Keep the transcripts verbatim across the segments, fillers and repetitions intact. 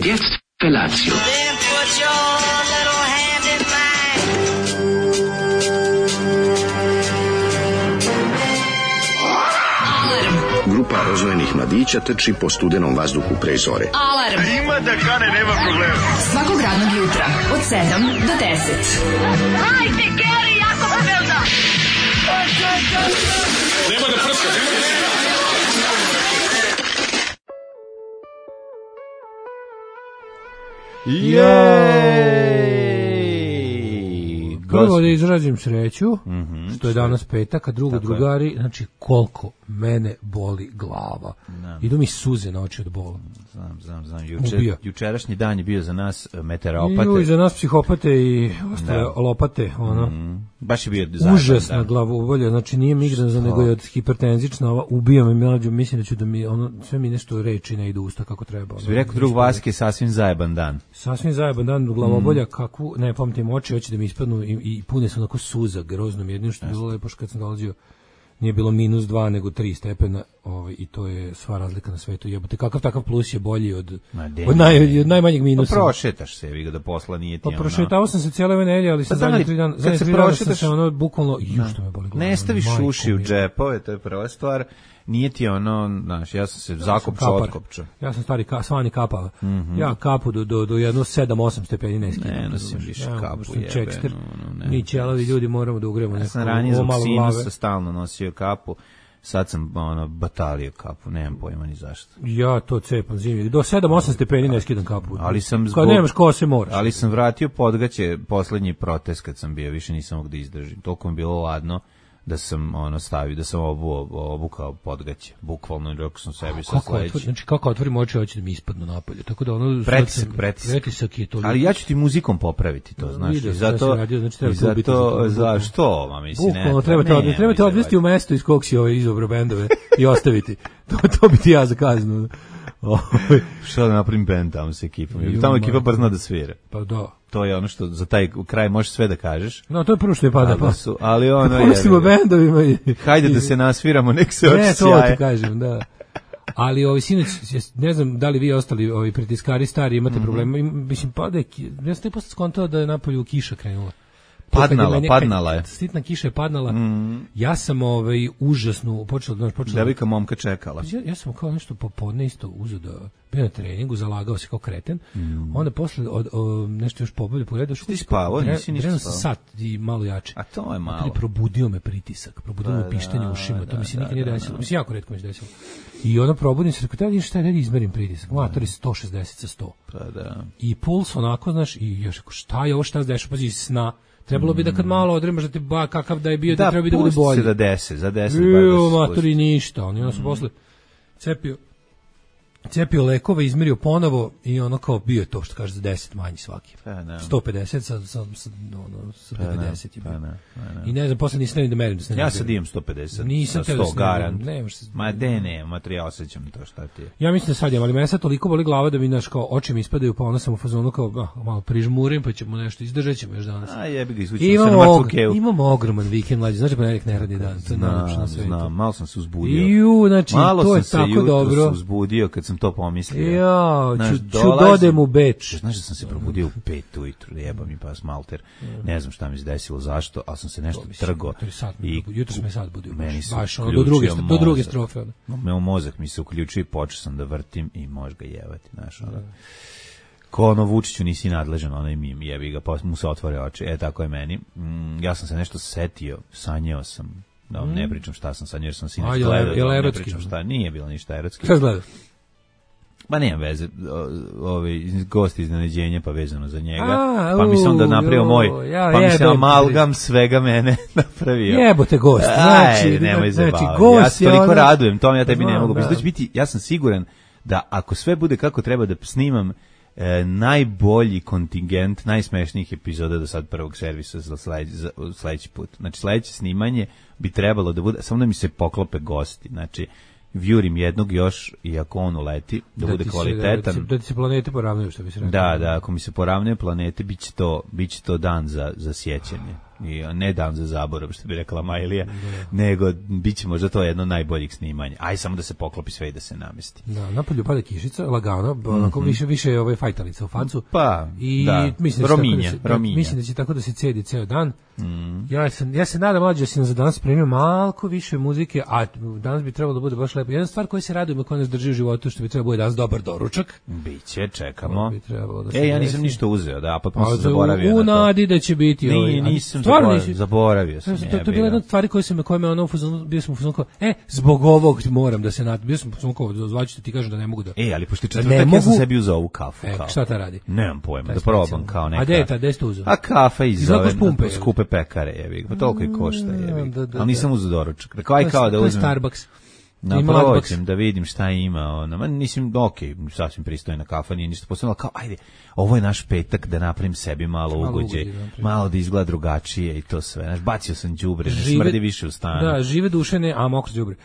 Und jetzt Felatio. Then put your little hand in mine. Grupa rozvojenih mladića trči po studenom vazduhu pre zore. Alarm. Ima da kane, nema problema. Svakog radnog jutra od sedam do deset. Hajde, Geri, jako se velda. Nema da prska, nema da prska. Jej! Prvo da izrazim sreću, Mm-hmm. što je danas petak, a drugo, Tako drugari, je. Znači, koliko mene boli glava. Da. Idu mi suze na oči od bola. Znam, znam, znam. Juče, Ubija. jučerašnji dan je bio za nas meteoropate. Ju, i za nas psihopate i ostale lopate, ono. Mm, baš je bio zajedno. Užasna glavobolja, znači nije migranza, nego je od hipertenzična, ova ubija me mlađu, mislim da ću da mi, ono, sve mi nešto reči ne ide u usta kako treba. Ono, bi rekao drug Vaske, sasvim zajeban dan. Sasvim zajeban dan, glavobolja, kakvu, ne pamtim oči, hoće da mi ispadnu i, i pune su onako suza, grozno mi jedino što je bilo lepo što kad sam dolazio, nije bilo minus dva nego tri stepena, ovaj, i to je sva razlika na svetu. Jebote, kakav takav plus je bolji od, od, naj, od najmanjeg minusa. Pa prošetaš se, vi ga da posla nije ti. Pa prošetao sam se cijele ove nedelje, ali sam pa zadnje tri dana, zadnje tri dana sam se ono bukvalno, ju što me boli glava. Ne staviš uši u džepove, to je prva stvar. Nije ti ono, znaš, ja sam se zakopčao, otkopčao. Ja sam stari ka, svani kapava. Mm-hmm. Ja kapu do, do, do jedno sedam osam stepeni ne skidam. Ne, nosim više ja, kapu jebe. No, no, mi ćelavi ljudi moramo da ugremo neko. Ja sam ranije zbog sinusa stalno nosio kapu. Sad sam ono batalio kapu, nemam pojma ni zašto. Ja to cepam zimi. Do sedam osam stepeni ne skidam kapu. Ali sam zbog, kad nemaš kose moraš. Ali sam vratio podgaće poslednji protest kad sam bio, više nisam mogao da izdržim. Toliko mi bilo ladno da sam ono stavio, da sam obu, obukao podgaće, bukvalno rekao sam sebi sa sledeći. Znači kako otvorim oči, hoće da mi ispadnu napolje. Tako da ono pretisak, pretisak. pretisak je to. Ali ja ću ti muzikom popraviti to, znaš. Vidio, zato radio, znači treba zato zašto, ma mislim, ne. Bukvalno treba te odvesti, treba te odvesti u mesto iz kog si ovaj izobro bendove i ostaviti. To to bi ti ja za kaznu. Šta da napravim bend tamo sa ekipom? Jer tamo ekipa bar zna da svira. Pa da. To je ono što za taj kraj možeš sve da kažeš. No, to je prvo što je pada. Pa. Su, ali ono je... Pustimo bendovima i... Hajde da se nasviramo, nek se oči sjaje. Ne, to sjaje. ti kažem, da. Ali ovaj sinoć, ne znam da li vi ostali ovi pritiskari stari imate mm-hmm. problema, mislim pada je, ja sam te posle skontao da je napolju kiša krenula. Padnala, je, padnala je. Sitna kiša je padnala. Mm. Ja sam ovaj užasno počeo da počeo. Devojka momka čekala. Ja, ja sam kao nešto popodne isto uzeo da bio na treningu, zalagao se kao kreten. Mm. Onda posle od, od, nešto još pobolje pogledao što ti spavao, nisi ništa spavao. Sat i malo jače. A to je malo. Ali probudio me pritisak, probudio me pištanje u ušima, to mi se nikad nije desilo. Mislim jako retko mi se desilo. I ono probudim se, rekao, da vidiš šta je, da izmerim pritisak. Matori sto šezdeset sa sto. Pa da. I puls onako, znaš, i još rekao, šta je ovo, šta se dešava, pazi, sna. Trebalo bi da kad malo odremaš da te ba kakav da je bio da, da treba bi da bude bolje. Da, pusti se da deset, za deset bar da se matori ništa, on je ono su posle cepio cepio lekove, izmerio ponovo i ono kao bio je to što kaže za deset manji svaki. Pa, sto pedeset sa sa sa ono sa pa, pedeset pa, ne, pa, ne. I ne znam posle nisam ni da merim da se ne. Ja sad imam sto pedeset. Nisam sto garant. Ne, ma de ne, materijal osjećam to šta ti je. Ja mislim da sad imam, ali mene sad toliko boli glava da mi naš kao oči mi ispadaju, pa onda sam u fazonu kao ah, malo prižmurim, pa ćemo nešto izdržaćemo još danas. A jebi ga izvučemo se na mrtvu. Imamo ogroman vikend mlađi, znači ponedjeljak neradni dan, to je najlepše na svetu. Znam, malo sam se uzbudio. Ju, znači malo to je tako dobro. Malo sam se uzbudio kad sam to pomislio. Ja, ću, ću dodem u Beč. Znaš da sam se probudio u pet ujutru, jeba mi pas malter. Ne znam šta mi se desilo, zašto, ali sam se nešto trgo. I jutro sam me sad budio. Meni se baš ono, do druge, do druge strofe. Meo mozak mi se uključio i počeo sam da vrtim i može ga jevati, znaš, ono. Ko ono Vučiću nisi nadležan, onaj mim, jebi ga, pa mu se otvore oči. E, tako je meni. Mm, ja sam se nešto setio, sanjao sam. No, mm. ne pričam šta sam sanjao, jer sam sinoć gledao. Je ne pričam šta, nije bilo ništa erotski. Šta gledao? Ma nema veze, ovaj gost iznenađenja pa vezano za njega. A, pa mi se onda napravio moj, ja, pa mi se amalgam svega mene napravio. Jebote gost. Znači, Aj, nemoj znači gost. Ja se toliko ono... radujem, to ja tebi ne mogu. Da. Biti, ja sam siguran da ako sve bude kako treba da snimam e, najbolji kontingent najsmešnijih epizoda do sad prvog servisa za sledeći, za sledeći put. Znači sledeće snimanje bi trebalo da bude samo da mi se poklope gosti. Znači vjurim jednog još i ako on uleti da, da bude kvalitetan. Se, da, da ti se planete poravnaju, što bi se rekao. Da, da, ako mi se poravnaju planete, biće to, biće to dan za, za sjećanje. I ne dan za zaborav, što bi rekla Majlija, nego bit će možda to jedno od najboljih snimanja. Aj samo da se poklopi sve i da se namesti. Da, napolju pada kišica, lagano, onako mm-hmm. više više ove fajtalica u facu. Pa, i da. Mislim da Rominje, da se, rominje. Mislim da će tako da se cedi ceo dan. Mm. Ja se ja se nadam mlađe da si nam za danas spremio malko više muzike, a danas bi trebalo da bude baš lepo. Jedna stvar koja se raduje, koja nas drži u životu, što bi trebalo bude danas dobar doručak. Biće, čekamo. Bi da e, ja nisam desi. ništa uzeo, da, pa sam se zaboravio. U nadi da će biti ovaj. Nije, nisam zaboravio, nisi... zaboravio sam. To, to, to je bila jedna od stvari koje se me, koje me ono, bio sam u fuzonu, e, zbog ovog moram da se natim, bio sam u fuzonu, zvaću ti kažem da ne mogu da... E, ali pošto četvrtak ja sam sebi uzao ovu kafu. E, šta ta radi? Nemam pojma, da probam kao neka... A gde je ta, gde ste uzeo? A kafa iz ove skupe pekare, jebi. Pa toliko i košta, jebi. Ali nisam uzeo doručak. Rekao, aj kao da uzmem... To je Starbucks. Naproćem da vidim šta ima ona. Ma mislim, okej, okay, sasvim pristojna kafa, nije ništa posebno, kao ajde, ovo je naš petak da napravim sebi malo ugođe, malo da izgleda drugačije i to sve. Znaš, bacio sam đubre, ne smrdi više u stanu. Da, žive duše ne, a mokro đubre.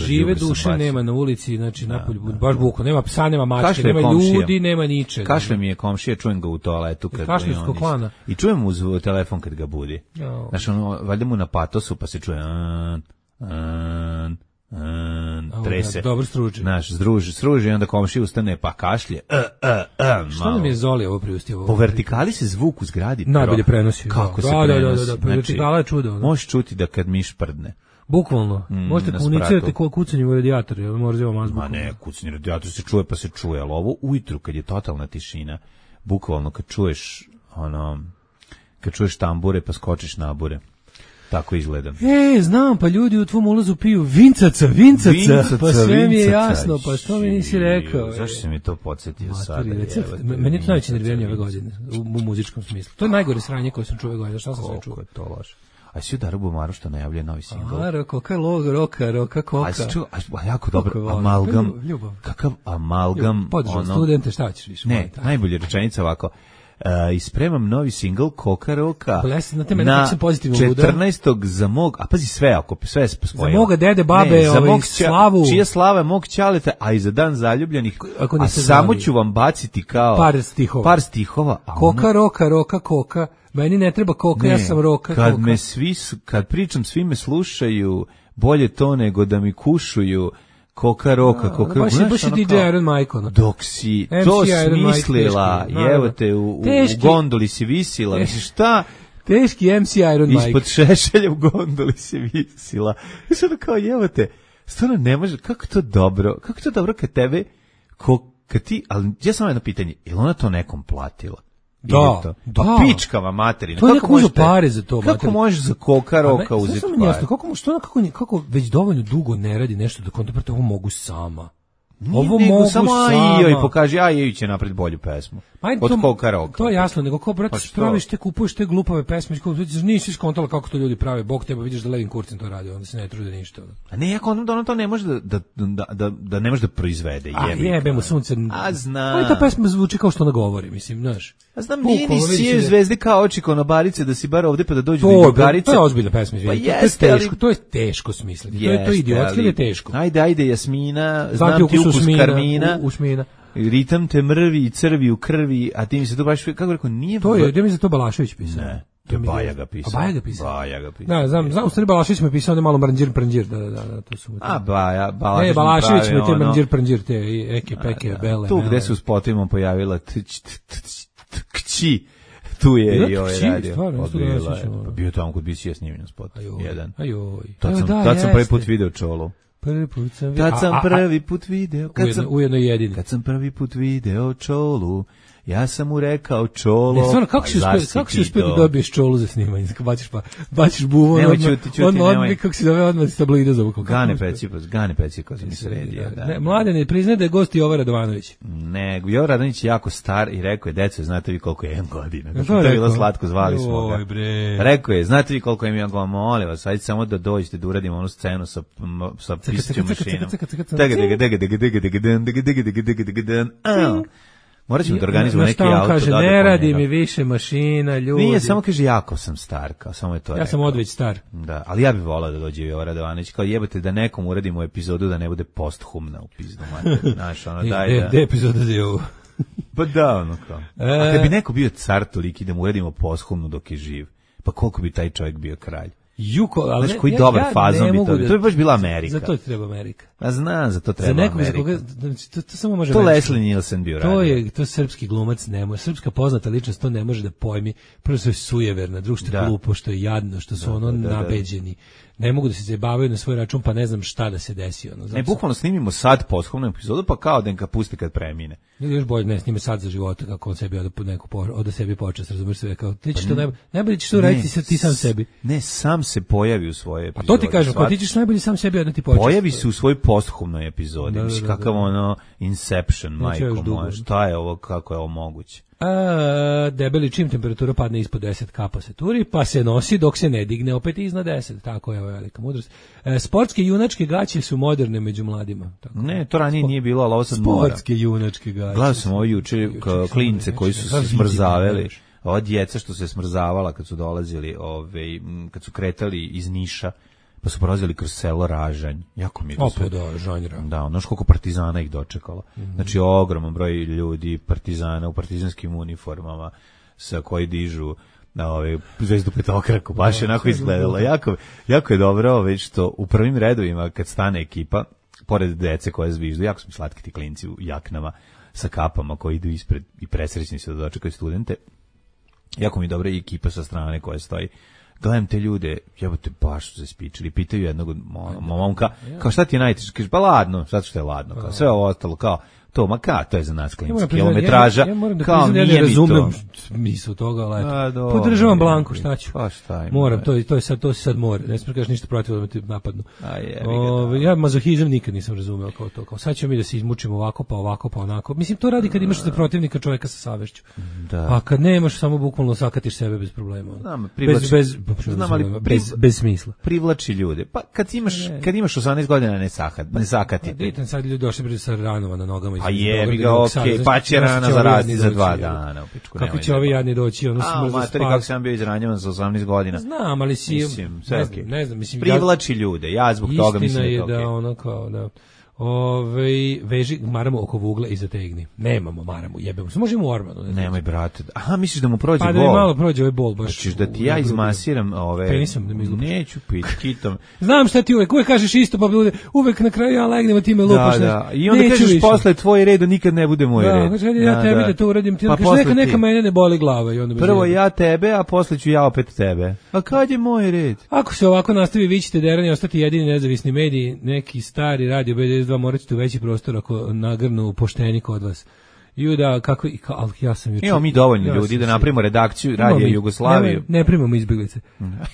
Žive duše nema na ulici, znači da, napolju, da, baš buko, nema psa, nema mačke, nema komšija. Ljudi, nema ničega. Kašle mi je komšija, čujem ga u toaletu kad Kašljevskog klana. I čujem uz telefon kad ga budi. Oh. Znaš, ono, valjda mu na patosu pa se čuje an, an, Mm, trese. Ja, dobro struži. Naš združi, struži i onda komšija ustane pa kašlje. Uh, uh, uh, Šta nam je Zoli ovo priustio? Po vertikali se zvuk u zgradi najbolje prenosi. Kako da, se da, prenosi? Da, da, da, da. Vertikala je čudo. Možeš čuti da kad miš prdne. Bukvalno. Mm, možete komunicirati kao kucanjem u radijator, jel moramo mazbukom. Ma ne, kucanje u radijator se čuje pa se čuje, ali ovo ujutru kad je totalna tišina, bukvalno kad čuješ ono, kad čuješ tambure pa skočiš na bure. Tako izgledam. E, znam, pa ljudi u tvom ulazu piju vincaca, vincaca, vincaca pa sve vincaca. Mi je jasno, pa što mi nisi rekao? Zašto si mi to podsjetio sada? Meni je to najveće nerviranje ove godine, u, u muzičkom smislu. To je najgore sranje koje sam čuo ove godine, šta sam sve čuo? Koliko je to loše. A si udara Bumaru što najavlja novi singl? A, roka, koka, loga, roka, roka, koka. A si čuo, a jako dobro, amalgam, kakav amalgam, ono... studente, šta ćeš više? Ne, najbolja rečenica ovako, Uh, ispremam novi singl Koka Roka Blesi, na, na četrnaestog za mog, a pazi sve ako sve spojilo. Za moga dede, babe, ne, ovaj, mog ča, slavu. Čija slava mog čaleta, a i za dan zaljubljenih, a samo ću vam baciti kao par stihova. Par stihova a Koka ona... Roka, Roka, Koka. Meni ne treba koka, ne, ja sam Roka, kad koka. Me svi, kad pričam, svi me slušaju, bolje to nego da mi kušuju. Koka Roka, Koka Roka. Baš, baš je D J Iron Mike. Ono. Dok si M C to smislila, evo te, u, u gondoli si visila, misliš šta? Teški M C Iron Mike. Ispod šešelja u gondoli si visila. Mislim da kao, evo te, stvarno ne može, kako to dobro, kako to dobro kad tebe, ko, kad ti, ali ja sam jedno pitanje, je li ona to nekom platila? Da, to? da. Pa pičkava materina. To je neko uzeo pare za to. Kako materina. Možeš za Koka Roka uzeti pare? Jasno, kako, što, kako, kako već dovoljno dugo ne radi nešto da kontemplate, ovo mogu sama. Nije, ovo nego, mogu samo sama. Samo i pokaži, a i će napred bolju pesmu. Ajde, od Koka Roka. To je jasno, nego ko, brate, pa praviš te, kupuješ te glupave pesme, nisi skontala kako to ljudi prave, Bog tebe, vidiš da Levin Kurcin to radi, onda se ne trude ništa. A ne, ako ono, ono to ne može da, da, da, da, da ne može da proizvede. A jebe mu sunce. A znam. Ali ta pesma zvuči kao što ona govori, mislim, znaš. A znam, nije ni sije zvezde kao oči konobarice da si bar ovde pa da dođu do Jugarice. To je ozbiljna pesma, izvinite. Pa jeste, to je teško, to je teško smisliti. To je to idiotski ili je teško. Ajde, ajde, Jasmina, znam ti ukus karmina. Usmina. Ritam te mrvi i crvi u krvi, a ti mi se to baš, kako rekao, nije... To je, gdje mi se to Balašević pisao? Ne, to je Baja ga pisao. A Baja ga pisao? Baja ga pisao. Da, znam, znam, u stvari Balašević mi je pisao, ne malo mrnđir, prnđir, da, da, da, to su... A, Baja, Balašević ne, Balašević mi je te mrnđir, prnđir, te eke, peke, bele... Tu gde se u spotovima pojavila kći, tu je i ovaj radio. Pa bio tamo kod B C S snimljen spot, jedan. Ajoj. Tad sam prvi put video Čolu. Prvi put sam video. Kad sam prvi put video, kad ujedno, sam ujedno jedini. Kad sam prvi put video Čolu, ja sam mu rekao Čolo. Ne, stvarno, kako si uspio, kako si uspio da dobiješ Čolu za snimanje? Baciš pa, baciš buvo, nemoj čuti, čuti, on, on, nemoj. Kako si dove odmah s tabloida za vukom. Gane Pecikos, Gane Pecikos mi sredio. Da, ne, mlade ne priznaje da je gost Jovan Radovanović. Ne, Jovan Radovanović je jako star i rekao je, deco, znate vi koliko je jedan godina. To je bilo slatko, zvali smo ga. Rekao je, znate vi koliko je jedan godina, molim vas, ajde samo da dođete da uradimo onu scenu sa, sa pisaćom mašinom. Morat ćemo da organizujemo neki auto. Kaže, ne radi mi više mašina, ljudi. Nije, samo kaže, jako sam star, kao samo je to ja rekao. sam odveć star. Da, ali ja bih volao da dođe Jovan Radovanović, kao jebate da nekom uradimo epizodu da ne bude posthumna u pizdu, mater. Znaš, ono, daj da... Gde epizoda da je ovo? Pa da, ono kao. A kad bi neko bio car toliki da mu uradimo posthumnu dok je živ, Pa koliko bi taj čovjek bio kralj? Juko, ali znaš koji ja, dobar ja fazon bi to da, bio. To bi baš bila Amerika. Za to treba Amerika. A znam, za to treba za nekog, Amerika. Za koga, to, to samo može to Amerika. Leslie Nielsen bio radio. To je, to srpski glumac ne može, srpska poznata ličnost to ne može da pojmi. Prvo što je sujeverna, drugo što je glupo, što je jadno, što su da, ono da, da, nabeđeni. Ne mogu da se zabavaju na svoj račun, pa ne znam šta da se desi. Ono, ne, bukvalno snimimo sad posthumnu epizodu, pa kao da ga pusti kad premine. Ili još bolje, ne, snime sad za života, kako on sebi od neku od sebi počast, razumiješ sve, kao ti ćeš to najbolje, najbolje ćeš to raditi sad ti sam sebi. Ne, sam se pojavi u svojoj epizodi. Pa to ti kažem, kao ti ćeš najbolje sam sebi odati počast. Pojavi se u svojoj posthumnoj epizodi, da, mislim, da, da, kakav ono Inception, majko moja, šta je ovo, kako je ovo moguće? A, debeli čim temperatura padne ispod deset kapa se turi, pa se nosi dok se ne digne opet iznad deset, tako je ovo velika mudrost. E, sportske junačke gaće su moderne među mladima. Tako. Ne, to ranije nije bilo, ali ovo sad mora. Sportske junačke gaće. Gledao sam ovo juče klince koji su se smrzavali, ova djeca što se smrzavala kad su dolazili, ove, kad su kretali iz Niša, pa su prolazili kroz selo Ražanj. Jako mi je to sve. Opet da, žanjera. Da, ono koliko partizana ih dočekalo. Mm-hmm. Znači, ogroman broj ljudi, partizana u partizanskim uniformama, sa koji dižu na ove zvezdu petokraku, baš je onako izgledalo. Jako, jako je dobro ove, što u prvim redovima, kad stane ekipa, pored dece koje zviždu, jako su mi slatki ti klinci u jaknama sa kapama koji idu ispred i presrećni se da dočekaju studente. Jako mi je dobra i ekipa sa strane koja stoji. Gledam te ljude, jebote, baš su se spičili, pitaju jednog od momka, kao šta ti je najteže? Kaže, pa ladno, zato što je ladno, kao sve ovo ostalo, kao, to, ma ka, to je za nas klinci, kilometraža, ja, ja moram da kao priznam, nije ja ne mi to. razumem smisao toga, ali A, eto, dobro, podržavam Blanku, šta ću? Pa šta im, moram, to, to je sad, to se sad mora, ne smiješ ništa protiv da me ti napadnu. A je, o, ja mazohizam nikad nisam razumeo kao to, kao sad ćemo mi da se izmučimo ovako, pa ovako, pa onako. Mislim, to radi kad imaš za protivnika čovjeka sa savešću. Da. A kad nemaš, samo bukvalno sakatiš sebe bez problema. Znam, privlači, bez, bez, znam, ali bez, bez, bez smisla. Privlači ljude. Pa kad imaš, kad imaš osamnaest godina ne sakat, ne sakatite. Ditan sad ljudi došli sa ranova na nogama. Pa jebi ga, okej, pa će rana zaraziti za dva dana. Kako će ovi jadni doći, ono smrzo spas. A, materi, kako sam bio izranjavan za osamnaest godina. Znam, ali si, mislim, ne, znam, ne znam, mislim. Privlači ljude, ja zbog toga mislim da je to okej. Istina je da ono kao, da, ove, veži maramu oko vugla i zategni. Nemamo maramu, jebemo se, možemo u ormanu. Ne nemoj, brate. Aha, misliš da mu prođe pa, bol? Pa da mi malo prođe ovaj bol, baš. Hoćeš da ti ja izmasiram ove... Penisom da mi izlupaš. Neću piti, kitom. Znam šta ti uvek, uvek kažeš isto, pa bude, uvek na kraju ja legnem, a ti me lupaš. Da, da. I onda kažeš posle tvoj red, nikad ne bude moj da, red. Kaže, ja da, tebi da, da to uradim, ti pa kažeš, neka, neka mene ne boli glava. I onda prvo ja tebe, a posle ću ja opet tebe. A kad je moj red? Ako se ovako nastavi, vi ćete derani ostati jedini nezavisni mediji, neki stari radio B devedeset dva morat ćete u veći prostor ako nagrnu pošteni kod vas. I da, kako, ali ja sam juče... Imamo mi dovoljno ja ljudi da napravimo redakciju Radija Jugoslaviju. Ne, ne primamo izbjeglice.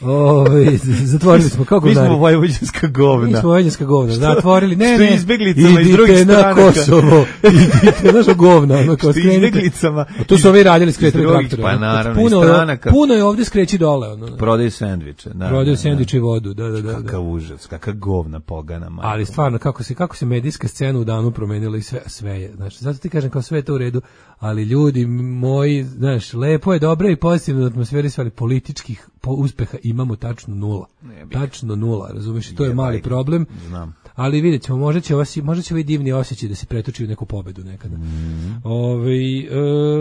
Ove, zatvorili smo, kako mi smo vojvođanska govna. Mi smo vojvođanska govna, zatvorili. Ne, što ne, izbjeglicama iz drugih stranaka. Idite na Kosovo, idite naša govna. Ono, kao što izbjeglicama. Tu su ovi radili skretali traktora. Pa naravno, puno, iz stranaka. Puno je ovdje skreći dole. Ono, prodaju sendviče. Da, prodaju sendviče i vodu, da, da, da. Kakav užas, kakav govna pogana. Majko. Ali stvarno, kako se, kako se medijska scena u danu promenila i sve, sve je. Znači, zato ti kažem kao sve je to u redu. Ali ljudi moji, znaš, lepo je, dobro i pozitivno atmosferi, ali političkih uspeha imamo tačno nula. Tačno nula, razumiješ? To je mali problem. Znam. Ali vidjet ćemo, možda će, vas, možda će ovaj divni osjećaj da se pretoči u neku pobedu nekada. Mm. Ove,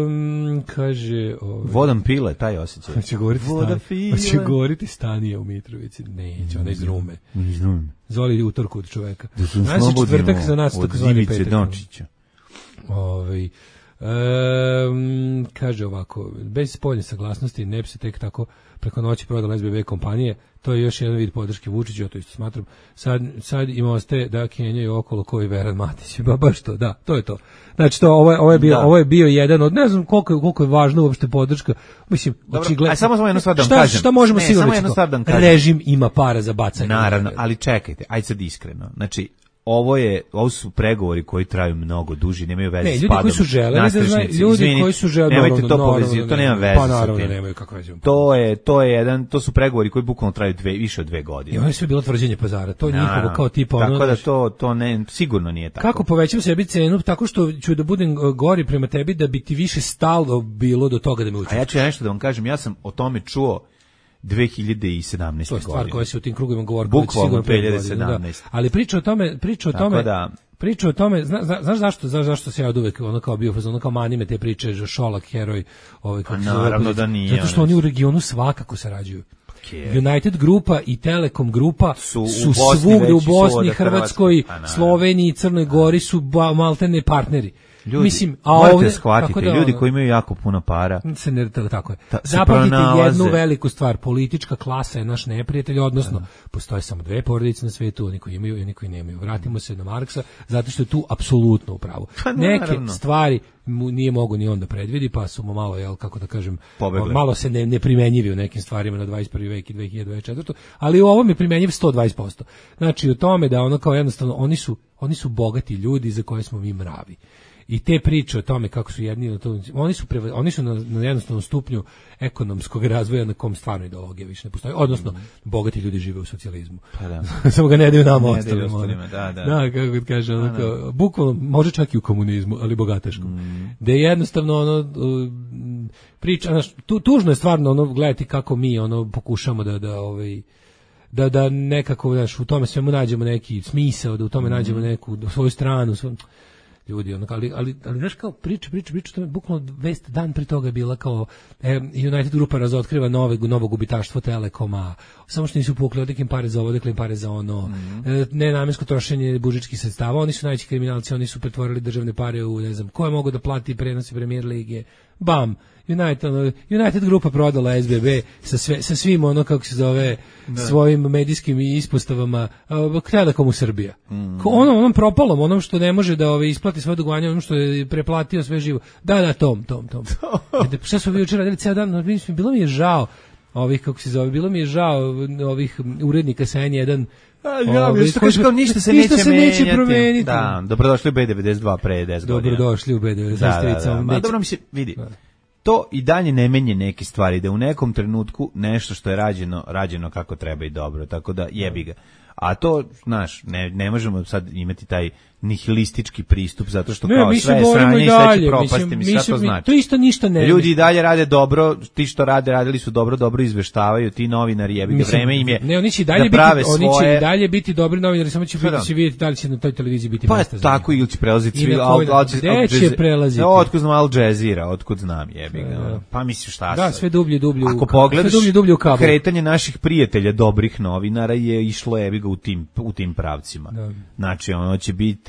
um, kaže... Ove, Vodam pile, taj osjećaj. Hoće govoriti, stan, hoće govoriti Stanija u Mitrovici. Neće, ona iz Rume. Iz Rume. Zoli utorku od čoveka. Da su slobodimo od Ivice Dončića. Ove, Um, kaže ovako, bez spoljne saglasnosti ne bi se tek tako preko noći prodala S B B kompanije, to je još jedan vid podrške Vučiću, ja to isto smatram. Sad, sad im ostaje da kenjaju okolo koji Veran Matić, ba baš to, da, to je to. Znači to, ovo je, ovo je, bio, ovo je bio jedan od, ne znam koliko, koliko je važno uopšte podrška, mislim, očigledno. A samo samo jednu stvar da vam šta, kažem. Šta možemo ne, sigurno reći? Režim ima para za bacanje. Naravno, ali čekajte, ajde sad iskreno. Znači, ovo je ovo su pregovori koji traju mnogo duži, nemaju veze ne, s ljudi padom. Koji su želeli da znaju, ljudi izvini, koji su želeli, nemojte no, to no, povezivati, no, to nema veze. Pa naravno sa tim. nemaju kakve veze. To je to je jedan, to su pregovori koji bukvalno traju dve više od dve godine. I ovo je sve bilo tvrđenje pazara. To je njihovo kao tipa ono. Tako da to to ne sigurno nije tako. Kako povećam sebi cenu tako što ću da budem gori prema tebi da bi ti više stalo bilo do toga da me učiš. A ja ću nešto da vam kažem, ja sam o tome čuo dve hiljade sedamnaeste. To je stvar koja se u tim krugovima govori bukvalno dve hiljade sedamnaeste. Da. Ali priča o tome, priča o tako tome. Da, priča o tome, zna, zna, znaš zašto, znaš zašto se ja od uvek ono kao bio ono kao manime te priče, Šolak heroj, ovaj kako se naravno da nije. Zato što oni u regionu svakako sarađuju. United grupa i Telekom grupa su, su svugde u Bosni, Hrvatskoj, Sloveniji, Crnoj Gori su ba, maltene partneri. Ljudi, mislim, a morate ovdje, shvatiti, da, ljudi koji imaju jako puno para. Se ne, tako je. Ta, zapamtite jednu veliku stvar, politička klasa je naš neprijatelj, odnosno, postoje samo dve porodice na svetu, oni koji imaju i oni koji nemaju. Vratimo se na Marksa, zato što je tu apsolutno u pravu. Pa, neke stvari mu nije mogo ni on da predvidi, pa su mu malo, jel, kako da kažem, Pobegle. malo se ne, ne primenjivi u nekim stvarima na dvadeset prvi vek i dve hiljade dvadeset četvrti ali u ovom je primenjiv sto dvadeset posto. Znači, u tome da ono kao jednostavno, oni su, oni su bogati ljudi za koje smo mi mravi. I te priče o tome kako su jedni, oni su preva, oni su na, na jednostavnom stupnju ekonomskog razvoja na kom stvarno ideologija više ne postoji. Odnosno, mm. bogati ljudi žive u socijalizmu. Pa da. Samo ga ne daju nama ostalima. Da, da. Da, kako kaže, ono, kao, bukvalno, može čak i u komunizmu, ali bogateškom. Mm. Da je jednostavno ono, priča, znaš, tu, tužno je stvarno ono, gledati kako mi ono, pokušamo da, da ovaj, da, da nekako, znaš, u tome svemu nađemo neki smisao, da u tome mm. nađemo neku svoju stranu, svoju, ljudi, ono, ali, ali, ali znaš kao priča, priča, priča, to je bukvalno vest dan pri toga je bila kao e, United grupa razotkriva nove, novo gubitaštvo Telekoma, samo što nisu pukli odekim pare za ovo, odekle im pare za ono, mm-hmm. e, nenamensko trošenje budžetskih sredstava, oni su najveći kriminalci, oni su pretvorili državne pare u, ne znam, ko je mogo da plati prenosi Premier lige, bam, United, United grupa prodala S B B sa, sve, sa svim ono, kako se zove, da. Svojim medijskim ispostavama, uh, Telekom u Srbija. Mm. Ono, onom propalom, onom što ne može da ove, isplati svoje dugovanje, onom što je preplatio sve živo. Da, da, tom, tom, tom. Šta su vi jučer radili cijel dan? Bilo mi je žao ovih, kako se zove, bilo mi je žao ovih urednika sa N jedan. A, ja, Ovi, što kaže kao ništa se ništa neće se neće promeniti. Da, dobrodošli u B devedeset dva pre deset godina. Dobrodošli u B devedeset dva. Da, da, da. Ma, dobro mi se vidi. Da. To i dalje ne menje neke stvari, da u nekom trenutku nešto što je rađeno, rađeno kako treba i dobro, tako da jebi ga. A to, znaš, ne, ne možemo sad imati taj nihilistički pristup, zato što ne, kao sve je sranje i sve će propasti, mi šta to znači? To isto ništa ne. Ljudi i dalje rade dobro, ti što rade, radili su dobro, dobro izveštavaju, ti novinari jebi ga, vreme im je ne, oni će dalje da biti, svoje... oni će dalje biti dobri novinari, samo će biti, će vidjeti da li će na toj televiziji biti pa mesta za tako ili će prelaziti svi, al gde će prelaziti? Otkud znam Al Jazeera, otkud znam jebi ga. Pa misliš šta da, sve dublje, dublje. Ako pogledaš kretanje naših prijatelja dobrih novinara je išlo jebi ga u tim u tim pravcima. Da. Znači ono će biti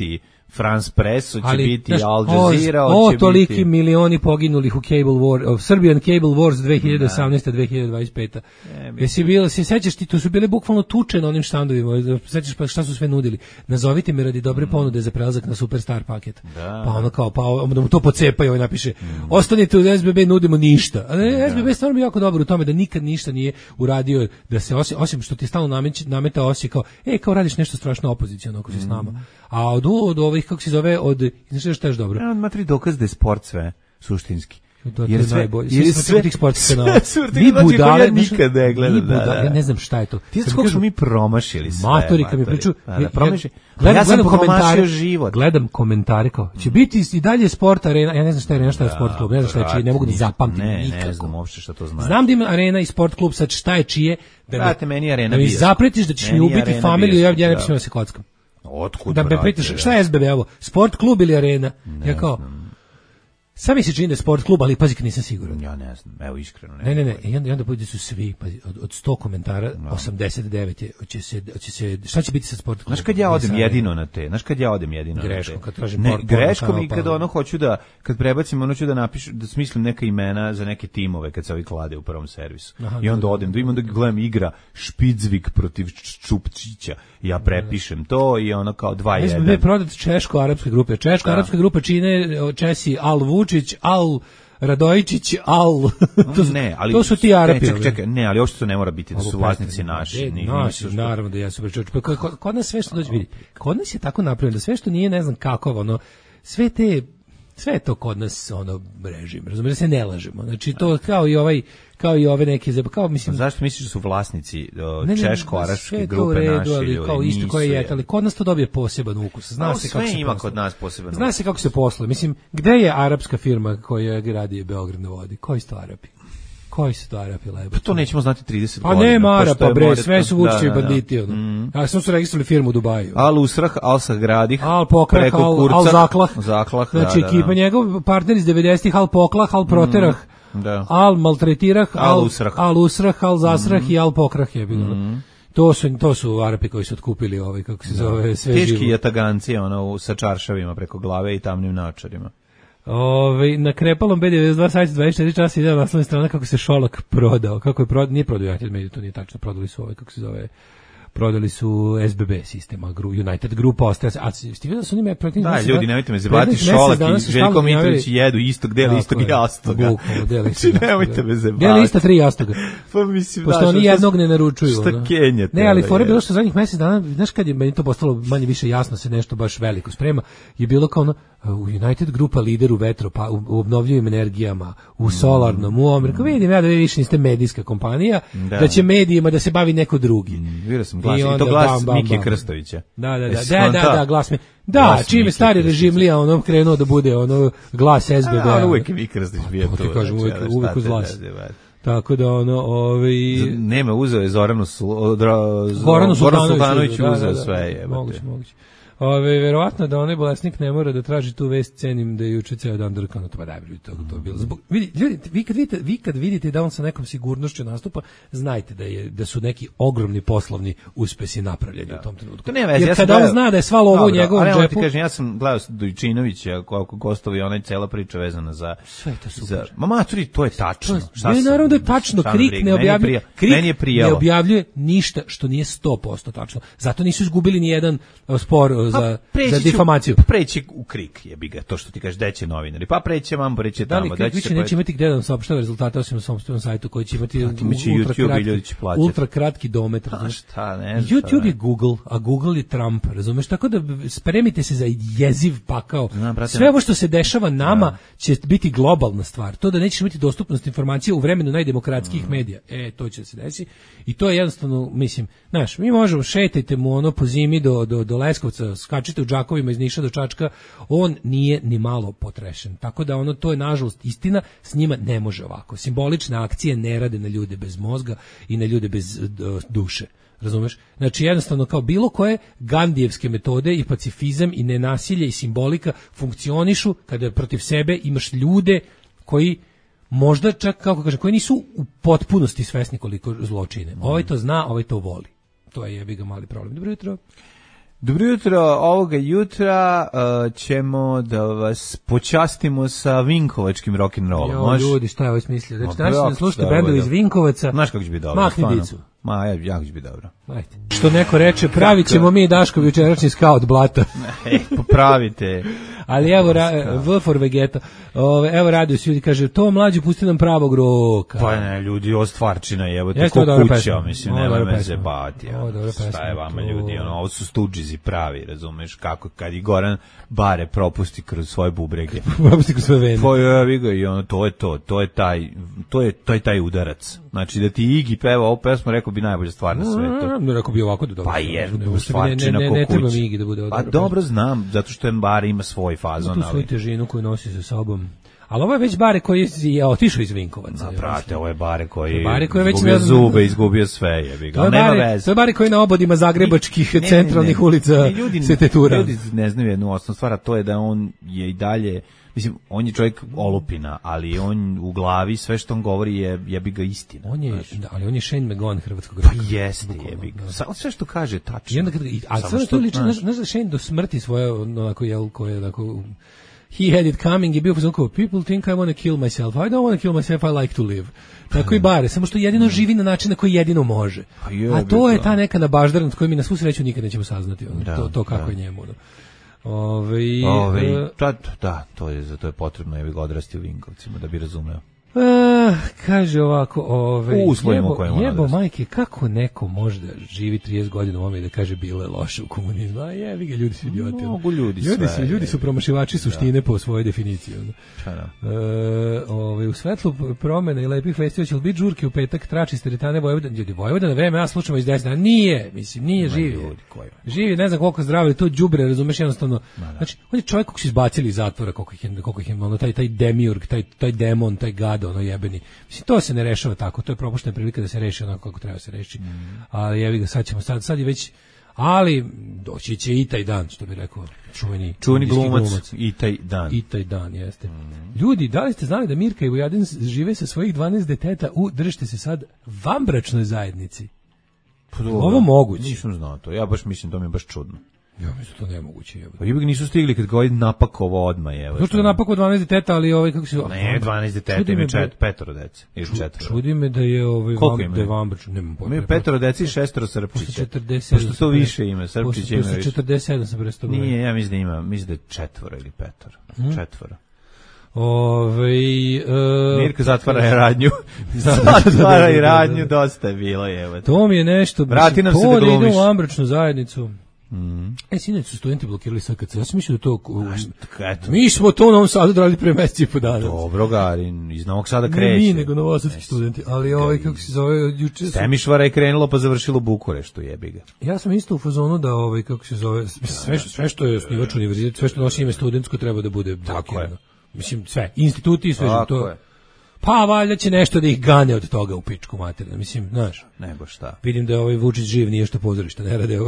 France Press, će ali, biti znaš, Al Jazeera, o, će o toliki biti... milioni poginulih u Cable War, of Serbian Cable Wars dve hiljade osamnaeste do dve hiljade dvadeset pete. E, Jesi bilo, se sećaš ti, to su bile bukvalno tuče na onim štandovima, sećaš pa šta su sve nudili. Nazovite mi radi dobre mm. ponude za prelazak na Superstar paket. Da. Pa ono kao, pa da mu to pocepaju i napiše, mm. ostanite u S B B, nudimo ništa. A ne, S B B stvarno bi jako dobro u tome da nikad ništa nije uradio, da se osim, osim što ti stalno nameta, nameta osje kao, e, kao radiš nešto strašno opoziciono ako si mm. s nama. A od, od ovih, kako se zove, od, znaš što je dobro? Ja, matri dokaz da je sport sve, suštinski. To je najbolje. Jer sve tih sportskih kanala. Mi budale ja nikad ne gledam. Da, da. Ja ne znam šta je to. Ti znaš kako smo mi promašili sve. Matori kad mi priču, da, promaši. Ja, ja sam promašio život. Gledam komentare kao, će biti i dalje sport arena. Ja ne znam šta je arena, šta je sport klub. Ne znam šta je čije, ne mogu da zapamtim nikako. Ne znam uopšte šta to znači. Znam da ima arena i sport klub, sad šta je čije. Brate, meni arena bio. Da mi zapretiš da ćeš mi ubiti familiju, ja ja ne pišem da se kockam. Otkud, da me pitaš šta je S B B ovo? Sport klub ili arena? Ja kao Sad mi se čini da je sport klub, ali pazi kad nisam siguran. Ja ne znam, evo iskreno ne. Ne, ne, ne, i onda, i onda bude su svi, pazi, od, od sto komentara, no. osamdeset devet je, će se, će se, šta će biti sa sport klubom? Znaš kad ja odem jedino na te, znaš kad ja odem jedino greškom, na te. Kad tražim ne, port, greškom i kad ono hoću da, kad prebacim, ono ću da napišu, da smislim neka imena za neke timove kad se ovi klade u prvom servisu. Aha, i onda da, odem, da imam da gledam igra Špicvik protiv Čupčića. Ja prepišem to i ono kao dva jedan. S B B prodat češko-arapske grupe. Češko-arapske grupe čine Česi Al Vučić, Al Radojičić, Al to, ne, ali to su ti Arapi. Čekaj, čekaj, ne, ali uopšte to ne mora biti da su vlasnici naši. Ne, naši, naravno da ja su pričao. Kod, kod nas sve što dođe vidi. Kod nas je tako napravljeno da sve što nije ne znam kako, ono, sve te sve je to kod nas ono režim, razumiješ, da se ne lažemo. Znači to kao i ovaj kao i ove neke kao mislim. A zašto misliš da su vlasnici češko-arapske grupe naše ljudi? Kao isto koje je, ali kod nas to dobije poseban ukus. Zna se kako se ima kod nas poseban. Zna se kako se posluje. Mislim, gde je arapska firma koja gradi Beograd na vodi? Koji su to Arapi? Koji su to Arapi lebo? Pa to nećemo znati trideset Pa godina. nema Arapa, bre, more, sve su Vučićevi da, da, da. banditi. Ono. Mm. Ja sam su registrovali firmu u Dubaju. Al Usrah, Al Sagradih, Al Pokrah, preko Al, Kurca, Al Zaklah. Zaklah, Znači, da, da, ekipa da. njegov, partner iz devedesetih, Al Poklah, Al Proterah, Mm, da. Al Maltretirah, Al Al Usrah. Al Usrah, Al Zasrah Mm. i Al Pokrah je bilo. Mm. To su, to su Arapi koji su otkupili ovaj, kako se zove, sve Teški živo. jataganci, ono, sa čaršavima preko glave i tamnim naočarima. Ove, na krepalom B devedeset dva sajtu dvadeset četiri časa ide na naslovnoj strani kako se Šolak prodao. Kako je prodao, nije prodao United Media, to nije tačno, prodali su ovaj, kako se zove, prodali su S B B sistema, United Grupa ostaje. A ste vidio da su njima protiv... Da, ljudi, nemojte me zabavati, Šolak i Željko Mitrović jedu istog, deli istog jastoga. Znači, nemojte me zabavati. Deli ista tri jastoga. Pa mislim, pošto oni jednog ne naručuju. Šta kenjate? Ne, ali fore bilo što zadnjih mjesec dana, znaš kad je meni to postalo manje više jasno, se nešto baš veliko sprema, je bilo kao ono, u United Grupa lider u vetro, pa u, u obnovljivim energijama, u solarnom, u Ameriku. Vidim ja da vi više niste medijska kompanija, da, da će medijima da se bavi neko drugi. Mm, vidio sam glas, i, i to glas Miki Krstovića. Da, da, da, da, da, da, glas mi. Da, čime stari režim Lija ono krenuo da bude ono glas S B B. A, uvijek je Miki Krstović bio to. Ti kažem, uvijek, uvijek uz glas. Tako da ono, ovaj nema, uzeo je Zoranu Goranu Sultanoviću, uzeo sve je. Moguće, moguće. Ove, verovatno da onaj bolesnik ne mora da traži tu vest, cenim da je juče ceo dan drkano, to pa da bi to, to bilo. Zbog, vidi, ljudi, vi kad vidite, vi kad vidite da on sa nekom sigurnošću nastupa, znajte da je da su neki ogromni poslovni uspesi napravljeni da. u tom trenutku. Ne veze, jer kada on zna da je sva lovo u njegovom džepu. Ali ti kažem, ja sam gledao Dojčinovića, kako gostovi, onaj cela priča vezana za sve to super. Za, ma maturi, to je tačno. Šta je naravno da je tačno, Krik ne objavljuje, Krik ne objavljuje ništa što nije sto posto tačno. Zato nisu izgubili ni jedan spor za, za difamaciju. Pa preći u Krik, jebi ga, to što ti kažeš, deće novinari. Pa preće vam, preće tamo. Da li Krik više neće imati gde da vam saopštava rezultate osim na svom sajtu koji će imati ultra kratki, ultra kratki domet. A šta, ne znam. YouTube je Google, a Google je Trump, razumeš? Tako da spremite se za jeziv pakao. Sve ovo što se dešava nama će biti globalna stvar. To da nećeš imati dostupnost informacije u vremenu najdemokratskijih medija. E, to će se desiti. I to je jednostavno, mislim, znaš, mi možemo, šetajte mu ono po zimi do, do, do Leskovca, skačite u džakovima iz Niša do Čačka, on nije ni malo potrešen. Tako da ono, to je nažalost istina, s njima ne može ovako. Simbolične akcije ne rade na ljude bez mozga i na ljude bez uh, duše. Razumeš? Znači jednostavno kao bilo koje gandijevske metode i pacifizam i nenasilje i simbolika funkcionišu kada protiv sebe imaš ljude koji možda čak, kako kažem, koji nisu u potpunosti svesni koliko zločine. Ovaj to zna, ovaj to voli. To je jebi ga mali problem. Dobro jutro. Dobro jutro, ovoga jutra uh, ćemo da vas počastimo sa vinkovačkim rock'n'rollom. Jo, Mož? Ljudi, šta je ovo smislio? Znači, danas ćemo slušati bendovi iz Vinkovaca. Znaš kako će biti dobro? Mahni dicu. Ma, ja, jako će biti dobro. Ajde. Što neko reče, pravit ćemo mi Daško jučerašnji skaut blata. E, popravite. Ali evo, V for Vegeta, evo radio se ljudi, kaže, to mlađi pusti nam pravog roka. Pa ne, ljudi, ovo stvarčina je, evo te ko kuća, mislim, nema me zebati. Šta je vama ljudi, ono, ovo su stuđizi pravi, razumeš, kako, kad i Goran Bare propusti kroz svoje bubrege. Propusti kroz svoje vene. Pa je, vi ga, i ono, to je to, to je taj, to je, to je taj udarac. Znači, da ti Igi peva ovu pesmu, rekao bi najbolja stvar na svetu. Ne, rekao bi ovako da dobro. Pa je, stvarčina ko kuća. Ne treba mi Igi da bude Pa dobro znam, zato što Bare ima svoj fazon. Tu svoju težinu koju nosi sa sobom. Ali ovo je već Bare koji je otišao iz Vinkovaca. Na prate, ovo je Bare koji Bare koji je izgubio zube, izgubio sve, jebi ga. Nema veze. To je Bare koji na obodima zagrebačkih ne, centralnih ne, ne, ulica ljudi, se tetura. Ljudi ne znaju jednu osnovnu stvar, a to je da on je i dalje, mislim, on je čovjek olupina, ali on u glavi sve što on govori je jebi ga istina. On je, da, ali on je Shane McGowan hrvatskog roka. Pa jeste, jebi ga. Sa, sve što kaže tačno. I onda kad, a sve što liči, znaš da Shane do smrti svoje, onako, jel, koje, onako, he had it coming, je bio kao, people think I want to kill myself, I don't want to kill myself, I like to live. Tako i Bare, samo što jedino živi na način na koji jedino može. A to je ta neka nabaždarnost koju mi na svu sreću nikad nećemo saznati, ono, da, to, to kako da. je njemu. Ono. Ove, Ove, uh, da, da, to je, za to je potrebno je ga odrasti u Vinkovcima da bi razumeo. Uh, kaže ovako, ove, jebo, jebo majke, kako neko može da živi trideset godina u ovome i da kaže bilo je loše u komunizmu, a jevi ga, ljudi su idioti. Mogu ljudi, ljudi sve. Su, ljudi su promašivači suštine da. po svojoj definiciji. Da. Uh, ove, u svetlu promjena i lepih vesti će li biti žurke u petak, trači s teretane Vojvodina, ljudi, Vojvodina V M A slušamo iz desna, nije, mislim, nije živi. Ljudi, koji? Živi, ne znam koliko zdravlje, to đubre, razumeš, jednostavno. Da. Znači, on je čovjek kog su izbacili iz zatvora, koliko ih je, koliko ih je, ono, taj, taj demiurg, taj, taj demon, taj gad, ono jebeni čuveni. Mislim, to se ne rešava tako, to je propuštena prilika da se reši onako kako treba se reši. Mm. Ali jevi ga, sad ćemo, sad, sad je već, ali doći će i taj dan, što bi rekao čuveni, čuveni glumac, glumac, i taj dan. I taj dan, jeste. Mm. Ljudi, da li ste znali da Mirka i Vujadin žive sa svojih dvanaest deteta u, držite se sad, vanbračnoj zajednici? Pa ovo moguće. Nisam znao to, ja baš mislim, to mi je baš čudno. Ja mislim to nemoguće. Pa ipak nisu stigli kad ga ovaj napakovo odmah je. Zato što je napakovo dvanaest deteta, ali ovaj kako se ne, dvanaest deteta, ima čet, petoro dece, ili četvoro. Čudi me da je ovaj vam, da je Vambrač, nemam pojma. Ima petoro dece i šestoro Srpčića. Pošto to više ima, Srpčić ima više. četrdeset sedam sam prestao. Nije, ja mislim da ima, mislim da je četvoro ili petoro. Hmm? Četvoro. Ovaj e, Mirka zatvara je radnju. Zatvara i radnju, dosta je bilo, evo. To mi je nešto, vrati nam se da glumiš. To ide u Vambračnu zajednicu. Mm. E, sinoć su studenti blokirali S K C. Ja sam mislio da to... Eto. Mi smo to u Novom Sadu radili pre meseci i po dana. Dobro, Garin, iz Novog Sada kreće. Ne mi, nego novosadski studenti. Ali ovaj, kako se zove, juče... Semišvara je krenulo pa završilo u Bukureštu, jebi ga. Ja sam isto u fazonu da, ovaj, kako se zove, sve, sve što je osnivač univerzitet, sve što nosi ime studentsko treba da bude blokirano. Mislim, sve, instituti i sve tako to... Je. Pa valjda će nešto da ih gane od toga u pičku materinu. Mislim, znaš. Nego šta. Vidim da je ovaj Vučić živ, nije što pozorišta ne rade.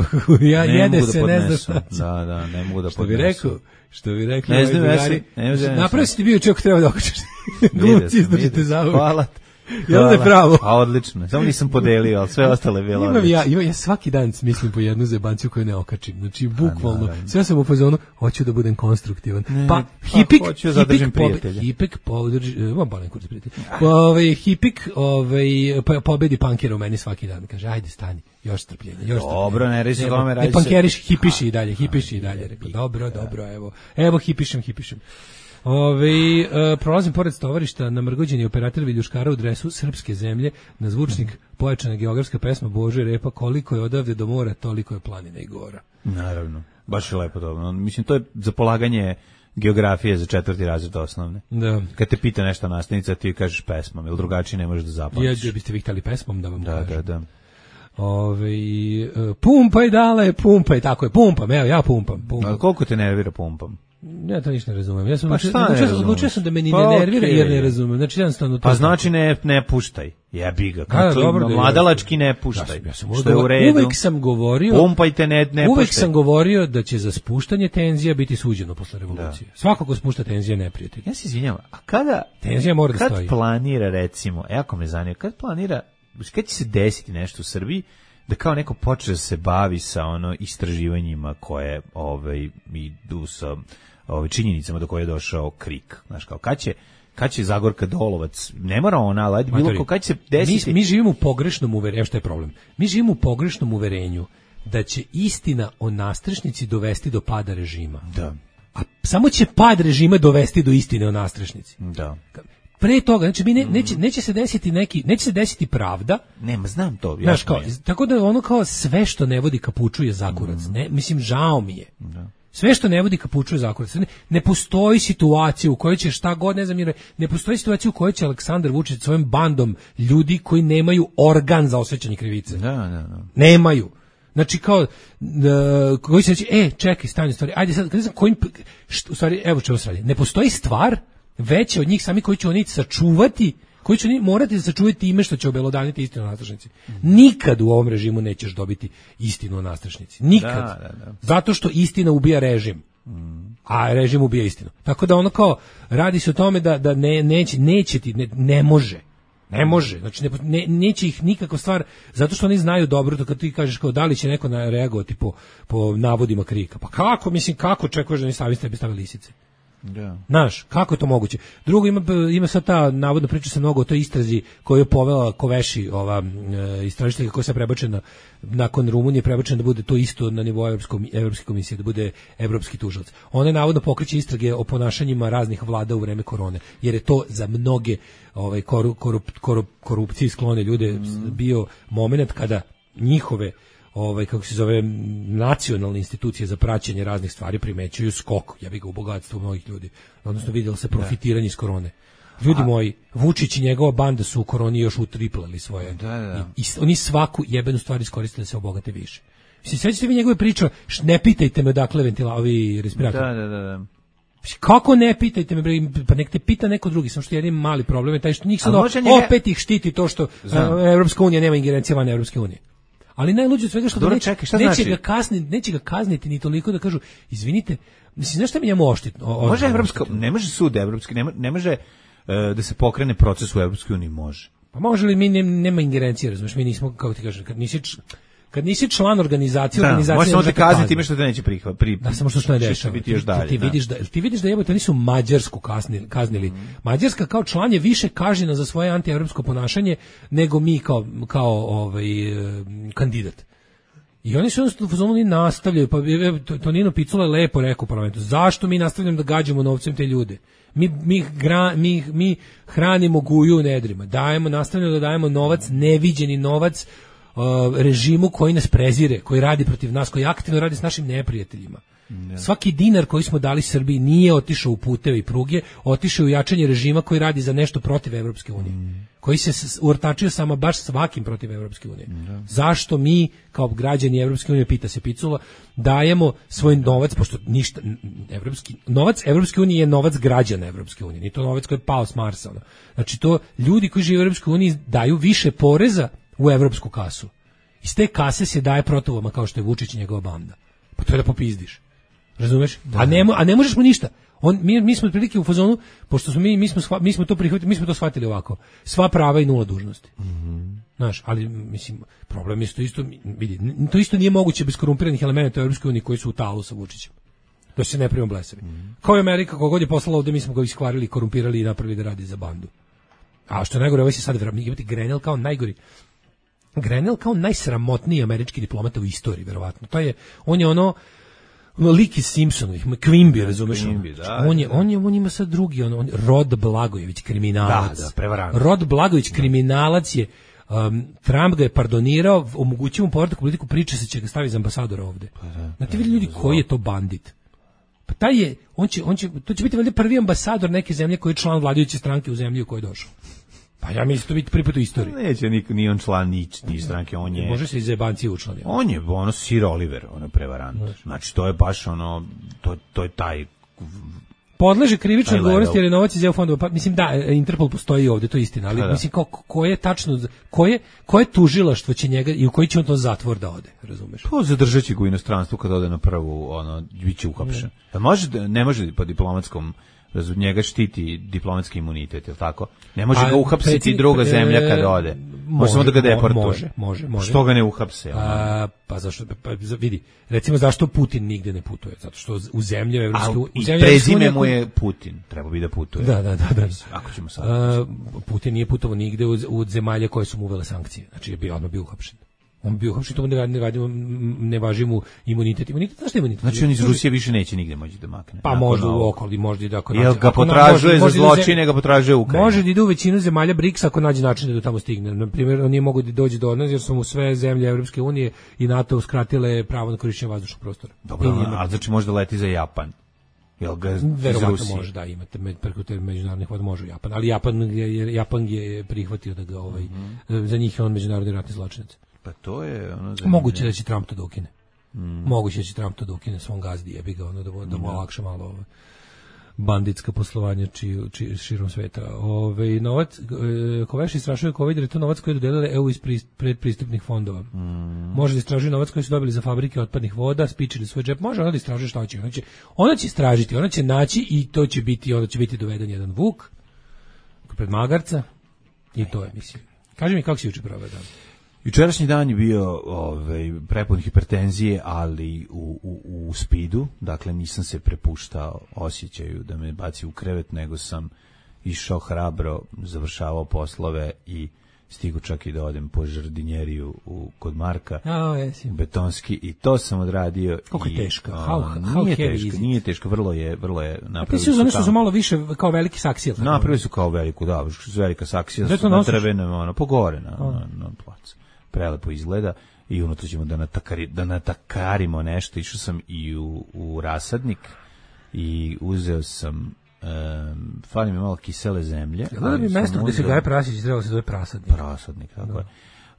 Ja ne jede da se, podnesu. ne znam šta. Da, da, ne mogu da što bi rekao, što bi rekli. Ne znam, jesi. Napravo si ti bio čovjek treba da okačeš. Glumci izdržite za ovo. Hvala. Jel da je pravo? A odlično. Samo nisam podelio, ali sve ostalo je bilo. Imam ja, imam ja svaki dan mislim po jednu zebanciju koju ne okačim. Znači bukvalno sve sam u fazonu hoću da budem konstruktivan. Ne, pa hipik, hoću da zadržim prijatelja. Hipik podrži, imam balan kurs prijatelj. Ovaj hipik, ovaj pobedi pankera u meni svaki dan. Kaže ajde stani, još strpljenja, još strpljenja. Dobro, ne reći tome radi. Ne pankeriš, hipiši i dalje, hipiši i dalje. Rekao dobro, dobro, evo. Evo hipišem, hipišem. Ove, e, prolazim pored stovarišta, namrgođeni operator viljuškara u dresu srpske zemlje, na zvučnik pojačana geografska pesma Bože Repa, koliko je odavde do mora, toliko je planina i gora. Naravno, baš je lepo to. Mislim, to je za polaganje geografije za četvrti razred osnovne. Da. Kad te pita nešto nastavnica, ti kažeš pesmom, ili drugačije ne možeš da zapamtiš. Ja biste vi htjeli pesmom da vam da, kažem. Da, da, Ove, pumpaj dale, pumpaj, tako je, pumpam, evo ja pumpam. pumpam. A koliko te nervira pumpam? Ja to ništa ne razumem. Ja sam pa odlučio, odlučio sam da me ni pa ne nervira okay. jer ne razumem. Znači jednostavno to. Pa znači ne ne puštaj. Jebi ga. Kako dobro, mladalački ne puštaj. Ja, ja sam što je u redu. Uvek sam govorio. Pumpajte ne ne Uvek puštaj. sam govorio da će za spuštanje tenzija biti suđeno posle revolucije. Da. Svako ko spušta tenzije neprijatelj. Ja se izvinjavam. A kada tenzija mora da kad stoji. Kad planira recimo, jako me zanima, kad planira, kad će se desiti nešto u Srbiji da kao neko počne da se bavi sa ono istraživanjima koje ovaj idu sa ove činjenicama do koje je došao Krik, znaš kao kad će kad će Zagorka Dolovac, ne mora ona, ali bilo ko kad će desiti. Mi, mi živimo u pogrešnom uverenju, što je problem. Mi živimo u pogrešnom uverenju da će istina o nastrešnici dovesti do pada režima. Da. A samo će pad režima dovesti do istine o nastrešnici. Da. Pre toga, znači mi ne, neće, neće se desiti neki, neće se desiti pravda. Nema, znam to. Znaš, kao, tako da ono kao sve što ne vodi ka puču je zakurac. Mm. Ne, mislim, žao mi je. Da. Sve što ne vodi ka puču je zakurac. Ne, ne postoji situacija u kojoj će šta god, ne znam, ne postoji situacija u kojoj će Aleksandar Vučić svojim bandom ljudi koji nemaju organ za osvećanje krivice. Da, da, da. Nemaju. Znači kao, uh, koji će reći, e, čekaj, stani, stvari, ajde sad, ne znam, kojim, što, u stvari, evo čemu se radi. Ne postoji stvar veće od njih sami koji će oni sačuvati, koji će oni morati da sačuvati time što će obelodaniti istinu o nastrešnici. Mm. Nikad u ovom režimu nećeš dobiti istinu o nastrešnici. Nikad. Da, da, da. Zato što istina ubija režim. Mm. A režim ubija istinu. Tako da ono kao, radi se o tome da, da ne, neće, neće ti, ne, ne može. Ne može. Znači, ne, ne, neće ih nikakva stvar, zato što oni znaju dobro, to kad ti kažeš kao da li će neko reagovati po, po navodima Krika. Pa kako, mislim, kako čekuješ da ni stavi tebi stave lisice? Da. Znaš, kako je to moguće? Drugo, ima, ima sad ta, navodno priča se mnogo o toj istrazi koju je povela Koveši, ova e, istražitelja koja se prebačena nakon Rumunije, prebačena da bude to isto na nivou Evropske komisije, da bude evropski tužilac. Ona je navodno pokreće istrage o ponašanjima raznih vlada u vreme korone, jer je to za mnoge ovaj, korup, korup, korup, korupciji sklone ljude mm. bio moment kada njihove ovaj kako se zove nacionalne institucije za praćenje raznih stvari primećuju skok, ja bih ga u bogatstvu mnogih ljudi. Odnosno vidjelo se profitiranje iz korone. Ljudi A, moji, Vučić i njegova banda su u koroni još utriplali svoje. Da, da. I, i oni svaku jebenu stvar iskoristili da se obogate više. Mislim, sećate vi njegove priče, ne pitajte me odakle ventila, ovi respiratori. Da, da, da, da. Kako ne pitajte me, bre, pa nek te pita neko drugi, samo što jedan mali problem je taj što njih sad njega... opet ih štiti to što Evropska unija nema ingerencije van Evropske unije. Ali najluđe od svega što Dobro, neće, čekaj, šta neće, znači? ga kazniti, neće ga kazniti ni toliko da kažu, izvinite, mislim, znaš šta mi njemu oštitno? Može Evropska, ne može sud Evropski, ne, ne može uh, da se pokrene proces u Evropskoj uniji, može. Pa može li mi, ne, nema ingerencije, razumiješ, mi nismo, kako ti kažem, kad nisi, kad nisi član organizacije, da, organizacija može samo te kazniti kazniti time što te neće prihvat. Pri, da, samo što što ne dešava. Biti još dalje, ti, ti, da. vidiš da, ti vidiš da jebote, oni su Mađarsku kaznili. kaznili. Mm. Mađarska kao član je više kažnjena za svoje antievropsko ponašanje nego mi kao, kao ovaj, kandidat. I oni su jednostavno oni nastavljaju, pa Tonino Picula je lepo rekao u parlamentu, zašto mi nastavljamo da gađamo novcem te ljude? Mi, mi, gra, mi, mi hranimo guju u nedrima, dajemo, nastavljamo da dajemo novac, neviđeni novac uh, režimu koji nas prezire, koji radi protiv nas, koji aktivno radi s našim neprijateljima. Ne. Svaki dinar koji smo dali Srbiji nije otišao u puteve i pruge, otišao u jačanje režima koji radi za nešto protiv Evropske unije. Mm. Koji se uortačio sama baš svakim protiv Evropske unije. Mm. Zašto mi kao građani Evropske unije, pita se Picula, dajemo svoj novac, pošto ništa evropski novac Evropske unije je novac građana Evropske unije, ni to novac koji je pao s Marsa. Ono. Znači to ljudi koji žive u Evropskoj uniji daju više poreza u evropsku kasu. Iz te kase se daje protivama kao što je Vučić i njegova banda. Pa to je da popizdiš. Razumeš? Da, a ne a ne možeš mu ništa. On mi mi smo otprilike u fazonu, pošto smo mi mi smo mi smo to prihvatili, mi smo to shvatili ovako. Sva prava i nula dužnosti. Mhm. Znaš, ali mislim problem je što isto vidi, to isto nije moguće bez korumpiranih elemenata u Evropskoj uniji koji su u talu sa Vučićem. Da se ne primimo blesavi. Mm. Kao i Amerika, kogod je poslala ovde, mi smo ga iskvarili, korumpirali i napravili da radi za bandu. A što je najgore, ovaj se sad vrati Grenell kao najgori. Grenell kao najsramotniji američki diplomata u istoriji, verovatno. To je on je ono lik iz Simpsonovih, Quimby, razumeš? Quimby, da, on je on je on ima sad drugi, on, on Rod Blagojević, kriminalac. Da, da, prevarant. Rod Blagojević, kriminalac je. Um, Trump ga je pardonirao, omogućio mu povratak u politiku, priča se će ga staviti za ambasadora ovde. Pa da, znate vidi ljudi koji je to bandit? Pa taj je, on će, on će, to će biti valjda prvi ambasador neke zemlje koji je član vladajuće stranke u zemlji u kojoj je došao. Pa ja mislim to biti prvi put u istoriji. Neće niko, ni on član ni, ni stranke, on je... Može se iz jebancije učlaniti. On je ono Sir Oliver, ono prevarant. Znači to je baš ono, to, to je taj... Podleže krivičnoj odgovornosti jer je novac iz E U fondova. Pa mislim da Interpol postoji ovde, to je istina, ali da, da. mislim kao ko je tačno koje koje tužilaštvo će njega i u koji će on to zatvor da ode, razumeš? Pa zadržaće ga u inostranstvu kad ode na prvu, ono biće uhapšen. Da može ne može po diplomatskom razum njega štiti diplomatski imunitet, je l' tako? Ne može a, ga uhapsiti druga zemlja kad ode. Može samo da ga deportuje. Može, može, može. Što ga ne uhapse? A, pa zašto pa vidi, recimo zašto Putin nigde ne putuje? Zato što u zemlje evropske u zemlje prezime mu je Putin, treba bi da putuje. Da, da, da, da. Ako ćemo sad. A, Putin nije putovao nigde u, u zemalje koje su mu uvele sankcije. Znači je bio odmah bio uhapšen. On bio uhapšen, to ne, ne, ne važi mu imunitet. Imunitet, znaš šta je imunitet? Znači on iz Rusije više neće nigde moći da makne. Pa možda u okoli, možda i da ako nađe. Jel ga potražuje za zločine, ga potražuje Ukrajina. Može da ide u većinu zemalja briksa ako nađe način da do tamo stigne. Na primjer, on nije mogu da dođe do nas jer su mu sve zemlje Evropske unije i NATO uskratile pravo na korišćenje vazdušnog prostora. Dobro, a znači možda leti za Japan. Jel ga verovatno može da imate med, preko te međunarodnih voda može u Japan, ali Japan je, Japan je prihvatio da ga ovaj, mm-hmm. za njih je on međunarodni ratni zločinac. Pa to je ono za moguće da će Trump to da ukine. Mm. Moguće da će Trump to da ukine svom gazdi, jebi ga ono da mu, da mu olakša malo ovo banditska poslovanja či, či, širom sveta. Ove, novac, e, Koveši istražuje COVID, jer je to novac koji je dodelila E U iz pri, predpristupnih fondova. Mm. Može da istražuje novac koji su dobili za fabrike otpadnih voda, spičili svoj džep, može ona da istražuje šta će. Ona će, ona će istražiti, ona će naći i to će biti, onda će biti doveden jedan vuk pred magarca i to je, mislim. Kaži mi kako si juče proveo dan? Jučerašnji dan je bio ovaj, prepun hipertenzije, ali u, u, u spidu, dakle nisam se prepuštao osjećaju da me baci u krevet, nego sam išao hrabro, završavao poslove i stigu čak i da odem po žardinjeriju u, kod Marka, oh, yes. betonski, i to sam odradio. Kako je teško? How, how nije teško, nije teško, vrlo je, vrlo je napravili su. Nešto su malo više kao veliki saksija. Napravili su kao veliku, da, velika saksija, su na drvenom, ono, pogore na, oh. na, na placu. Prelepo izgleda i unutra ćemo da, natakari, da natakarimo nešto. Išao sam i u, u rasadnik i uzeo sam um, fali mi malo kisele zemlje. Da bi mesto gde se gaje prasić trebalo se zove prasadnik. Prasadnik, tako je.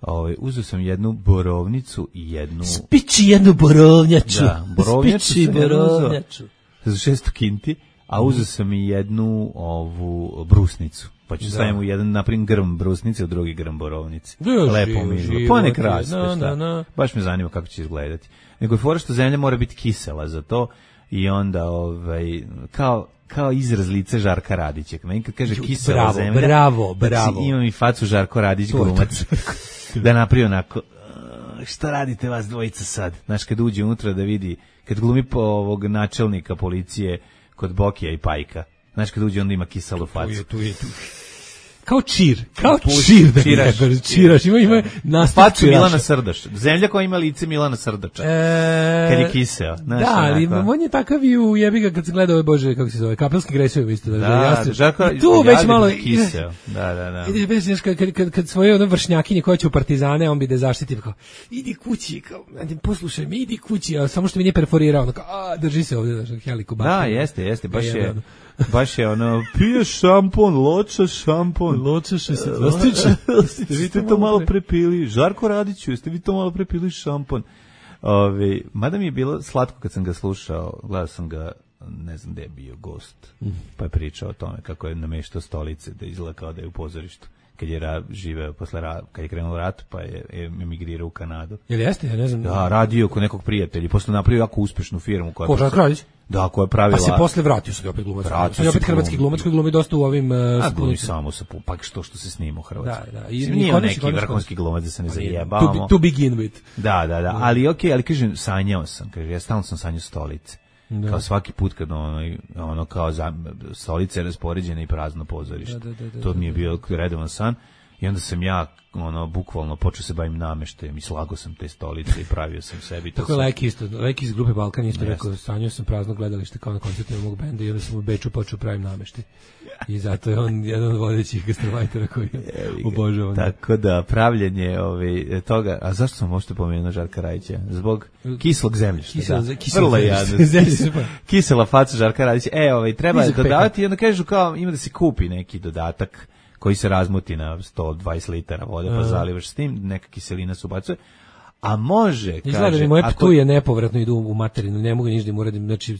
Ove, uzeo sam jednu borovnicu i jednu... Spiči jednu borovnjaču. Da, borovnjaču Spiči borovnjaču. Za šesto kinti. a uzeo sam i jednu ovu brusnicu. Pa ću stavim u jedan, naprim, grm brusnice, u drugi grm borovnice. Lepo mi izgleda. Pa nek raste, na, šta? na, na. Baš me zanima kako će izgledati. Nego je fora što zemlja mora biti kisela za to i onda, ovaj, kao, kao izraz lice Žarka Radića. Meni kad kaže kisela bravo, zemlja, bravo, bravo. Znači, imam i facu Žarko Radić glumac. Da napravi onako, šta radite vas dvojica sad? Znaš, kad uđe unutra da vidi, kad glumi po ovog načelnika policije kod Bokija i Pajka. Znaš, kad uđe onda ima kiselu facu. Tu je, tu je, tu. Kao čir, kao čir da čiraš, čiraš, čiraš, ima, ima nastav facu Milana Srdaša. Zemlja koja ima lice Milana Srdača. E, kad je kiseo. Znaš, da, ali onako. on je takav i u jebiga kad se gleda ove, bože, kako se zove, Kapelski Gresovi isto. Da, da, jasno, Žarko, tu već malo kiseo. Da, da, da. Ide, već, kad, kad, kad, kad svoje ono vršnjakinje koje će u partizane, on bi da zaštiti, kao, idi kući, kao, poslušaj mi, idi kući, a samo što mi nije perforirao, ono, kao, a, drži se ovdje, znaš, heliku baš. Da, jeste, jeste, baš je, baš je ono, pije šampon, loča šampon. Loča šestnaest. Jeste vi to malo prepili, Žarko Radiću, jeste vi to malo prepili šampon. Ove, mada mi je bilo slatko kad sam ga slušao, gledao sam ga, ne znam gde je bio gost, pa je pričao o tome kako je nameštao stolice, da izgleda kao da je u pozorištu. Kad je ra, živeo posle ra, kad je krenuo rat, pa je emigrirao u Kanadu. Jel jeste? Ja ne znam. Da, radio kod nekog prijatelja, posle napravio jako uspešnu firmu koja Ko, Žarko Radić? Da, koja je pravila. Pa se posle vratio se opet glumac. Vratio se opet hrvatski glumac koji glumi dosta u ovim uh, a glumi samo sa pa što što se snima u Hrvatskoj. Da, da. I nije neki vrhunski glumac da se ne zajebamo. To, to begin with. Da, da, da, ali okej, okay, ali kažem sanjao sam, kaže ja stalno sam sanjao stolice. Da. Kao svaki put kad ono, ono kao za, stolice raspoređene i prazno pozorište. Da, da, da, da, to mi je bio redovan san. I onda sam ja, ono, bukvalno počeo se bavim nameštajem i slago sam te stolice i pravio sam sebi. Tako je Leki isto, Leki iz grupe Balkan isto rekao, sanjao sam prazno gledalište kao na koncertu mog benda i onda sam u Beču počeo pravim nameštaj. I zato je on jedan od vodećih gastarbajtera koji obožavam. Tako da, pravljenje ovaj, toga, a zašto sam možete pomenuo Žarka Radića? Zbog kislog zemljišta. Kisel, da. Kisel Vrlo jadno. Kisela faca Žarka Radića. E, ovaj, treba dodavati i onda kažu kao, ima da se kupi neki dodatak koji se razmuti na sto dvadeset litara vode, pa zalivaš s tim, neka kiselina se ubacuje. A može, kaže... Izgleda da moje ptuje nepovratno idu u materinu, ne mogu ništa da im uradim, znači...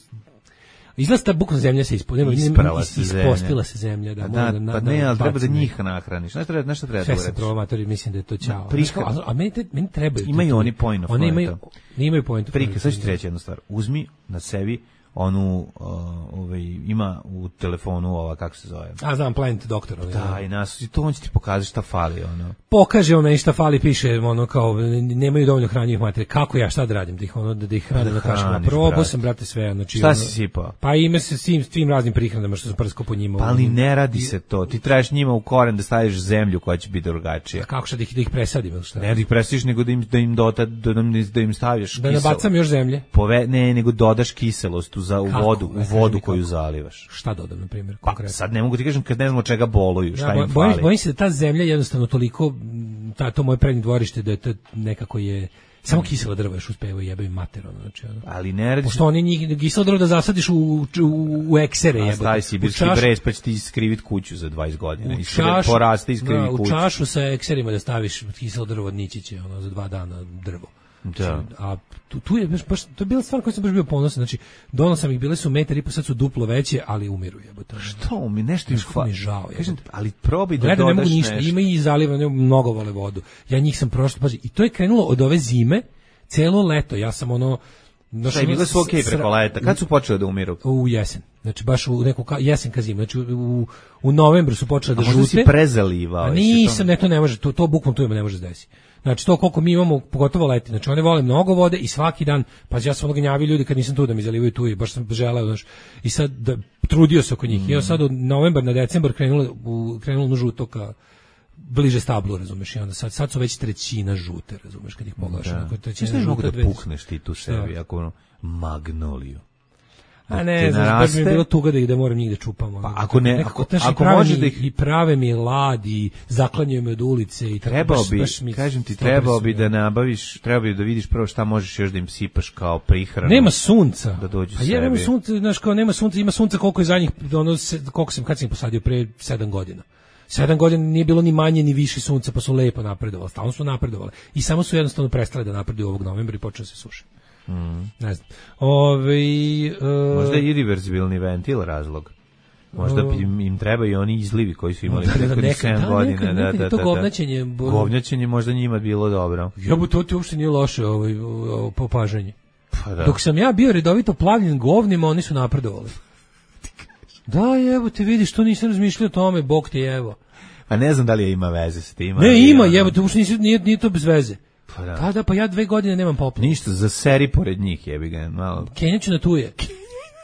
Izgleda ta bukvalno zemlja se ispostila. Isprala se zemlja. Ispostila se zemlja, da. Da, da, pa ne, ali treba da njih nahraniš. Znaš treba, nešto treba da uradiš. Sve se promatori, mislim da je to ćao. Prika, a, a meni, te, meni trebaju... Imaju oni point of Oni imaju, imaju point of Prika, sad ću ti reći jednu stvar. Uzmi na sebi onu, uh, ovaj, ima u telefonu ova, kako se zove? A, znam, Plant Doktor. Ovaj, da, i nas, i to on će ti pokazati šta fali, ono. Pokaže on meni šta fali, piše, ono, kao, nemaju dovoljno hranjivih materija. Kako ja, šta da radim, da ih, ono, da ih hranim na kašama? Probao sam, brate, sve, znači... Šta ono, si sipao? Pa ime se svim, svim raznim prihranama što sam prskao po njima. Pa ali ne radi se to. Ti trebaš njima u koren da staviš zemlju koja će biti drugačija. Kako šta da ih, da ih presadim, ili šta? Ne da ih presadiš, nego da im, da im, dota, da im, da im staviš da kiselo. Da nabacam još zemlje? Pove, ne, nego dodaš kiselost u, za, u vodu, u vodu koju zalivaš. Šta dodam, na primjer, konkretno? Pa sad ne mogu ti kažem kad ne znamo čega boluju, šta ja, im bojim, fali. Bojim se da ta zemlja jednostavno toliko, ta, to moje prednje dvorište, da je to nekako je... Samo kiselo drvo još uspevaju jebaju mater, ono, znači, ono. Ali ne radi... Pošto oni njih, kiselo drvo da zasadiš u, u, u eksere, jebate. A stavi sibirski brez, pa će ti iskrivit kuću za dvadeset godina. U čašu, poraste, iskrivi da, kuću. U čašu sa ekserima da staviš kiselo drvo od nići će, ono, za dva dana drvo. Da. A tu, tu je baš, baš, to je bila stvar koja sam baš bio ponosan, znači, donao sam ih, bile su metar i po, sad su duplo veće, ali umiru jebote. Što mi, nešto im fa... mi žao, kažem, ali probaj da Gledam, dodaš ne mogu ništa, nešto. ima i zaliva, mnogo vole vodu. Ja njih sam prošlo, pazi, i to je krenulo od ove zime, celo leto, ja sam ono... Šta, bile su okej okay preko leta, kad su počeli da umiru? U jesen, znači baš u neku ka, jesen ka zimu, znači u, u novembru su počeli da žute. A možda si prezalivao? A nisam, ne, to ne može, to, to bukvom tu ima ne može da desi. Znači to koliko mi imamo, pogotovo leti, znači one vole mnogo vode i svaki dan, pa ja sam ono gnjavi ljudi kad nisam tu da mi zalivaju tu i baš sam želeo, znači, i sad da, trudio se oko njih. Mm. I sad od novembar na decembar krenulo, u, krenulo na žuto ka bliže stablu, razumeš, i onda sad, sad su već trećina žute, razumeš, kad ih pogledaš. Da. Trećina žute, mogu da dvesti. Pukneš ti tu sebi, ako ono, magnoliju. A ne, znači, mi je bilo tuga da ih da moram njih da čupam. Pa ako ne, nekako, ako, ako može da ih... I prave mi lad i zaklanjaju me od ulice i tako. Trebao baš, bi, baš mi kažem ti, trebao bi da nabaviš, trebao bi da vidiš prvo šta možeš još da im sipaš kao prihranu. Nema sunca. Da dođu sebi. A ja nema sunca, znaš, kao nema sunca, ima sunca koliko je zadnjih, ono, koliko sam, kad sam ih posadio, pre sedam godina. Sedam godina nije bilo ni manje ni više sunca, pa su lepo napredovali, stalno su napredovali. I samo su jednostavno prestale da napreduju ovog novembra i počeo se suši. Mm. Ne znam. Ove, uh, možda je irreverzibilni ventil razlog. Možda im, im treba i oni izlivi koji su imali prethodnih sedam godina. Nekad, nekad, da, da, da, to da, govnaćenje. da. Govnaćenje možda njima bilo dobro. Ja bu to ti uopšte nije loše ovaj, ovaj, popažanje. Pa da. Dok sam ja bio redovito plavljen govnima, oni su napredovali. Da, evo te vidiš, to nisam razmišljao o tome, Bog te evo. Pa ne znam da li je ima veze s tim. Ne, ima, evo te, uopšte nisi, nije, nije to bez veze. Pa da. Da, da, pa ja dve godine nemam poplavu. Ništa, za seri pored njih jebi ga. Malo. Kenjaću na tuje.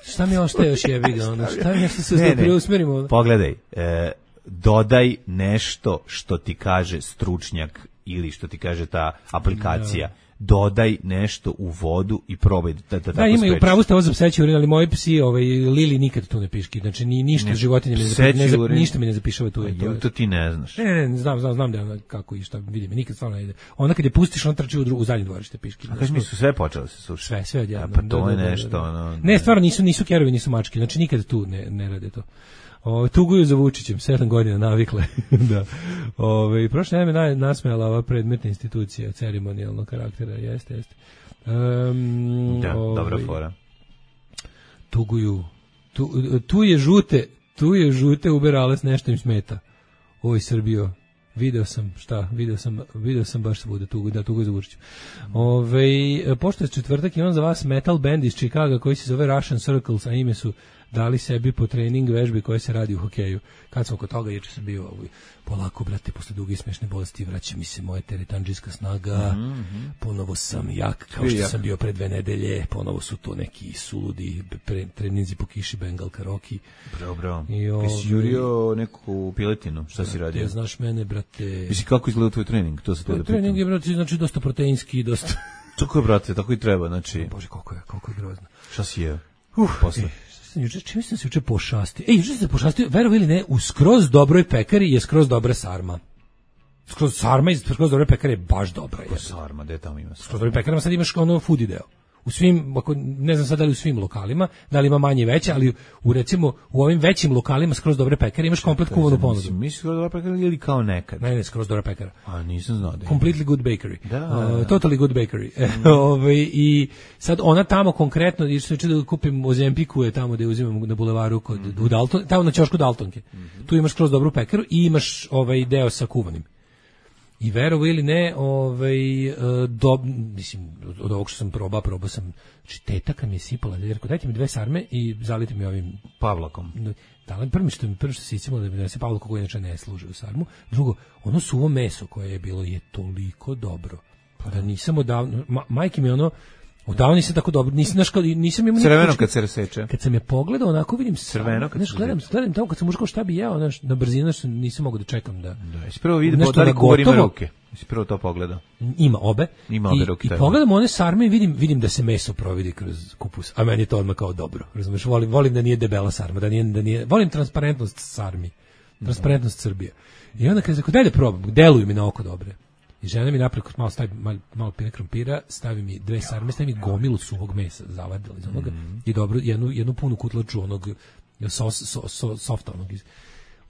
Šta mi ostaje još jebi ga? Ono, šta mi nešto se ne, ne. Preusmerimo? Pogledaj, e, dodaj nešto što ti kaže stručnjak ili što ti kaže ta aplikacija. Da. Dodaj nešto u vodu i probaj da, da, da tako imaju u pravu ste ovo za pseći urin, ali moji psi, ovaj, Lili nikad tu ne piški, znači ni, ništa životinje mi ne, zapi, ne ništa mi ne zapišava tu. Je, to, to ti ne znaš. Ne, ne, ne znam, znam, znam da ona kako i šta, vidim, nikad stvarno ne ide. Ona kad je pustiš, on trči u, dru, u zadnje dvorište piški. A kaži mi su sve počele se sušiti. Sve, sve odjednom. Pa to da, je da, nešto, da, da. ono... Ne, stvarno nisu, nisu kerovi, nisu mačke, znači nikad tu ne, ne rade to. O, tuguju za Vučićem, sedam godina navikle. da. Ove, prošle vreme naj nasmejala ova predmetna institucija ceremonijalnog karaktera, jeste, jeste. Um, da, ove, dobra fora. Tuguju. Tu, tu je žute, tu je žute uberales, nešto im smeta. Oj, Srbijo, video sam, šta, video sam, video sam baš svuda tugu, da tugu za Vučićem. Ove, pošto je četvrtak, imam za vas metal band iz Chicaga koji se zove Russian Circles, a ime su dali sebi po trening vežbi koje se radi u hokeju. Kad sam oko toga, juče sam bio ovaj, polako, brate, posle duge i smešne bolesti, vraća mi se moja teretandžijska snaga, mm-hmm. ponovo sam jak, kao što sam bio pre dve nedelje, ponovo su to neki suludi pre, treninzi po kiši Bengal Karoki. Bravo, bravo. I ovaj, si jurio neku piletinu, šta brate, si radio? Ja, znaš mene, brate... Misli, kako izgleda tvoj trening? To se to da trening je, brate, znači dosta proteinski, dosta... Tako je, brate, tako i treba, znači... O, Bože, koliko je, koliko je grozno. Šta si jeo? Uf, posle. E, Juče, čim sam se juče pošastio? Ej, juče sam se pošastio, verovi ili ne, u skroz dobroj pekari je skroz dobra sarma. Skroz sarma iz skroz dobre pekare je baš dobra. Skroz sarma, gde tamo ima sarma? Skroz dobre pekarama sad imaš ono foodie deo. U svim, ako, ne znam sad da li u svim lokalima, da li ima manje i veće, ali u recimo u ovim većim lokalima skroz dobre pekare imaš komplet kuvanu ponudu. Misliš skroz dobra pekara ili kao nekad? Ne, ne, skroz dobra pekara. A nisam znao da je. Completely good bakery. Da, da. Uh, totally good bakery. Mm. Ove, i sad ona tamo konkretno, jer se da kupim u Zempiku je tamo gde uzimam na bulevaru kod mm. u Dalton, tamo na ćošku Daltonke. Mm. Tu imaš skroz dobru pekaru i imaš ovaj deo sa kuvanim. I verovo ili ne, ovaj, do, mislim, od ovog što sam probao, probao sam, znači teta kad mi je sipala, jer dajte mi dve sarme i zalite mi ovim pavlakom. Da, prvo što mi prvo što se iscimalo da mi donese pavlako koji inače ne služi u sarmu. Drugo, ono suvo meso koje je bilo je toliko dobro. Pa da nisam odavno, ma, majke mi ono, odavno nisam tako dobro, nisam, naš, nisam imao... Crveno kad se raseče. Kad sam je pogledao, onako vidim... Crveno kad se gledam, gledam tamo kad sam ušao šta bi jeo, znaš, na brzinu što nisam mogao da čekam da... Da, jesi prvo vidim, da li kuvar ima ruke. Jesi prvo to pogledao. Ima obe. Ima obe I, ruke. I pogledam one sarme i vidim, vidim da se meso providi kroz kupus, a meni je to odmah kao dobro. Razumeš, volim, volim da nije debela sarma, da nije, da nije, volim transparentnost sarmi, transparentnost Srbije. I onda kad se dalje probam, deluju mi na oko dobre. I žena mi napreko malo stavi malo, malo pire krompira, stavi mi dve sarme, stavi mi gomilu suvog mesa, zavadila iz onoga mm. i dobro jednu jednu punu kutlaču onog sos, so, so, softa onog iz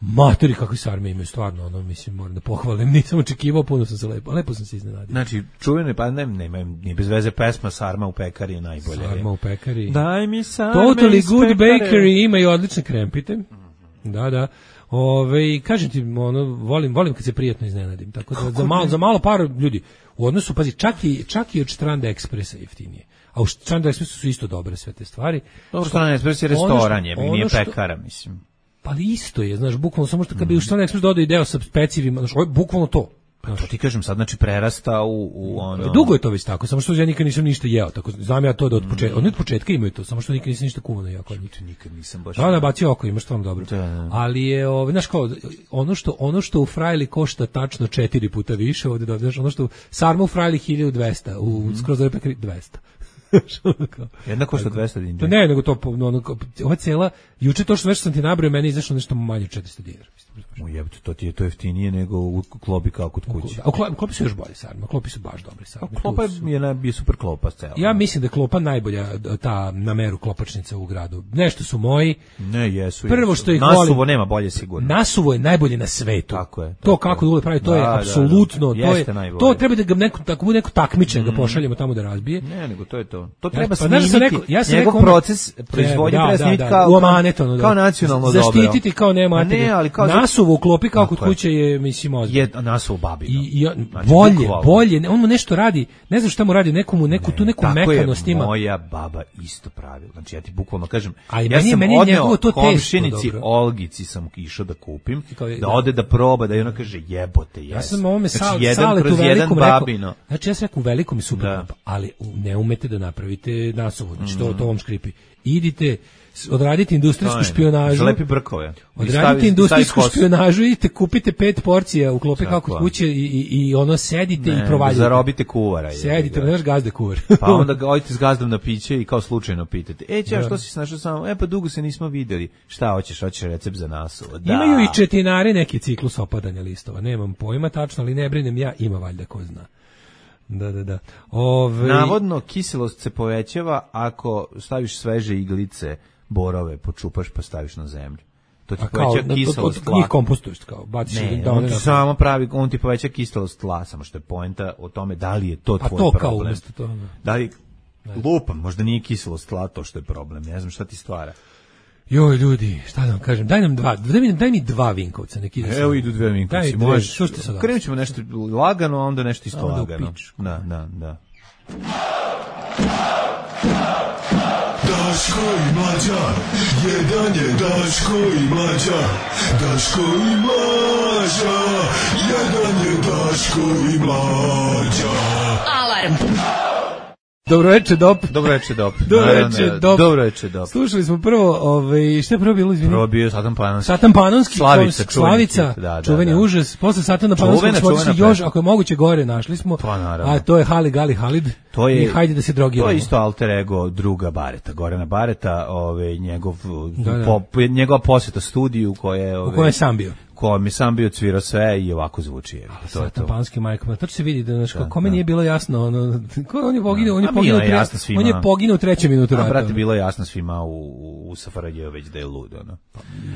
materi kakve sarme imaju stvarno, ono mislim moram da pohvalim, nisam očekivao, puno sam se lepo, lepo sam se iznenadio. Znači čuvene pa ne nema ni bez veze pesma Sarma u pekari je najbolje. Sarma u pekari. Daj mi sarme. Totally Good Bakery imaju odlične krempite. Mm-hmm. Da, da. Ove, kažem ti, ono, volim, volim kad se prijatno iznenadim, tako da za malo, za malo par ljudi, u odnosu, pazi, čak i, čak i od Stranda Ekspresa jeftinije, a u Stranda Ekspresu su isto dobre sve te stvari. Dobro, Stranda Ekspres je restoran, je, nije što, pekara, mislim. Pa isto je, znaš, bukvalno, samo što kad bi u Stranda Ekspres dodao i deo sa pecivima, znaš, ovo je bukvalno to. Pa to ti kažem, sad znači prerasta u, u ono... Dugo je to već tako, samo što ja nikad nisam ništa jeo, tako znam ja to da od početka, oni od početka imaju to, samo što nikad nisam ništa kuvano jeo kod njih. Nikad nisam baš... Da, nabacio oko, imaš stvarno dobro. Da, da. Ali je, ovaj, znaš kao, ono što, ono što u frajli košta tačno četiri puta više, ovde da, znaš, ono što sarma u frajli hiljadu dvesta, u mm-hmm. skroz dobre pekari dvesta. Jedna košta dvesta dinara. Ne, nego to, ono, ova cela, juče to što već sam ti nabrao, meni je izašlo nešto manje od četiristo dinara. U jebate, to ti je to jeftinije nego u klopi kao kod kuće. A u klopi su još bolje sarme, klopi su baš dobre sarme. A klopa je, na, je super klopa cela. Ja mislim da je klopa najbolja, ta na meru klopačnica u gradu. Nešto su moji. Ne, jesu. Prvo što ih Nasuvo volim, nema bolje sigurno. Nasuvo je najbolje na svetu. Tako je. Tako to kako Dule pravi, to da, je apsolutno, da, da. to je Jeste najbolje. to treba da ga neko tako neko takmiče mm. ga pošaljemo tamo da razbije. Ne, nego to je to. to. To treba pa, snimiti. Ja rekao, ja njegov rekao, proces proizvodnje treba snimiti kao, u amanetonu, kao nacionalno dobro. dobro. Zaštititi kao nema ne, ali kao nasuvu u klopi kao kod kuće je, mislim, ozbiljno. Je nasuvu babino. I, i znači, bolje, bukvalno. bolje, on mu nešto radi, ne znam šta mu radi, nekomu, neku, ne, tu neku mekanost ima. Tako je moja baba isto pravila. Znači, ja ti bukvalno kažem, ali ja meni, sam meni odneo to komšinici Olgici sam išao da kupim, da ode da proba, da i ona kaže jebote, jes. Ja sam ovome znači, sal, jedan saletu kroz jedan velikom babino. rekao, znači ja sam rekao u velikom i super, da. ali ne umete da napravite nasuvu, znači mm. to, to vam škripi. Idite, odradite industrijsku špijunažu. Lepi brkove. Odradite stavi, industrijsku stavi špijunažu, idite, kupite pet porcija u klope kako kod kuće i, i, i ono sedite ne, i provaljujete. Zarobite kuvara. Sedite, ne znaš gazde kuvar. Pa onda ga odite s gazdom na piće i kao slučajno pitate. E, ća, što si snašao samo? E, pa dugo se nismo videli. Šta hoćeš? Hoćeš recept za nasu? Da. Imaju i četinari neki ciklus opadanja listova. Nemam pojma tačno, ali ne brinem ja, ima valjda ko zna. Da, da, da. Ove... Navodno, kiselost se povećava ako staviš sveže iglice, borove, počupaš pa staviš na zemlju. To ti poveća kiselost tla. Njih kompostuješ kao, baciš ne, da on ti samo pravi, on ti poveća kiselost tla, samo što je poenta o tome da li je to tvoj problem. A to kao umjesto to. Da li, lupam, možda nije kiselost tla to što je problem, ne znam šta ti stvara. Joj, ljudi, šta da vam kažem, daj nam dva, daj mi, daj mi dva Vinkovca, neki da. Evo idu dve Vinkovci, možeš. Krenut ćemo nešto lagano, a onda nešto isto onda lagano. Da, da, da. Daško i Mlađa, jedan je Daško i Mlađa, Daško i Mlađa, jedan je Daško i Mlađa. Alarm. Dobro večer, Dop. Dobro večer, Dop. Dobro večer, Dop. Dobro večer, Dop. Slušali smo prvo, ovaj, šta je prvo bilo, izvini? Prvo bio Satan Panonski. Satan Panonski, Slavica, Slavica, da, da, čuveni da. užas. Posle Satana Panonskog smo još, ako je moguće, gore našli smo. Pa, naravno. A to je Hali Gali Halid. To je, i hajde da se drogiramo. To je isto alter ego druga Bareta, Gorana Bareta, ovaj, njegov, da, da. Po, njegova posjeta studiju koje, ovaj, u kojem je sam bio. Ko mi sam bio cvirao sve i ovako zvuči. Je. To je to. Panski majkom. To se vidi da znaš kako kome nije bilo jasno, ono ko on je poginuo, on je A poginuo, je jasno svima. On je poginuo u trećem minutu rata. A brate, bilo je jasno svima u u S F R J već da je lud, ono.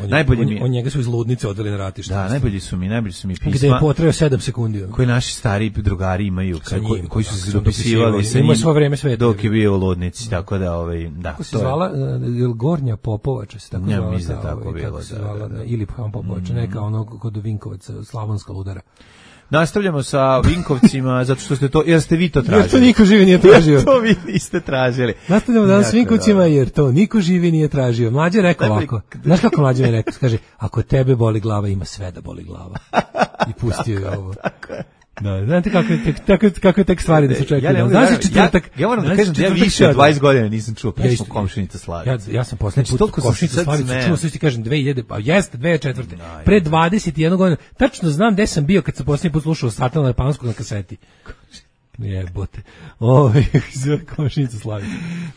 On, najbolje on, mi on njega su iz ludnice odveli na ratište. Da, najbolji su mi, najbolji su mi pisma. Gde je potrajao sedam sekundi. Koji naši stari drugari imaju, koji, koji su se dopisivali sa njim. Svo vreme sve dok je bio u ludnici, tako da ovaj da. Kako se zvala Gornja Popovača se tako zvala. Ja mislim da tako bilo, da. Ili Popovača, neka ono kod Vinkovaca, slavonska ludara. Nastavljamo sa Vinkovcima, zato što ste to, jer ste vi to tražili. Jer to niko živi nije tražio. Jer to vi niste tražili. Nastavljamo danas s Vinkovcima, jer to niko živi nije tražio. Mlađe je rekao ovako, znaš kako Mlađe je rekao, kaže, ako tebe boli glava, ima sve da boli glava. I pustio je ovo. Tako je. Da, znate kako je tek, tako, kako je tek stvari da se očekuju. Ja, znaš četvrtak, ja, ja moram da kažem da ja više od dvadeset godina nisam čuo pesmu Komšinica Slavica. Ja, ja sam poslednji put Komšinica Slavica čuo, sve ti kažem, dve hiljade, pa jeste, dve hiljade četvrte. Pre dvadeset jedne godine, tačno znam gde sam bio kad sam poslednji put slušao Satana Panskog na kaseti. Jebote. Ovaj Komšinica Slavica.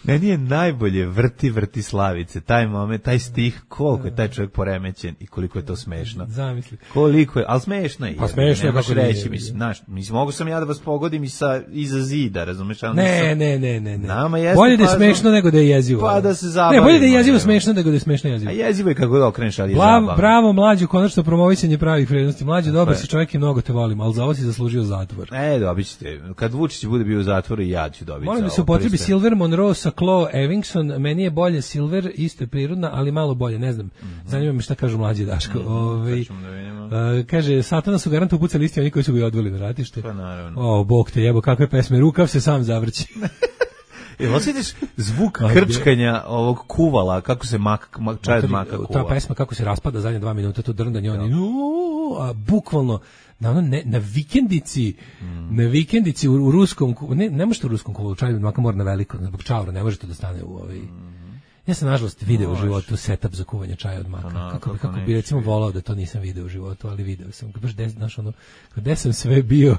Meni je najbolje vrti vrti Slavice, taj moment, taj stih, koliko je taj čovjek poremećen i koliko je to smešno. Zamisli. Koliko je, al smešno je. Pa smešno je kako reći, mislim, znaš, mislim mogu sam ja da vas pogodim i sa iza zida, razumeš, al ne, ne, ne, ne, ne. Nama jeste bolje da je smešno nego da je jezivo. Pa da se zabavimo. Ne, bolje da je jezivo smešno nego da je smešno jezivo. A jezivo je kako da okreneš, ali je zabavno. Bravo, Mlađo, konačno promovisanje pravih vrednosti. Mlađo, dobar si čovjek i mnogo te volim, al za ovo si zaslužio zatvor. E, dobićete. Kad Vučić bude bio u zatvoru i ja ću dobiti. Molim da se upotrebi Silver Monroe sa Chloe Evingson. Meni je bolje Silver, isto je prirodna, ali malo bolje, ne znam. Mm-hmm. Zanima me šta kažu Mlađi Daško. Mm-hmm. Ove, uh, kaže, Satana su garantno pucali isti oni koji su ga odveli na ratište. Pa naravno. O, Bog te jebo, kakve pesme, rukav se sam zavrći. Jel osjetiš zvuk krčkanja ovog kuvala, kako se mak, mak, čaj od maka kuva? Ta pesma kako se raspada zadnje dva minuta, to drndanje, oni, a bukvalno, na, ono, ne, na vikendici, mm. na vikendici u, u ruskom, ne, ne možete u ruskom kuvolu, čaj od maka mora na veliko, zbog čaura, ne možete da stane u ovaj... Ja sam nažalost video u životu setup za kuvanje čaja od maka. No, kako, kako, kako bi recimo volao da to nisam video u životu, ali video sam. Baš des, znaš, ono, gde sam sve bio,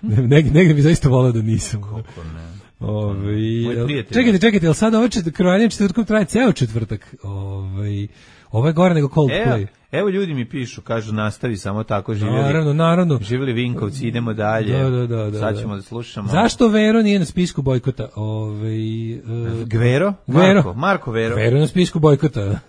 negdje, negdje bi zaista volao da nisam. Kako ne. Ove, čekajte, čekajte, jel sada ovaj krojanje četvrtkom traje ceo četvrtak? Ove, ovo je gore nego Coldplay. Evo, evo ljudi mi pišu, kažu nastavi samo tako, živjeli. Naravno, naravno. Živjeli Vinkovci, idemo dalje. Da, da, da, da, sad ćemo da slušamo. Zašto Vero nije na spisku bojkota? Ove, uh, Gvero? Gvero? Marko, Marko Vero. Vero na spisku bojkota.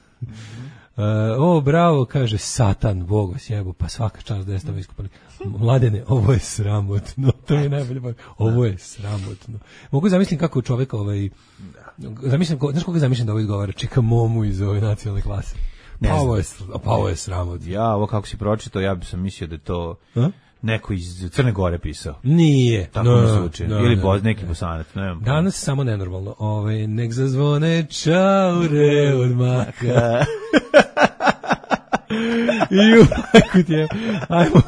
o, bravo, kaže, Satan, Bog vas jebo, pa svaka čast da jeste ovo iskupali. Mladene, ovo je sramotno, to je najbolje, ovo je sramotno. Mogu zamislim kako čovjek, ovaj, zamislim, znaš koga zamislim da ovo izgovara, čeka momu iz ove nacionalne klase. Pa ovo je, pa ovo je sramotno. Ja, ovo kako si pročitao, ja bi sam mislio da je to A? neko iz Crne Gore pisao. Nije. Tako no, mi se uči. no, Ili no, boz, neki no. Bosanac. Ne znam. Danas samo nenormalno. Ove, nek zazvone čaure od maka. I majku ti je. Ajmo,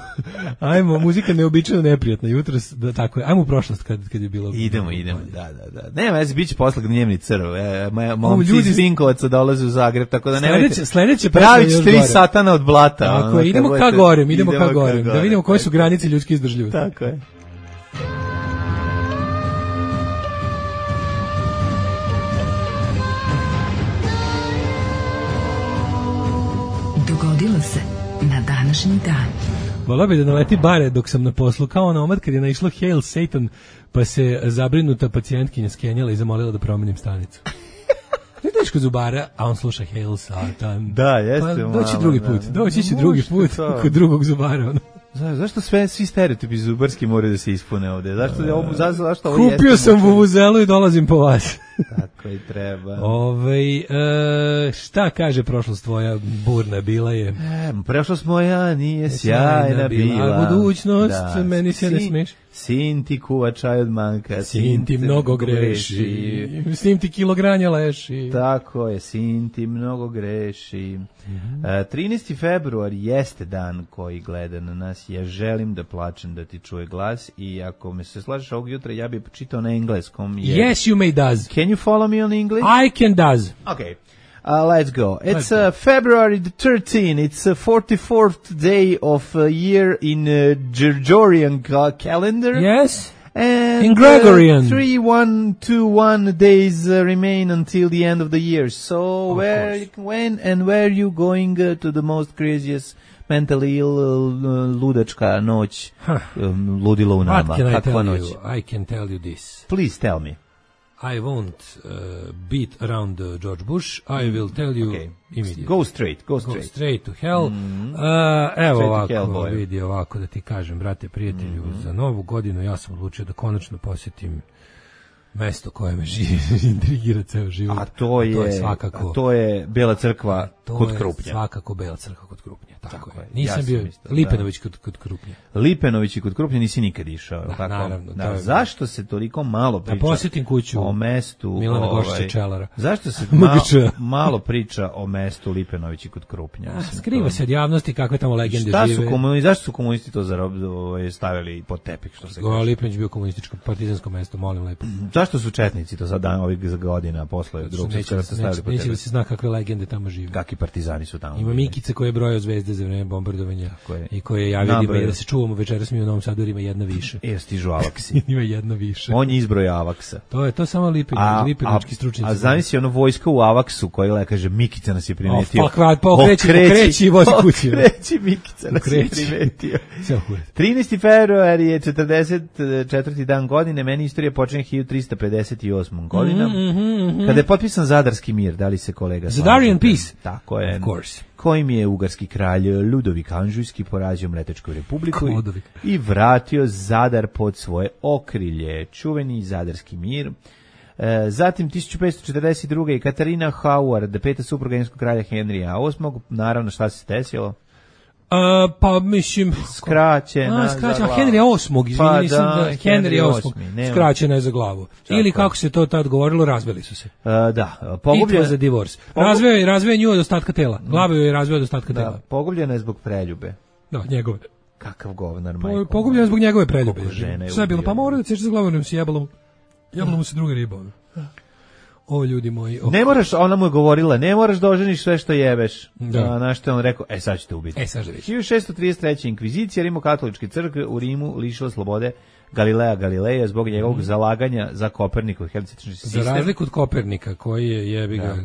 ajmo, muzika neobičajno neprijatna. Jutros, da, tako je. Ajmo u prošlost kad, kad je bilo. Idemo, idemo, da, da, da. Nema, ja se biće posle gnjevni crv. E, momci iz Vinkovaca dolaze u Zagreb, tako da nemojte. Sledeće, sledeće pravit će tri satana od blata. Tako ono, je, idemo ka gorem, idemo ka gorem. Da vidimo koje su granice ljudske izdržljivosti. Tako je. Dogodilo se na današnji dan. Volao bi da naleti bare dok sam na poslu, kao ona omad kad je naišlo Hail Satan, pa se zabrinuta pacijentkinja skenjala i zamolila da promenim stanicu. Vidiš kod zubara, a on sluša Hail Satan. Da, jeste. Pa malo, doći drugi put, da. doći će drugi put kod drugog zubara. Ono. Za, zašto sve svi stereotipi zubarski moraju da se ispune ovde? Zašto je ovo za zašto ovo jeste? Kupio sam vuvuzelu i dolazim po vas. Tako i treba. Ovaj e, šta kaže prošlost tvoja burna bila je? E, prošlost moja nije sjajna bila. A budućnost da. meni se ne smeš. Sin ti kuva čaj od manka. Sin ti mnogo greši. S njim ti kilogranja leši. Tako je, sin ti mnogo greši. Mm-hmm. E, trinaesti februar jeste dan koji gleda na nas. Ja želim da plačem da ti čuje glas i ako me se slažeš ovog jutra, ja bih čitao na engleskom. Jer... Yes, you may does. Can you follow me on English? I can does. Okay. Uh, let's go. It's uh, February the thirteenth. It's the forty-fourth day of a year in uh, Gregorian ca- calendar. Yes. And in Gregorian. Uh, three, one, two, one days uh, remain until the end of the year. So of where, course. when, and where you going uh, to the most craziest mentally ill uh, ludačka noć, huh. um, ludilo u nama? What can I tell noć? you? I can tell you this. Please tell me. I won't uh, beat around uh, George Bush. I will tell you okay. immediately. Go straight, go straight. Go straight to hell. Mm-hmm. Uh, evo ovako, vidi ovako da ti kažem, brate, prijatelju, mm-hmm. za novu godinu ja sam odlučio da konačno posjetim mesto koje me živi, intrigira ceo život. A to je, a to je svakako, a to je Bela crkva kod Krupnja. To je svakako Bela crkva kod Krupnja. Tako, tako je. Nisam ja bio isto, Lipenović da. kod, kod Krupnja. Lipenović i kod Krupnja nisi nikad išao. Da, tako? Naravno. Da, zašto se toliko malo priča da posjetim kuću o mestu Milana ovaj, Gošića Čelara? Zašto se malo, malo priča o mestu Lipenović i kod Krupnja? A, skriva to... se od javnosti kakve tamo legende šta žive. Su komuni, zašto su komunisti to zarob, ovaj, stavili pod tepih? Što se kaže? Lipenović bio komunističko partizansko mesto, molim lepo. Zašto su četnici to sad dan ovih godina posle drugog svjetskog rata stavili pod tepih? Neće da se zna kakve legende tamo žive. Kakvi partizani su tamo. Ima Mikice koje broje zvezde za vreme bombardovanja i koje je javio da, da se čuvamo večeras mi u Novom Sadu, ima jedna više. E, stižu avaksi. Ima jedna više. On je izbroj avaksa. To je to samo Lipenović, Lipenovićki stručnjaci. A zamisli ono vojska u avaksu koji le kaže Mikica nas je primetio. Pa kvad, pa okreći, okreći i vozi kući. Okreći, Mikica nas je primetio. trinaesti februar je četrdeset četvrti dan godine, meni istorija počinje hiljadu trista pedeset osmom godinom. Mm, mm, mm, kada je potpisan Zadarski mir, da li se kolega slaže? Zadarian Peace. Tako je. Of course. Kojim je ugarski kralj Ludovik Anžujski porazio Mletečku republiku i vratio Zadar pod svoje okrilje. Čuveni Zadarski mir. E, zatim tisuću petsto četrdeset druge. i Katarina Howard, peta supruga engleskog kralja Henrija osmog. Naravno, šta se desilo? Uh, pa mislim skraćena a, skraćena Henrya osmog izvinite pa, nisam da, da Henry osmog skraćena je za glavu tako. Ili kako se to tad govorilo razveli su se uh, da pogubljena za divorce razveo je razveo nju od ostatka tela glavu je razveo od ostatka da, tela pogubljena je zbog preljube da njegove kakav govnar majko po, pogubljena je zbog njegove preljube sve je bilo pa mora da se za glavom se jebalo jebalo mu se druga riba o ljudi moji. O... Ne moraš, ona mu je govorila, ne moraš da oženiš sve što jebeš. Da. Na što je on rekao, e sad ćete ubiti. E sad ćete hiljadu šessto trideset treće. inkvizicija Rimokatoličke crkve u Rimu lišila slobode Galileja Galileja zbog njegovog mm. zalaganja za Kopernikov heliocentrični sistem. Za razliku od Kopernika koji je jebi ga,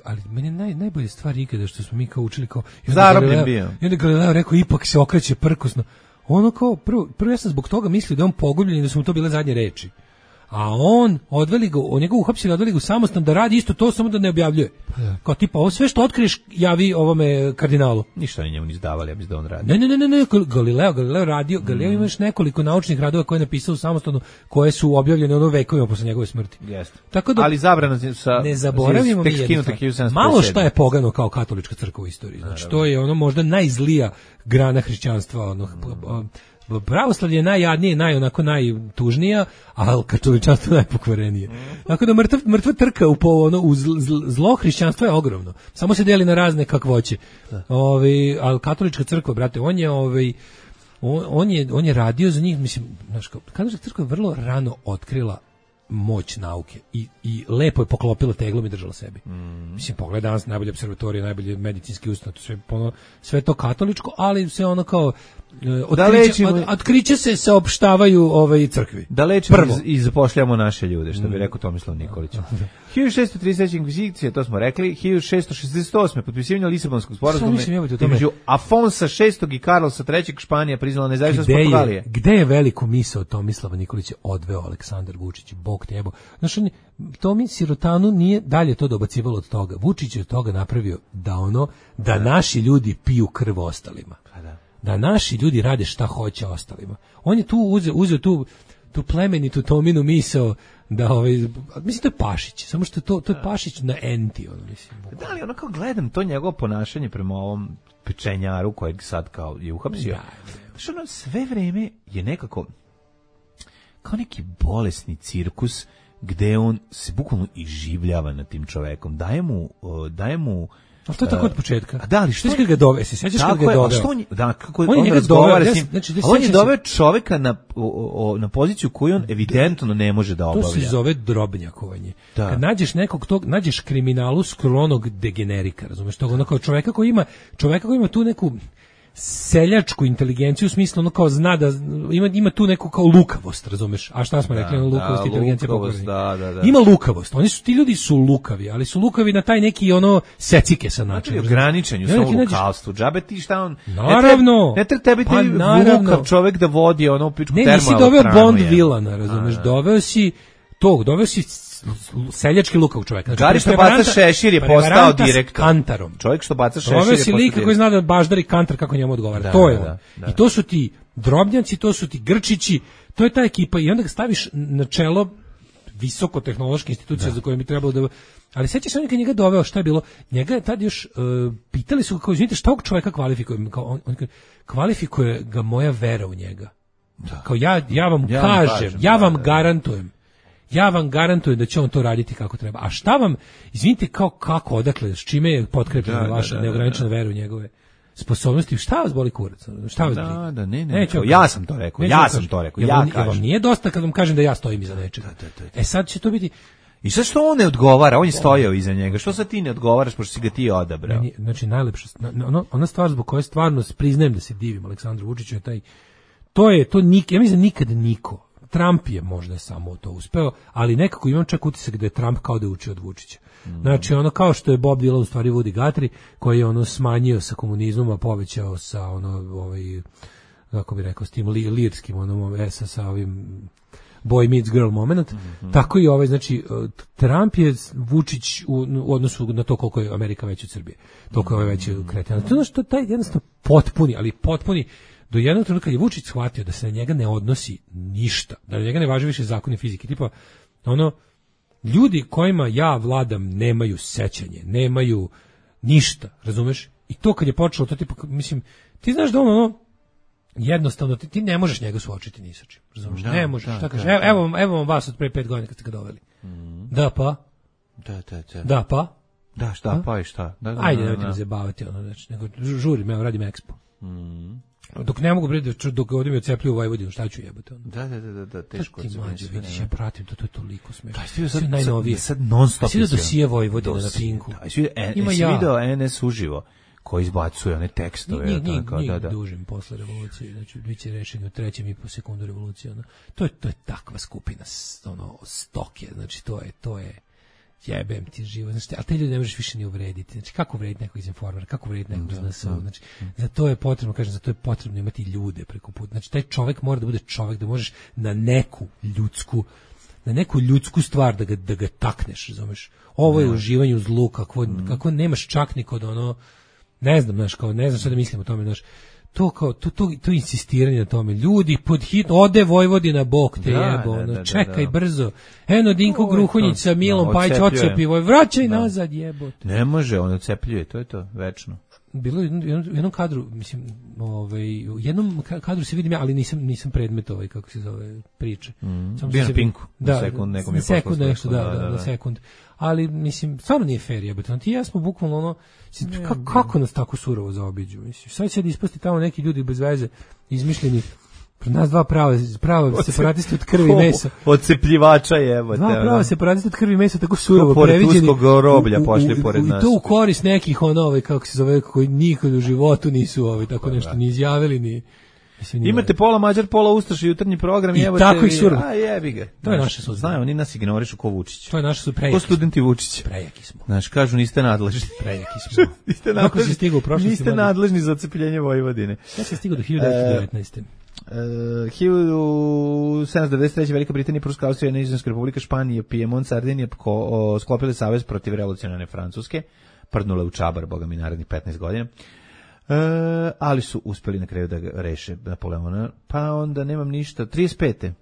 ali meni naj najbolje stvar ikada što smo mi kao učili kao zarobljen bio. I onda Galileo rekao ipak se okreće prkosno. Ono kao prvo, prvo ja sam zbog toga mislio da je on pogubljen i da su mu to bile zadnje reči. A on odveli ga, on njega uhapsili, odveli ga u samostan da radi isto to, samo da ne objavljuje. Kao tipa, ovo sve što otkriješ javi ovome kardinalu. Ništa oni njemu izdavali, ja mislim da on radi. Ne, ne, ne, ne, ne, Galileo, Galileo radio, Galileo ima još nekoliko naučnih radova koje je napisao u samostanu, koje su objavljene ono vekovima posle njegove smrti. Jeste. Tako da, ali zabrano sa ne zaboravimo mi jednu stvar. Malo šta je pogano kao katolička crkva u istoriji. Znači, to je ono možda najzlija grana hrišćanstva, ono, pravoslavlje je najjadnije, naj onako najtužnija, a katoličanstvo najpokvarenije. Tako da mrtva, mrtva trka u ono u zlo hrišćanstva je ogromno. Samo se deli na razne kakvoće. Ovaj, al katolička crkva, brate, on je ovaj on, on je on je radio za njih, mislim, znaš, katolička crkva je vrlo rano otkrila moć nauke i, i lepo je poklopila teglom i držala sebi. Mm. Mislim, pogledaj danas najbolje observatorije, najbolje medicinski ustanov, sve, ono, sve to katoličko, ali sve ono kao otkriće, da lečimo, od, otkriće se saopštavaju ovaj crkvi. Da lečimo i, i zapošljamo naše ljude, što bi rekao Tomislav Nikolić. hiljadu šessto trideset treće inkvizicija, to smo rekli, hiljadu šessto šezdeset osme potpisivanje Lisabonskog sporazuma između Afonsa šestog i Karlosa trećeg Španija priznala nezavisnost Portugalije. Gde je veliku misao Tomislava Nikolića odveo Aleksandar Vučić, Bog te jebo. Znaš, on, Tomi Sirotanu nije dalje to dobacivalo od toga. Vučić je od toga napravio da ono, da naši ljudi piju krv ostalima. Da naši ljudi rade šta hoće ostalima. On je tu uzeo, uzeo tu, tu plemenitu Tominu misao da ovaj, mislim to je Pašić, samo što to, to je Pašić na enti, ono mislim. Da li ono kao gledam to njegovo ponašanje prema ovom pečenjaru kojeg sad kao je uhapsio. Što ono sve vreme je nekako kao neki bolesni cirkus gde on se bukvalno iživljava nad tim čovekom. Daje mu, daje mu ali to je tako od početka. A da li što je ga doveo? Se sećaš kako ga je doveo? On, da, kako on, on razgovara s njim. Znači, on je doveo čoveka na o, o, na poziciju koju on evidentno ne može da obavlja. To se zove drobnjakovanje. Da. Kad nađeš nekog tog, nađeš kriminalu skronog degenerika, razumeš, tog ono kao čoveka koji ima, čoveka koji ima tu neku seljačku inteligenciju u smislu ono kao zna da ima ima tu neku kao lukavost, razumeš? A šta smo da, rekli, ono lukavost, da, inteligencija lukavost, da, da, da. Ima lukavost. Oni su ti ljudi su lukavi, ali su lukavi na taj neki ono secike sa način. Ograničenju sa lukavstvu. Džabe ti šta on? Naravno. Ne treba tebi ti lukav čovjek da vodi ono pičku termo. Ne, nisi doveo Bond vilana, razumeš? Doveo si tog, doveo si seljački lukav čovjek. Znači, Gari što baca šešir je postao direktor. Kantarom. Čovjek što baca šešir je postao direktor. Doveo si lika koji zna da baždari kantar kako njemu odgovara. Da, to je da, on. da. I to su ti drobnjaci, to su ti grčići, to je ta ekipa i onda ga staviš na čelo visokotehnološke institucije da. Za koje bi trebalo da... Ali sećaš on kad njega doveo, šta je bilo? Njega je tad još, uh, pitali su ga, kao, izvinite, šta ovog čovjeka kvalifikuje? Kao, on, on, kvalifikuje ga moja vera u njega. Da. Kao ja, ja vam ja kažem, kažem, ja vam da, da. garantujem. Ja vam garantujem da će on to raditi kako treba. A šta vam, izvinite, kao kako, odakle, s čime je potkrepljena da, vaša da, da, neograničena da, da. vera u njegove sposobnosti, šta vas boli kurac? Šta vas da, boli? Da, ne, ne. Neću, ja sam to rekao, ja sam to rekao, ja kažem. Vam nije dosta kad vam kažem da ja stojim iza nečega. Da, da, da. E sad će to biti... I sad što on ne odgovara, on je stojao iza njega, što sad ti ne odgovaraš, pošto si ga ti odabrao? Meni, znači, najlepša, ono, ona stvar zbog koje stvarno priznajem da se divim Aleksandru Vučiću je taj, to je, to nik, ja mislim nikad niko, Trump je možda samo to uspeo, ali nekako imam čak utisak da je Trump kao da je učio od Vučića. Mm. Znači, ono kao što je Bob Dylan u stvari Woody Guthrie, koji je ono smanjio sa komunizmom, a povećao sa ono, ovaj, kako bi rekao, s tim li, lirskim, ono, esa sa ovim boy meets girl moment, mm-hmm. Tako i ovaj, znači, Trump je Vučić u, u odnosu na to koliko je Amerika veća od Srbije, toliko je ovaj veći od Kretena. To je ono što taj jednostavno potpuni, ali potpuni, do jednog trenutka je Vučić shvatio da se na njega ne odnosi ništa, da na njega ne važe više zakoni fizike, tipa, ono, ljudi kojima ja vladam nemaju sećanje, nemaju ništa, razumeš? I to kad je počelo, to tipa, mislim, ti znaš da ono, ono jednostavno, ti, ti ne možeš njega suočiti ni sa čim, razumeš? Da, ne možeš, da, šta kažeš? Da, da. Evo, evo vam vas od pre pet godina kad ste ga doveli. Mm. Da, pa? Da, da, da. Da, pa? Da, šta, pa, pa i šta? Da, da, ajde, da, nemojte da. me zabavati, ono, znači, nego žurim, evo, radim ekspo. Mm. Dok ne mogu predati, dok ovdje mi ocepljuju Vojvodinu, šta ću jebati ono? Da, da, da, da, teško ti mlađe, vidiš, ja pratim to, to je toliko smešno. Da, svi najnovije. Sad non stop. Svi da dosije Vojvodina na Pinku. Da, svi video N S uživo, koji izbacuje one tekstove. Njih, njih, njih da, da. dužim posle revolucije, znači bit će rešeni u trećem i po sekundu revolucije. Ono. To, je, to je takva skupina, ono, stoke, znači to je, to je, jebem ti živo, znači, ali te ljudi ne možeš više ni uvrediti, znači kako uvrediti nekog iz Informera, kako uvrediti nekog iz N S O, znači, za to je potrebno, kažem, za to je potrebno imati ljude preko puta, znači taj čovjek mora da bude čovjek, da možeš na neku ljudsku, na neku ljudsku stvar da ga, da ga takneš, razumeš. Ovo je uživanje u zlu, kako, mm. kako nemaš čak ni kod ono, ne znam, znaš, kao, ne znam šta da mislim o tome, znaš, to kao, to, to, to insistiranje na tome, ljudi pod hitno, ode Vojvodina, bog te da, jebo, da, ono, da, čekaj da. brzo, eno Dinko Gruhunjić sa Milom no, Pajić ocepi, vraćaj da. nazad, jebote. Ne može, on ocepljuje, to je to, večno. Bilo je u jednom, jednom kadru, mislim, ovaj, u jednom kadru se vidim ja, ali nisam nisam predmet ovaj, kako se zove, priče. Mm. Samo Bio se na Pinku, da, na sekund, nekom je poslao. Sekund nešto, da, da, da, da, da. na sekund. Ali, mislim, stvarno nije fair, jebote. Ti i ja smo bukvalno ono, kako, kako nas tako surovo zaobiđu, mislim. Sad će da ispusti tamo neki ljudi bez veze, izmišljeni, pred nas dva prava, prava separatisti od krvi i mesa. Odcepljivača jebote. Dva prava separatisti od krvi i mesa, tako surovo pored previđeni. Pored uskog roblja pošli pored nas. I to u korist nekih ono, ovaj, kako se zove, koji nikad u životu nisu ovaj, tako nešto ni izjavili, ni... Mislim, imate pola Mađar, pola Ustaša, jutarnji program, i evo tako ih surovo. A jebi ga. To je naša sudbina. Znaju, oni nas ignorišu ko Vučić. To je naša sudbina. Ko studenti Vučić. Prejaki smo. Znaš, kažu niste nadležni. Prejaki smo. niste nadležni. Stigao u prošlosti. Niste nadležni za ocepljenje Vojvodine. Ja sam stigao do hiljadu devetsto devetnaeste. Uh, hiljadu sedamsto devedeset treće. Velika Britanija, Pruska, Austrija, Nizozemska republika, Španija, Pijemont, Sardinija sklopile savez protiv revolucionarne Francuske, prdnule u čabar, boga mi, narednih petnaest godina. Uh, ali su uspeli na kraju da ga reše Napoleona, pa onda nemam ništa. trideset pete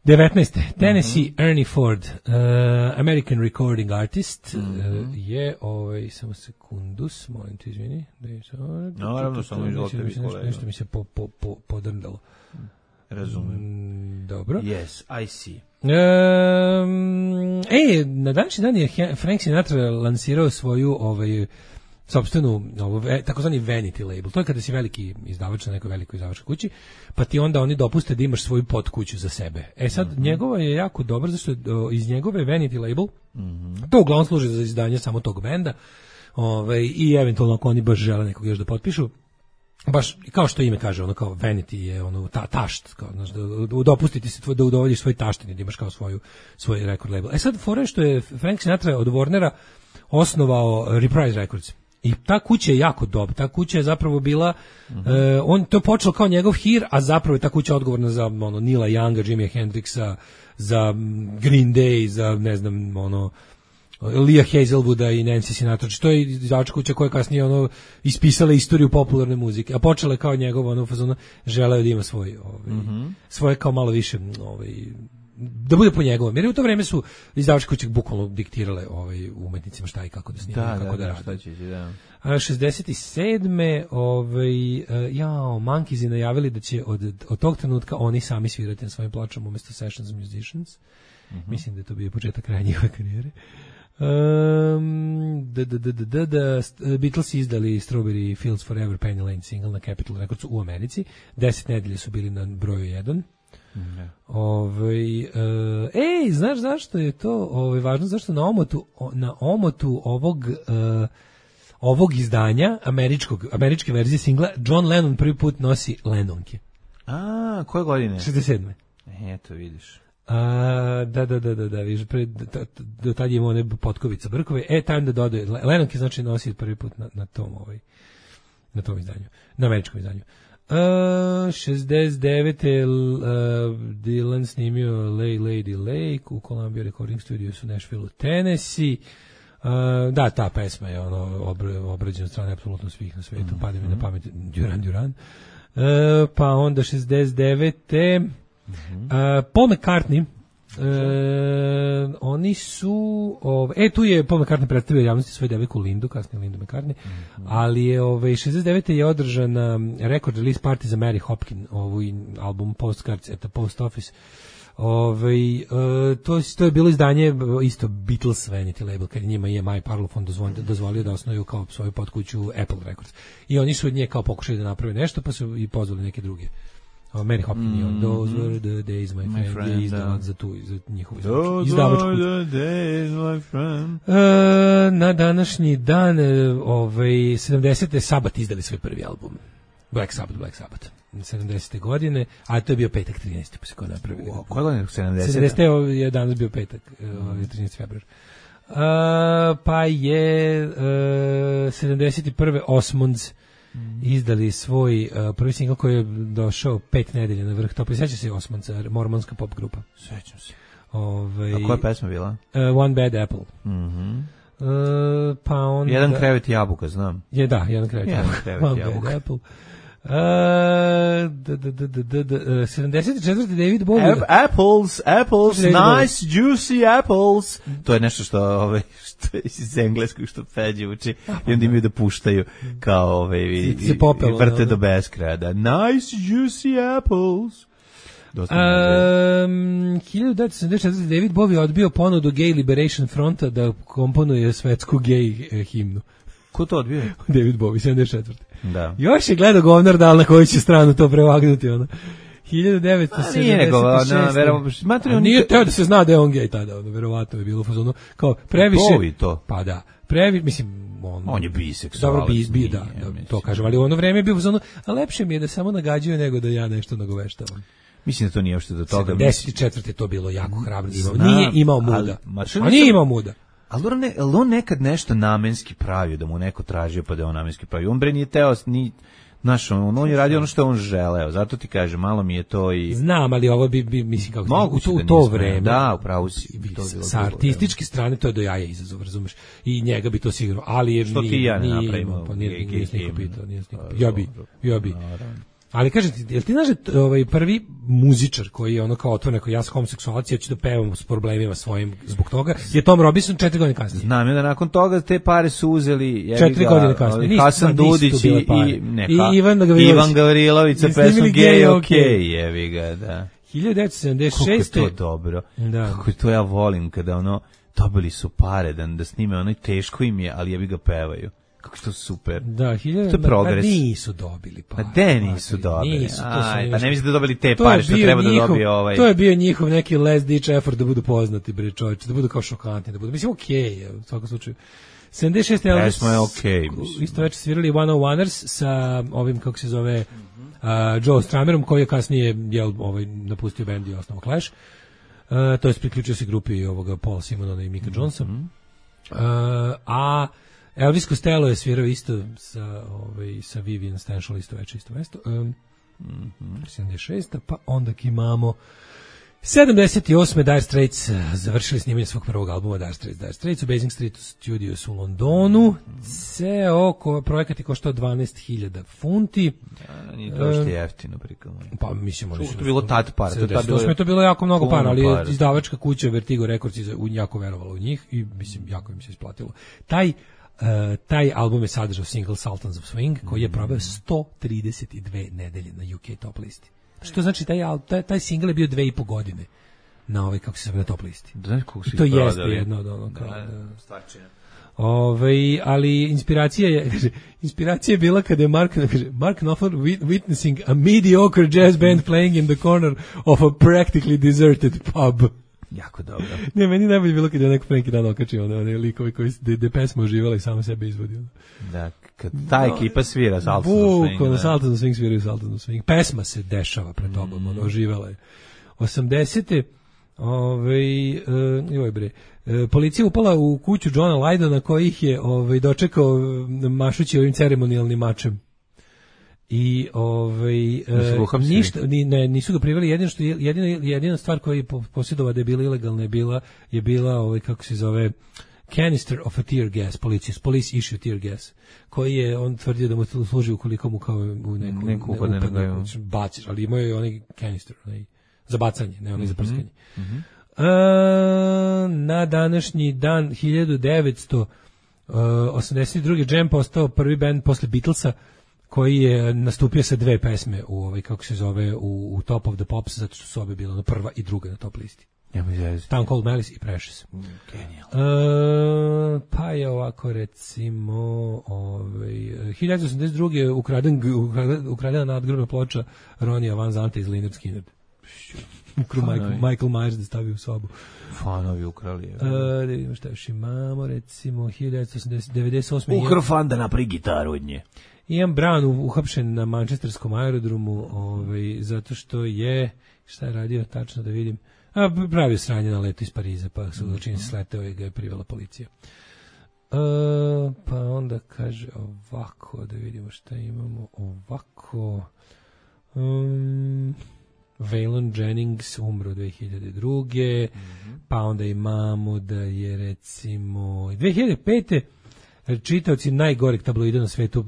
devetnaeste. Tennessee uh-huh. Ernie Ford, uh, American recording artist, uh-huh. uh, je, ovaj, samo sekundus, molim te izvini. Da je sa... Naravno, samo izvolite vi kolega. Nešto mi se po, po, po, podrndalo. Razumem. Mm, dobro. Yes, I see. Um, e, na današnji dan je Frank Sinatra lansirao svoju ovaj, sopstvenu, ovo, takozvani vanity label. To je kada si veliki izdavač na nekoj velikoj izdavačkoj kući, pa ti onda oni dopuste da imaš svoju podkuću za sebe. E sad, mm-hmm. njegova je jako dobra, zašto je iz njegove vanity label, mm-hmm. to uglavnom služi za izdanje samo tog benda, ovaj, i eventualno ako oni baš žele nekog još da potpišu, baš kao što ime kaže, ono kao vanity je ono ta tašt, kao znaš, da, da dopustiti se tvoj, da udovoljiš svoj taštini, da imaš kao svoju svoj record label. E sad fora što je Frank Sinatra od Warnera osnovao Reprise Records. I ta kuća je jako dobra. Ta kuća je zapravo bila, mm-hmm. uh, on to je počelo kao njegov hir, a zapravo je ta kuća odgovorna za ono Neila Younga, Jimmy Hendrixa, za Green Day, za ne znam, ono Leah Hazelwooda i Nancy Sinatra. To je izdavačka kuća koja kasnije ono ispisala istoriju popularne muzike, a počela je kao njegov ono fazona, želeo da ima svoj ovaj, mm-hmm. svoje kao malo više ovaj da bude po njegovom. Jer u to vreme su izdavačke kuće bukvalno diktirale ovaj umetnicima šta i kako da snimaju, kako da, da rade. Da. A šezdeset sedme ovaj jao, Monkeys najavili da će od od tog trenutka oni sami svirati na svojim pločama umesto Sessions Musicians. Mm-hmm. Mislim da je to bio početak kraja njihove karijere. Um, da, da, da, da, da, Beatles izdali Strawberry Fields Forever Penny Lane single na Capitol Records u Americi. Deset nedelje su bili na broju jedan. Ne. Ovaj uh, ej, znaš zašto je to ovaj važno, zašto na omotu na omotu ovog uh, ovog izdanja američkog američke verzije singla John Lennon prvi put nosi Lennonke. A, koje godine? šezdeset sedme. Eto, vidiš. A, da, da, da, da, da, vidiš, pre, do tad je imao one potkovica brkove, e, tam da dodaje, Lennonke znači nosi prvi put na, na tom, ovaj, na tom izdanju, na američkom izdanju. Uh, šezdeset devete. Uh, Dylan snimio Lay Lady Lake u Columbia Recording Studios u Nashville, Tennessee. Uh, da, ta pesma je ono obrađena od strane apsolutno svih na svetu, mm-hmm. pada mi na pamet Duran Duran. Uh, pa onda šezdeset devete. Mm-hmm. Uh, Paul McCartney. Uh, oni su ove, e tu je Paul McCartney predstavio javnosti svoju devojku Lindu, kasnije Lindu McCartney, mm-hmm. ali je ove, šezdeset devete je održana record release party za Mary Hopkin, ovu album Postcards at the Post Office. Ove, uh, to, to je bilo izdanje isto Beatles vanity label, kad njima je My Parlophone dozvolio, dozvolio da osnuju kao svoju podkuću Apple Records. I oni su od nje kao pokušali da naprave nešto, pa su i pozvali neke druge. Mary Hopkin mm, on Those mm, were the days, my friend, my friend je izdavac za tu, za njihovu izdavačku. Those were the days, my friend. Uh, na današnji dan, ovaj, sedamdesete Sabbath izdali svoj prvi album. Black Sabbath, Black Sabbath. sedamdesete godine, a to je bio petak trinaesti pa se ko napravili. Wow, koje godine? sedamdesete? sedamdesete je danas bio petak, mm. trinaesti februar. Uh, pa je uh, sedamdeset prve Osmonds izdali svoj uh, prvi singl koji je došao pet nedelja na vrh topa. Sjeća se Osmanca, mormonska pop grupa. Sećam se. Ove, A koja pesma bila? Uh, One Bad Apple. Mhm. Uh, pa onda... Jedan krevet jabuka, znam. Je, da, jedan krevet Jedan jabuka. krevet One jabuka. Bad Apple. Uh, d, d, d, d, d, d, sedamdeset četvrti David Bowie. Ap- apples, apples, David Bowie. nice, juicy apples. To je nešto što, ove, što je iz engleskog što Feđe uči i onda imaju da puštaju kao ove, i, Se popelo, i vrte da, da. do beskraja. Da. Nice, juicy apples. Dosta Um, hiljadu devetsto sedamdeset četvrti David Bowie odbio ponudu Gay Liberation Fronta da komponuje svetsku gej eh, himnu. Ko to odbio? David Bowie, sedamdeset četvrti Da. Još je gledao govnar da li na koju će stranu to prevagnuti, ono. hiljadu devetsto sedamdeset šeste. A nije nego, na, verovatno, smatram, A nije teo da se zna da je on gej tada, ono, verovatno je bilo u fazonu, kao previše... Bowie to. Pa da, previ, mislim, on... On je biseksualac. Dobro, bi, bi, nije, da, ja da mislim. to kažem, ali u ono vreme je bio u fazonu, a lepše mi je da samo nagađaju nego da ja nešto nagoveštavam. Mislim da to nije uopšte do toga. sedamdeset četvrti je to bilo jako hrabro. Imao. Znam, Nije imao muda. ali- ma što A nisam- nije imao muda. Ali on, ne, ali on nekad nešto namenski pravio, da mu neko tražio pa da je on namenski pravio. On bre nije teo, ni, znaš, on, on je radio ono što je on želeo. Zato ti kažem, malo mi je to i... Znam, ali ovo bi, bi mislim, kako Mogu u to, da u to nismo, vreme. da, upravo si. bi- to je bilo sa drugo artističke strane to je do jaja izazov, razumeš? I njega bi to sigurno, ali je Što ti nije, i ja ne nije napravimo imao, pa nije, gej- nije, gej nije niko himnu. pitao, nije niko Pa, pitao. Ja bi, dobro. ja bi. Ali kažem ti, jel ti znaš da t- ovaj prvi muzičar koji je ono kao otvoren, ako ja sam homoseksualac, ja ću da pevam s problemima svojim zbog toga, je Tom Robinson četiri godine kasnije. Znam ja da nakon toga te pare su uzeli jebi Četiri ga, godine kasnije. ovaj, Nisu- Hasan nisu to Dudić i, bile pare. i, ne, I ha- Ivan Gavrilović. Ivan Gavrilović sa I snimili pesmom Gay Gay OK. OK, jebi ga, da. hiljadu devetsto sedamdeset Kako je šeste. to dobro. Da. Kako je to ja volim kada ono dobili su pare da, da snime, ono teško im je, ali jebi ga pevaju. Kako je to super. Da, hiljadu, To je progres. Pa nisu dobili pa. Pa de nisu dobili. Nisu, to su Aj, oni pa nešto- ne mislim da dobili te To je pare što bio treba da njihov- dobije ovaj. To je bio njihov neki last ditch effort da budu poznati, bre čovječe, da budu kao šokantni, da budu. Mislim, okej, je, u svakom slučaju. sedamdeset šeste Elvis, Pesma je okej, mislim. isto večer svirali One oh Oneers sa ovim, kako se zove, uh, Joe Stramerom, koji je kasnije jel, ovaj, napustio bend i osnovao Clash. Uh, to je priključio se grupi ovoga Paul Simonona i Mika Jonesa. Mhm. Uh, a Elvis Costello je svirao isto sa, ovaj, sa Vivian Stanshall isto večer, isto mesto. Um, sedamdeset šesta pa onda imamo sedamdeset osme Dire Straits eh, završili snimanje svog prvog albuma Dire Straits. Dire Straits u Basing Street Studios u Londonu. Ceo ko, projekat je koštao dvanaest hiljada funti. A, nije to što jeftino prikladno. Pa mislim oni To su je bilo tad para, to je tad sedamdeset osme bilo- je to bilo jako mnogo puno para, ali je para. izdavačka kuća Vertigo Records iza- u jako verovala u njih i mislim jako im se isplatilo. Taj Uh, taj album je sadržao single Sultans of Swing koji je proveo sto trideset dve nedelje na U K top listi. Što znači taj, al- taj, taj single je bio dve i po godine na ovaj, kako se zove, na top listi. Znaš kako su I to ih jeste prodali? jedno od ono kao... Da, da. stvarčina. Ovaj, ali inspiracija je, kaže, inspiracija je bila kada je Mark, kaže, Mark Knopfler wit- witnessing a mediocre jazz band playing in the corner of a practically deserted pub. Jako dobro. Ne, meni najbolje bilo kada je neko pre neki dan okačio one, one likovi koji de, de pesma uživali i samo sebe izvodio. Da, kad ta ekipa svira Sultans of Swing. Bukvalno, da. Sultans of Swing sviraju Sultans of Swing. Pesma se dešava pred tobom, Mm. ono, oživala je. osamdesete Ovaj, uh, joj bre, e, policija upala u kuću Johna Lydona koji ih je ovaj, dočekao e, mašući ovim ceremonijalnim mačem. I ovaj Nisu ga e, uhapsili? ništa ni, ne, nisu ga priveli, jedino što je- jedina jedina stvar koja je po- posjedovao da je bila ilegalna je bila je bila ovaj kako se zove canister of a tear gas, police, police issue tear gas, koji je on tvrdio da mu služi ukoliko mu kao u neku, Neku ne, upadne na upadne, glavu. baciš, ali imao je onaj canister, onaj za bacanje, ne onaj za prskanje. Mhm. A, na današnji dan hiljadu devetsto osamdeset druge Jam postao prvi bend posle Beatlesa koji je nastupio sa dve pesme u ovaj kako se zove u, u Top of the Pops, zato što su obe bile na prva i druga na top listi. Ja mi zezati. Town Called Malice i Precious. Genijalno. E, pa je ovako recimo ovaj hiljadu osamdeset druge ukraden ukraden- ukradena nadgrobna ploča Ronija Van Zanta iz Lynyrd Skynyrd. Ukru Michael, Fanovi. Michael Myers da stavi u sobu. Fanovi ukrali. E, da vidimo šta još imamo, recimo hiljadu devetsto osamdeset devedeset osme Ukro fan da napravi gitaru od nje. Ian Brown u- uhapšen na manchesterskom aerodromu, ovaj, zato što je, šta je radio tačno da vidim, a pravio sranje na letu iz Pariza, pa su mm -hmm. čini se sleteo i ga je privela policija. Uh, pa onda kaže ovako, da vidimo šta imamo ovako. Um, Waylon Jennings umro dve hiljade druge. Mm-hmm. Pa onda imamo da je recimo dve hiljade pete čitaoci najgoreg tabloida na svetu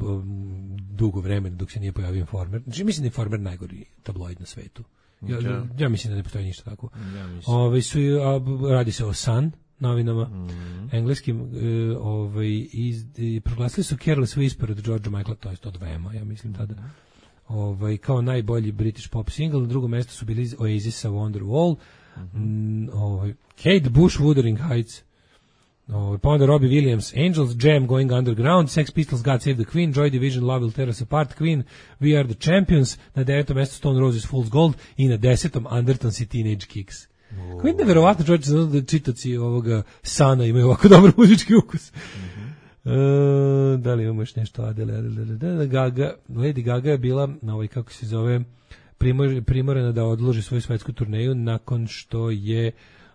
dugo vremena dok se nije pojavio Informer. Znači mislim da je Informer najgori tabloid na svetu. Ja, ja. ja mislim da ne postoji ništa tako. Ja Ove su, a, radi se o Sun novinama, mm-hmm. engleskim, uh, ovaj, iz, i proglasili su Careless Whisper od Georgea Michaela, to je od Vema, ja mislim tada, ovaj, kao najbolji British pop single. Na drugom mjestu su bili Oasisa Wonderwall, mm-hmm. ovaj, Kate Bush, Wuthering Heights, ovaj, pa onda Robbie Williams, Angels, Jam, Going Underground, Sex Pistols, God Save the Queen, Joy Division, Love Will Tear Us Apart, Queen, We Are the Champions, na devetom mjestu Stone Roses, Fool's Gold i na desetom Undertones i Teenage Kicks. Oh. Kako je neverovatno, čovječe, da čitaci ovoga Sana imaju ovako dobar muzički ukus. Mm-hmm. Uh, da li imamo još nešto? Adele, Adele, Gaga, Lady Gaga je bila na ovoj, kako se zove, primor, primorena da odloži svoju svetsku turneju nakon što je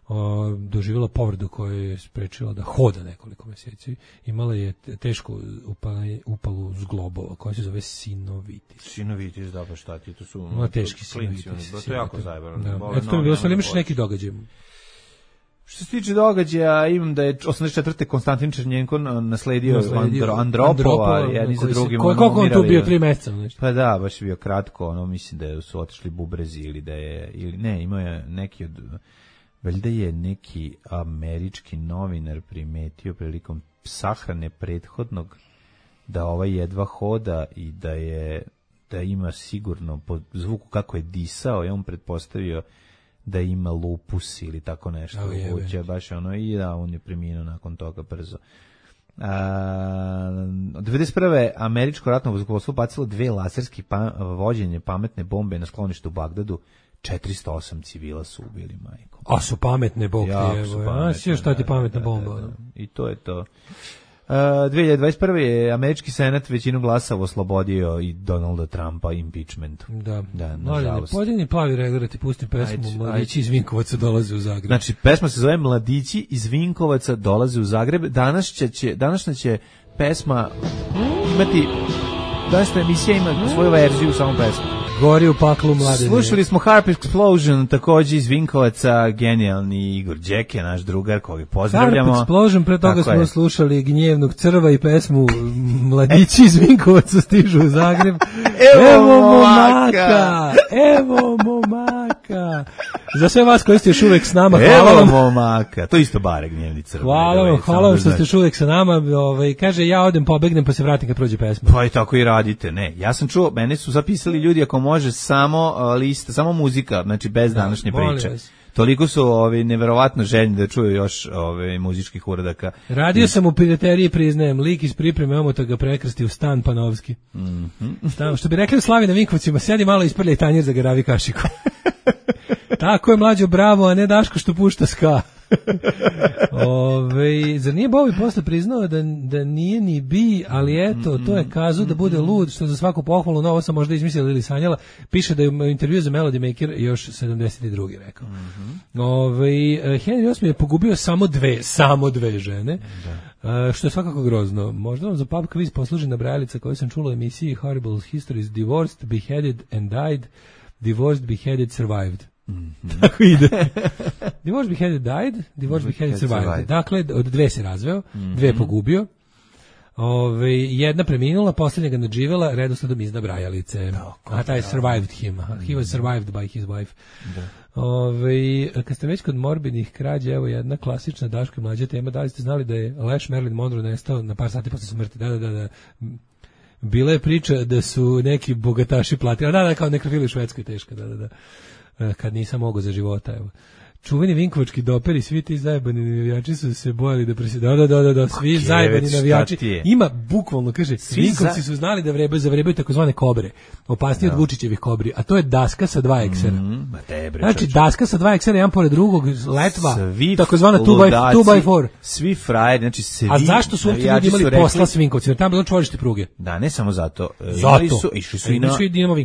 o, doživjela povredu koja je sprečila da hoda nekoliko mjeseci. Imala je teško upale, upalu zglobova koja se zove sinovitis. Sinovitis, da, pa šta ti, to su no, teški sinovitis. To je jako zajebano. Eto, to je bilo, ali imaš neki događaj. Što se tiče događaja, imam da je osamdeset četvrte Konstantin Černjenko nasledio, nasledio Andro, Andropova, Andropova, jedni za drugim. Koliko on tu bio, tri meseca? Nešto. Pa da, baš je bio kratko, ono, mislim da su otišli bubrezi ili da je, ili ne, imao je neki od, valjda je neki američki novinar primetio prilikom sahrane prethodnog da ovaj jedva hoda i da je, da ima sigurno po zvuku kako je disao, je on pretpostavio da ima lupus ili tako nešto. Oh, je, baš ono, i da, on je preminuo nakon toga brzo. A, devedeset prve američko ratno vazduhoplovstvo bacilo dve laserski pa, vođenje pametne bombe na skloništu u Bagdadu. četiristo osam civila su ubili, majko. A su pametne bombe, evo. A si još šta ti pametna bomba. Da, da, da. I to je to. Uh, dve hiljade dvadeset prve je američki senat većinu glasova oslobodio i Donalda Trumpa impeachmentu. Da, da, nažalost. Pojedini plavi regler ti pustim pesmu ajde, Mladići ajde. iz Vinkovaca dolaze u Zagreb. Znači, pesma se zove Mladići iz Vinkovaca dolaze u Zagreb. Danas će, će, današnja će pesma imati, današnja emisija ima svoju verziju samo pesmu. Gori u paklu mladine. Slušali smo Harp Explosion, takođe iz Vinkovaca, genijalni Igor Đeke, naš drugar, koga pozdravljamo. Harp Explosion, pre toga smo je. slušali Gnjevnog crva i pesmu Mladići iz Vinkovaca stižu u Zagreb. Evo, evo momaka! Evo momaka! Za sve vas koji ste još uvek s nama, hvala vam. Evo momaka! To isto bare Gnjevni crva. Hvala vam, hvala vam što ste još uvek sa nama. Ovaj, kaže, ja odem, pobegnem, pa se vratim kad prođe pesma. Pa i tako i radite. Ne, ja sam čuo, mene su zapisali ljudi ako može samo uh, lista, samo muzika, znači bez da, današnje priče. Toliko su ovi neverovatno željni da čuju još ove muzičkih uradaka. Radio I... sam u pirateriji, priznajem, lik iz pripreme omota ga prekrsti u Stan Panovski. Mm-hmm. Stan, što bi rekli u Slavi na Vinkovcima, sedi malo isprljaj tanjir za garavi kašiku. Tako je mlađo, bravo, a ne Daško što pušta ska. Ove, zar nije Bovi posle priznao da, da nije ni bi, ali eto, to je kazu da bude lud, što za svaku pohvalu, novo sam možda izmislila ili sanjala, piše da je u intervju za Melody Maker još sedamdeset drugi rekao. Ove, Henry osmi je pogubio samo dve, samo dve žene, da. Što je svakako grozno. Možda vam za pub quiz posluži nabrajalica koju sam čula u emisiji Horrible Histories, Divorced, Beheaded and Died, Divorced, Beheaded, Survived. Mm-hmm. Tako ide. Divorce Beheaded died, Divorce Beheaded survived. survived. Dakle, od dve se razveo, mm-hmm. dve pogubio. Ove, jedna preminula, posljednja ga nadživela, redosledom iz nabrajalice. No, a taj je survived him. He was survived by his wife. Da. Ove, kad ste već kod morbidnih krađa, evo jedna klasična Daško i mlađa tema, da li ste znali da je Leš Marilyn Monroe nestao na par sati posle smrti? Da, da, da, da. Bila je priča da su neki bogataši platili, da, da, kao nekrofili u Švedskoj teška, da, da, da. Kad nisam mogao za života, evo. Čuveni vinkovački doperi, svi ti zajebani navijači su se bojali da presjedaju. Da, da, da, da, svi Kjevec, zajebani navijači. Ima bukvalno, kaže, svi Vinkovci za... su znali da vrebaju, zavrebaju takozvane kobre. Opasnije no. od Vučićevih kobri. A to je daska sa dva eksera. Mm, znači, daska sa dva eksera, jedan pored drugog, letva, takozvana two by four. Svi frajeri, znači svi a zašto su uopće ljudi imali rekli... posla s Vinkovcima? Tamo bilo čvorište pruge. Da, ne samo zato. Zato. Su, išli su i na,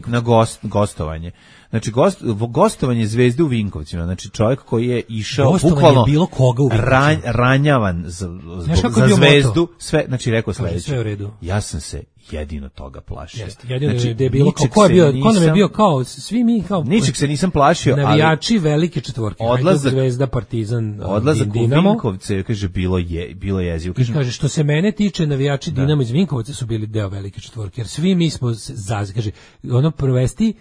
na gost, gostovanje. Znači, gost, gostovanje Zvezde u Vinkovcima, znači čovjek koji je išao Gostovanje bukvalno bilo koga u Vinkovcima. ranj, ranjavan za, zbog, za Zvezdu, sve, znači rekao sledeće. Sve u redu. Ja sam se jedino toga plašio. Jeste, jedino znači, je bilo kao, ko je bio, ko nam je bio kao, svi mi kao... Ničeg se nisam plašio, navijači ali... velike četvorke, odlazak, Zvezda, Partizan, odlazak Dinamo. u Vinkovce, kaže, bilo je, bilo jezivo. I kaže, što se mene tiče, navijači da. Dinamo iz Vinkovaca su bili deo velike četvorke, jer svi mi smo, zaz, kaže, ono provesti,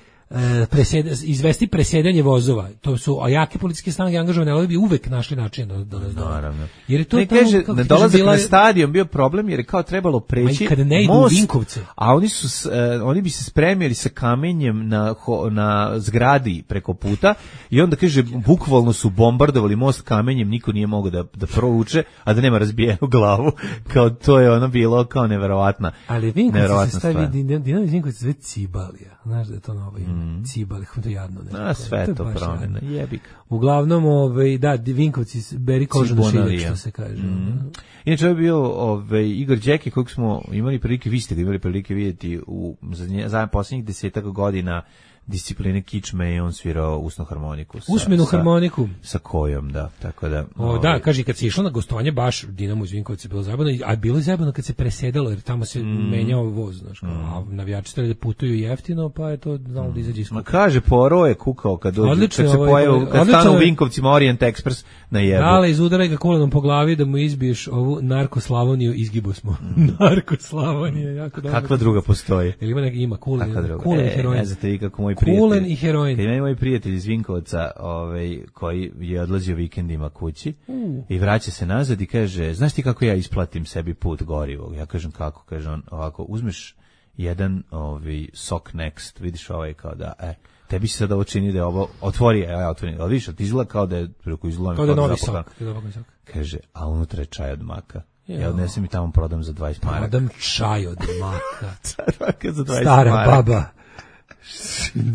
Presed, izvesti presjedanje vozova. To su a jake policijske snage angažovane, ali bi uvek našli način da da naravno. Jer je to ne tamo, kaže, kako ne dolazak bila... na stadion bio problem jer je kao trebalo preći kad ne idu most, u Vinkovce. A oni su uh, oni bi se spremili sa kamenjem na na zgradi preko puta i onda kaže bukvalno su bombardovali most kamenjem, niko nije mogao da da provuče, a da nema razbijenu glavu. Kao to je ono bilo kao neverovatna. Ali Vinkovci se stavi Dinamo iz Vinkovca sve Cibalija. Znaš da je to novo ime. Mm. Cibali, to jadno. Ne, a sve to, to promjena, jebik. Uglavnom, ovaj, da, Vinkovci, beri koža na šiljak, što se kaže. Mm. Inače, ovo je bio ovaj, Igor Đeki, kojeg smo imali prilike, vi ste ga imali prilike vidjeti u za posljednjih desetak godina discipline kičme i on svirao usnu harmoniku. Sa, Usmenu harmoniku. Sa, sa kojom, da. Tako da, o, ovaj. Da, kaže, kad se išlo na gostovanje, baš Dinamo iz Vinkovca bilo zabavno, a bilo je zabavno kad se presedalo, jer tamo se mm. menjao voz, znaš, kao, mm. a navijači trebali da putuju jeftino, pa je to znalo da izađe iz kupa. Ma kaže, Poro je kukao kad dođe, odlično, kad se ovaj, pojavu, kad odlično, stanu u Vinkovcima Orient Express na jebu. Dale, izudaraj ga kulenom po glavi da mu izbiješ ovu narkoslavoniju, izgibo smo. Mm. Narkoslavonija, jako dobro. Kakva druga postoji? Ili ima neki, ima kulen, kulen e, i heroin. Ne znate vi kako moj prijatelj. Kulen i heroin. Kad ima moj prijatelj iz Vinkovaca, ovaj, koji je odlazio vikendima kući uh. i vraća se nazad i kaže, znaš ti kako ja isplatim sebi put gorivog? Ja kažem kako, kaže on, ovako, uzmeš jedan ovaj, sok Next, vidiš ovaj kao da, e, tebi se sad ovo čini da je ovo, otvori, ja otvorim, ali vidiš, ti izgleda kao da je, preko izgleda kao da je novi sok. Kaže, a unutra je čaj od maka. Jo. Ja odnesem i tamo prodam za dvadeset maraka. Prodam čaj od maka. za dvadeset Stara maraka. Baba.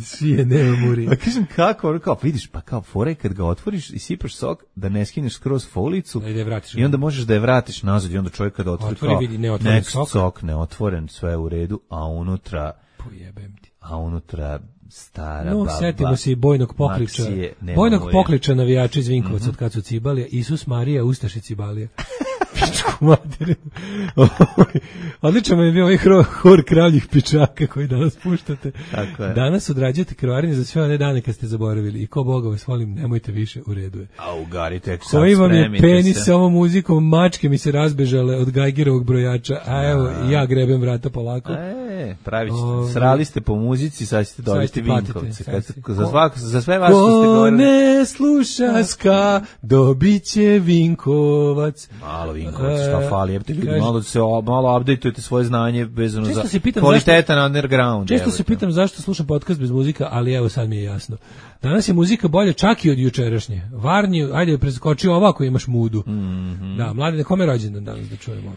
Svi je nema muri. Pa kažem kako, kao vidiš, pa kao fore kad ga otvoriš i sipaš sok, da ne skineš skroz folicu da i onda možeš da je vratiš nazad i onda čovjek kada otvori, otvori kao vidi neotvoren sok. sok neotvoren, sve u redu, a unutra pojebem ti. A unutra stara no, baba. Setimo se i Bojnog Pokliča. Bojnog Pokliča navijača iz Vinkovaca mm-hmm. od kad su Cibalija. Isus Marija, Ustaše Cibalija. Pičku materinu. Odlično mi je bio ovaj hor kravljih pičaka koji danas puštate. Tako je. Danas odrađujete krvarenje za sve one dane kad ste zaboravili. I ko Boga vas volim, nemojte više, u redu je. A ugarite, sad koji vam je penis se. Sa ovom muzikom, mačke mi se razbežale od Gajgerovog brojača, a evo, a. ja grebem vrata polako. E, pravi ćete, srali ste po muzici, sad ćete dobiti Vinkovce. Za, svak, za sve vas što ste govorili. Ko ne sluša ska, dobit će Vinkovac. Malo Vinkovac, šta fali, jebate ljudi, malo se malo updateujete svoje znanje vezano za pitam, kvalitetan zašto, underground. Često evo, se pitam zašto slušam podcast bez muzika, ali evo sad mi je jasno. Danas je muzika bolja čak i od jučerašnje. Varnji, ajde preskoči ovako imaš mudu. Mm-hmm. Da, mladi, kome rođendan danas da čujemo?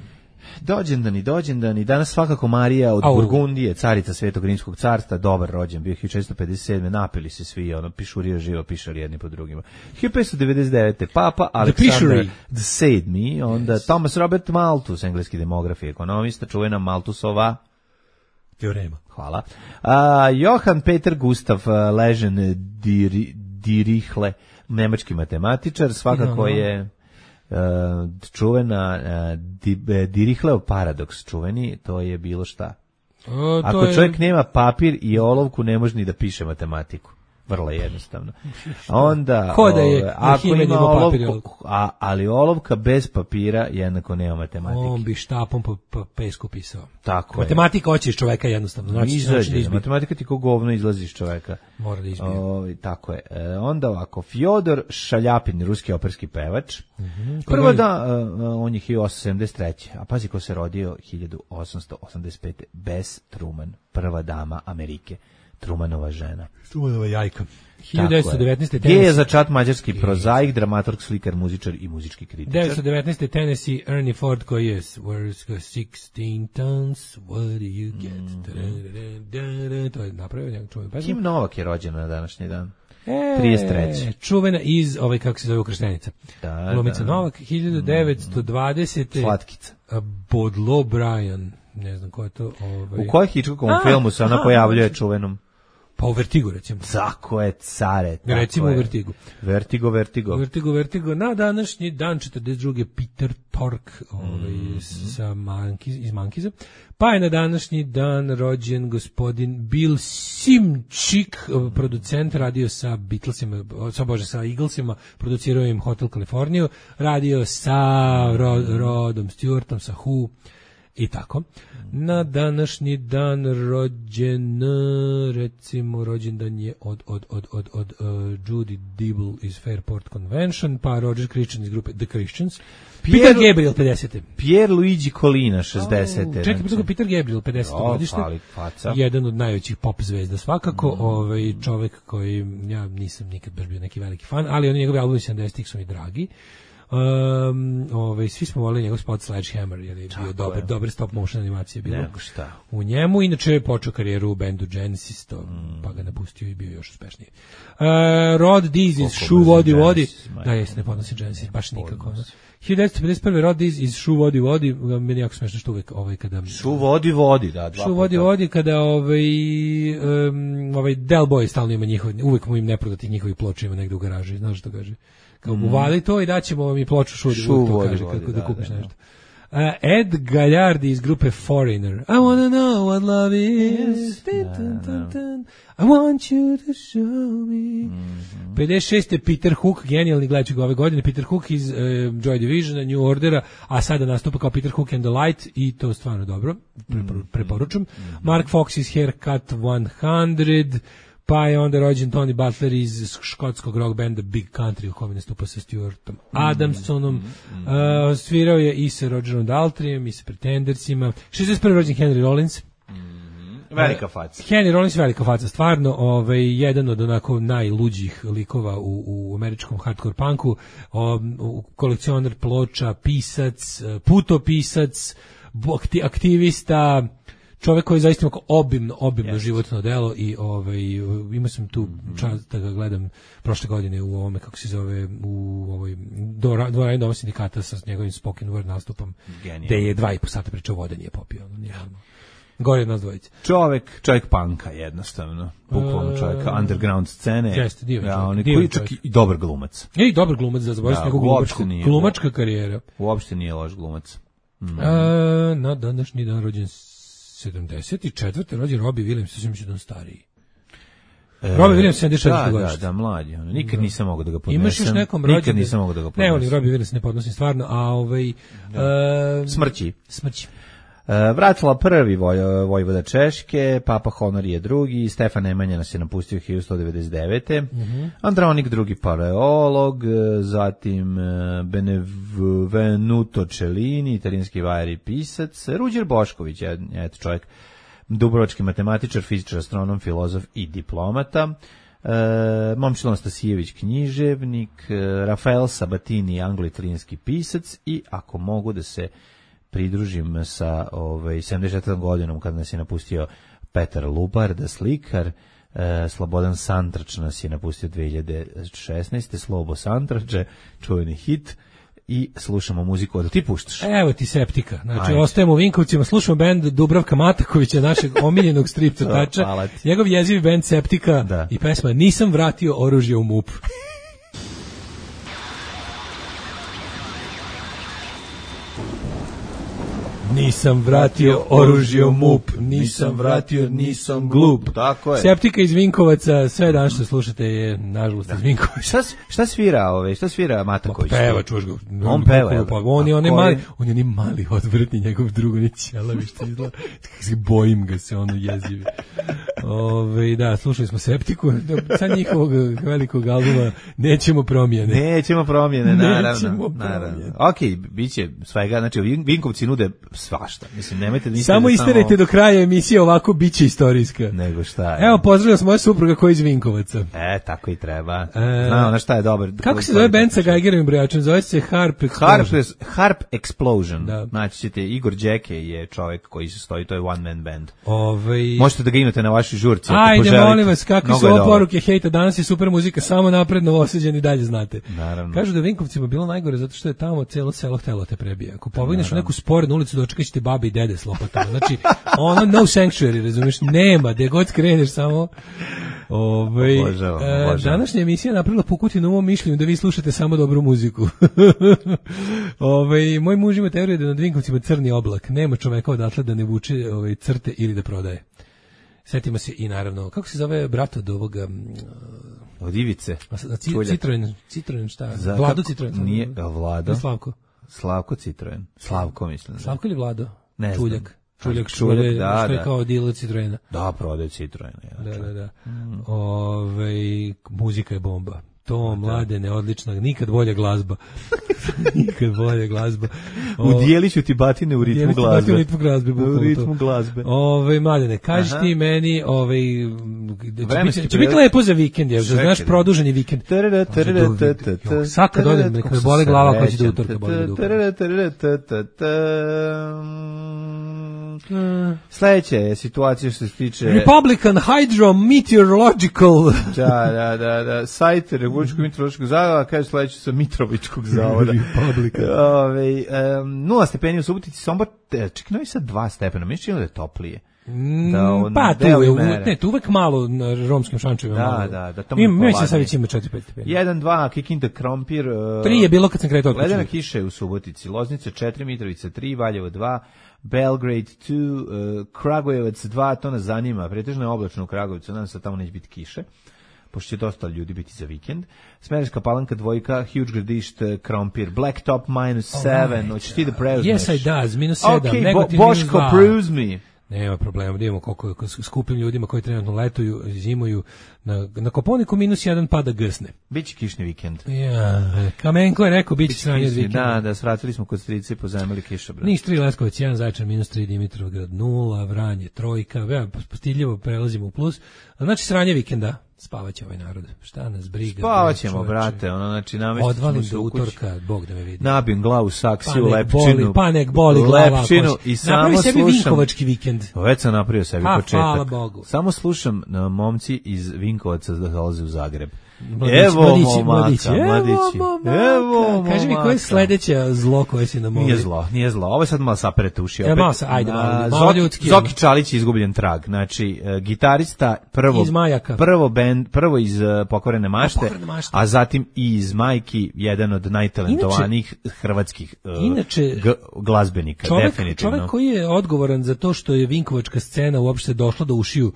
Dođendani, dođendani, danas svakako Marija od Au. Burgundije, carica Svetog Rimskog carstva, dobar rođen, bio hiljadu četiristo pedeset sedme napili se svi, ono, pišurija živo, pišali jedni po drugima. hiljadu petsto devedeset devete Papa Aleksandar sedmi, onda yes. Thomas Robert Malthus, engleski demograf i ekonomista, čuvena Malthusova teorema. Hvala. A, Johann Peter Gustav Lejeune Diri, Dirichlet, nemački matematičar, svakako no. je... Uh, čuvena uh, di, Dirichletov paradoks čuveni, to je bilo šta. O, Ako je... čovjek nema papir i olovku, ne može ni da piše matematiku. Vrlo jednostavno. Onda, ko da je, ove, ako ima olovku, a, ali olovka bez papira jednako nema matematike. On bi štapom po, po pesku pisao. Tako matematika hoće iz čoveka jednostavno. Znači, Izađe, znači da matematika ti ko govno izlazi iz čoveka. Mora da izbije. O, tako je. E, onda ovako, Fjodor Šaljapin, ruski operski pevač. Mm-hmm. Prvo da, uh, on je hiljadu osamsto sedamdeset treće A pazi ko se rodio hiljadu osamsto osamdeset pete Bess Truman, prva dama Amerike. Trumanova žena. Trumanova jajka. hiljadu devetsto devetnaeste Gdje je za čat mađarski prozaik, dramaturg, slikar, muzičar i muzički kritičar. devetsto devetnaeste Tennessee Ernie Ford koji je Where's sixteen tons, what do you get? Mm-hmm. To je napravio njegov čuven pesma. Kim Novak je rođena na današnji dan. E, trideset treće Čuvena iz, ovaj, kako se zove, Ukrštenica. Da, Glumica da. Novak, hiljadu devetsto dvadesete Slatkica. Bodlo Bryan, ne znam ko je to. Ovaj. U kojoj Hitchcockovom filmu se ona pojavljuje čuvenom? Pa u Vertigu, recimo. Tako je, care. Tako recimo je. u Vertigu. Vertigo, Vertigo. Vertigo, Vertigo. Na današnji dan, četrdeset druge Peter Tork ovaj, Mm-hmm. sa Mankiz, iz Mankiza. Pa je na današnji dan rođen gospodin Bill Simčik, producent, radio sa Beatlesima, sa, bože, sa Eaglesima, producirao im Hotel Californiju, radio sa Rod, Rodom Stewartom, sa Who, i tako. Na današnji dan rođen, recimo, rođendan je od, od, od, od, od uh, Judy Dibble iz Fairport Convention, pa Roger Christian iz grupe The Christians. Peter, Peter Gabriel, pedeset. Pierre Luigi Colina, šezdeset. Oh, čekaj, znači. Peter Gabriel, pedeset godište. Jedan od najvećih pop zvezda svakako, mm. ovaj čovek koji, ja nisam nikad baš bio neki veliki fan, ali oni njegovi albumi sedamdesetih su mi dragi. Um, ovaj, svi smo volili njegov spot Sledgehammer, jer je bio dobar, dobar stop motion animacije bilo Nego šta. U njemu. Inače je počeo karijeru u bendu Genesis, to, mm. pa ga napustio i bio još uspešniji. Uh, Rod Dees iz Shoe Vodi Vodi, da jeste, ne podnosi Genesis, baš nikako. No. hiljadu devetsto pedeset prve Rod Dees iz Shoe Vodi Vodi, meni jako smešno što uvek ovaj kada... Shoe Vodi Vodi, da, dva Shoe Vodi Vodi kada ovaj, um, ovaj Del Boy stalno ima njihov, uvek mu im neprodatih njihovih ploča ima negde u garaži, znaš što kaže? Kao mm. uvali to i daćemo vam i ploču Shoe Vodi, to kaže kako da, da kupiš da, nešto. Uh, Ed Gallardi iz grupe Foreigner. I wanna know what love is. Da, da. I want you to show me. Mm-hmm. pedeset šeste Peter Hook, genijalni, gledat ću ga ove godine. Peter Hook iz uh, Joy Divisiona, New Ordera, a sada nastupa kao Peter Hook and the Light i to stvarno dobro, Prepor- preporučujem. Mm-hmm. Mark Fox iz Haircut sto, pa je onda rođen Tony Butler iz škotskog rock benda Big Country, u kome nastupa sa Stuartom Adamsonom. Mm-hmm. Uh, svirao je i sa Rogerom Daltrijem i sa Pretendersima. šezdeset prve rođen Henry Rollins. Mm-hmm. Velika faca. Henry Rollins velika faca, stvarno ovaj, jedan od onako najluđih likova u, u američkom hardcore punku, um, kolekcionar ploča, pisac, putopisac, aktivista, čovjek koji je zaista obimno, obimno yes. životno delo i ovaj, imao sam tu čast da ga gledam prošle godine u ovome, kako se zove, u ovoj dvorani Doma sindikata sa njegovim spoken word nastupom, Genial. Gde je dva i po sata pričao vode, nije popio. Nije, gore od nas dvojice. Čovjek, čovjek panka jednostavno, bukvalno čovjeka, underground scene. Jeste, divan ja, čovjek. Koji čak i dobar glumac. I dobar glumac, da zaboravim ja, njegovu glumačku, glumačka karijera. Uopšte nije loš glumac. Mm. A, na današnji dan rođen sedamdeset četvrte rođen Robbie Williams, sve mislim da on stariji. E, Robbie Williams sedamdeset četvrte da, godište. Da, da, mlađi. Nikad nisam mogao da ga podnesem. Imaš još nekom rođendan? Nikad nisam mogao da ga podnesem. Ne, volim Robbie Williams, ne podnosim stvarno, a ovaj... Uh, smrći. Smrći. Uh, vratila prvi voj, vojvoda Češke, Papa Honorije drugi, Stefan Nemanja nas je napustio hiljadu sto devedeset devete. Mm-hmm. Andronik drugi paleolog, zatim Benvenuto Cellini, italijanski vajar i pisac, Ruđer Bošković, eto čovjek, dubrovački matematičar, fizičar, astronom, filozof i diplomata. Uh, Momčilo Anastasijević, književnik, uh, Rafael Sabatini, anglo-italijanski pisac i ako mogu da se pridružim sa ovaj, sedamdeset četvrtom godinom kada nas je napustio Petar Lubarda, slikar, e, Slobodan Santrač nas je napustio dve hiljade šesnaeste. Slobo Santrače, čuveni hit, i slušamo muziku od ti puštaš. Evo ti Septika. Znači, ajde. Ostajemo u Vinkovcima, slušamo bend Dubravka Matakovića, našeg omiljenog strip crtača. Njegov jezivi bend Septika da. I pesma Nisam vratio oružje u MUP. Nisam vratio oružje u MUP, nisam vratio, nisam glup. Tako je. Septika iz Vinkovaca, sve dan što slušate je, nažalost, iz Vinkovaca. Šta, šta svira ove, šta svira Mataković? Peva, čuš ga. On peva, je. On je onaj mali, on je onaj mali odvrtni, njegov drugo, ni ćelavi što izgleda. Bojim ga se, ono jezivi. Ove, da, slušali smo Septiku, sad njihovog velikog albuma Nećemo promjene. Nećemo promjene, naravno. Nećemo promjene. Ok, bit će svega, znači Vinkovci nude svašta. Mislim, nemojte da samo isterajte samo... do kraja emisije, ovako biće istorijska. Nego šta? Evo, pozdravljam se moja supruga koja je iz Vinkovaca. E, tako i treba. E, Znao na šta je dobar. Kako se zove band sa Geigerovim brojačem? Zove se Harp Explosion. Harp, Harp Explosion. Da. Znači ćete, Igor Đeke je čovjek koji se stoji, to je one man band. Ovej... Možete da ga imate na vašoj žurci. Ajde, molim vas, kakve su ovo poruke, hejta, danas je super muzika, samo napred Novosađani dalje znate. Naravno. Kažu da je Vinkovcima bilo najgore zato što je tamo celo selo htelo te prebije. Ako pobegneš u neku sporednu ulicu, dočekaš dočekat ćete babe i dede s lopatama. Znači, ono no sanctuary, razumiješ, nema, gde god skreneš samo... Ove, obožavam, e, obožavam. današnja emisija je napravila Pukutinu u mom mišljenju da vi slušate samo dobru muziku. Ove, moj muž ima teoriju da nad Vinkovcima crni oblak. Nema čoveka odatle da ne vuče ove, crte ili da prodaje. Setimo se i naravno, kako se zove brat od ovoga... Od Ivice. Citroen, Citroen šta? Za, Vlado kako, Citroen. Nije, Vlado. Slavko. Slavko Citroen. Slavko mislim. Slavko ili Vlado? Ne Čuljak. znam. Čuljak, Čuljak, Čuljak da, što je da. kao dealer Citroena. Da, prodaje Citroen. Ja, da, da, da. Mm. Ove, muzika je bomba. To, mladene, odlična, nikad bolja glazba. Nikad bolja glazba. Udijeli ću ti batine u ritmu glazbe. U ritmu glazbe. U ritmu glazbe. Ove, mladene, kaži ti meni, ove, će biti, će biti lepo za vikend, je, znaš, produženi vikend. Sad kad odem, neka me boli glava koja će do utorka boli do utorka. Sledeća je situacija što se tiče... Republican Hydrometeorological. Da, da, da, da. Sajt Republičkog meteorološkog zavoda, kaže sledeće sa Mitrovičkog zavoda. Republican. Ove, um, nula stepeni u Subotici, Sombor, čekaj, Novi Sad dva stepena, mi činilo da je toplije. Da, on, pa tu je, u, ne, tu uvek malo na romskim šančevima. Da, malo. da, da. Tamo Im, mi se sad već ima četiri pet stepeni. jedan dva, Kikinda, Krompir. Uh, tri je bilo kad sam kretao. Ledena kiša je u Subotici, Loznica četiri, Mitrovica tri, Valjevo dva, Belgrade dva, uh, Kragujevac dva, to nas zanima, pretežno je oblačno u Kragujevcu, nadam se da tamo neće biti kiše, pošto će dosta ljudi biti za vikend. Smederevska Palanka dvojka, Huge Gradište, Krompir, Blacktop minus sedam, hoćeš ti da preuzmeš? Yes, I does, minus sedam, okay, Negotin Bo- minus Boško, dva. preuzmi. Nema problema, da imamo koliko skupim ljudima koji trenutno letuju, zimuju, na, na Koponiku minus jedan pada gsne. Biće kišni vikend. Ja, Kamenko je rekao, biće sranje od vikenda. Da, da, svratili smo kod strice i pozajmili kišobran. Niš tri, Leskovac jedan, Zaječar minus tri, Dimitrovgrad nula, Vranje trojka, ja, postiljivo prelazimo u plus. Znači sranje vikenda, spavaće ovaj narod. Šta nas briga? Spavaćemo, brate, ono, znači namestimo odvalim do utorka, Bog da me vidi. Nabijem glavu saksiju, pa lepčinu. Boli, pa nek boli glava. Lepčinu i samo napravi slušam. sebi Vinkovački vikend. Već sam napravio sebi a, početak. Hvala Bogu. Samo slušam uh, momci iz Vinkovaca da dolaze u Zagreb. Mladići, evo mladići, momaka, mladići, mladići. Evo momaka. Kaži mi, koje je sledeće zlo koje si nam ovdje? Nije zlo, nije zlo. Ovo je sad malo saperete uši. Ja, malo sa, ajde, malo, malo Zoki, ljudski. Zoki Čalić je izgubljen trag. Znači, uh, gitarista prvo, iz Majaka. prvo, band, prvo iz uh, Pokvarene mašte, a, Pokvarene mašte, a zatim i iz Majki, jedan od najtalentovanijih inače, hrvatskih uh, inače, g- glazbenika, čovek, definitivno. Čovek koji je odgovoran za to što je vinkovačka scena uopšte došla do ušiju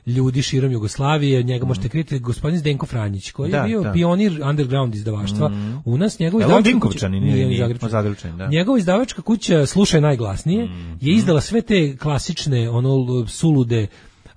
ljudi širom Jugoslavije, njega mm. možete kriti gospodin Zdenko Franjić, koji da, je bio da. pionir underground izdavaštva. Mm. U nas njegov izdavačka kuća, nije, nije Zagrebčan, da. Njegova izdavačka kuća Slušaj najglasnije mm. je izdala sve te klasične, ono, sulude,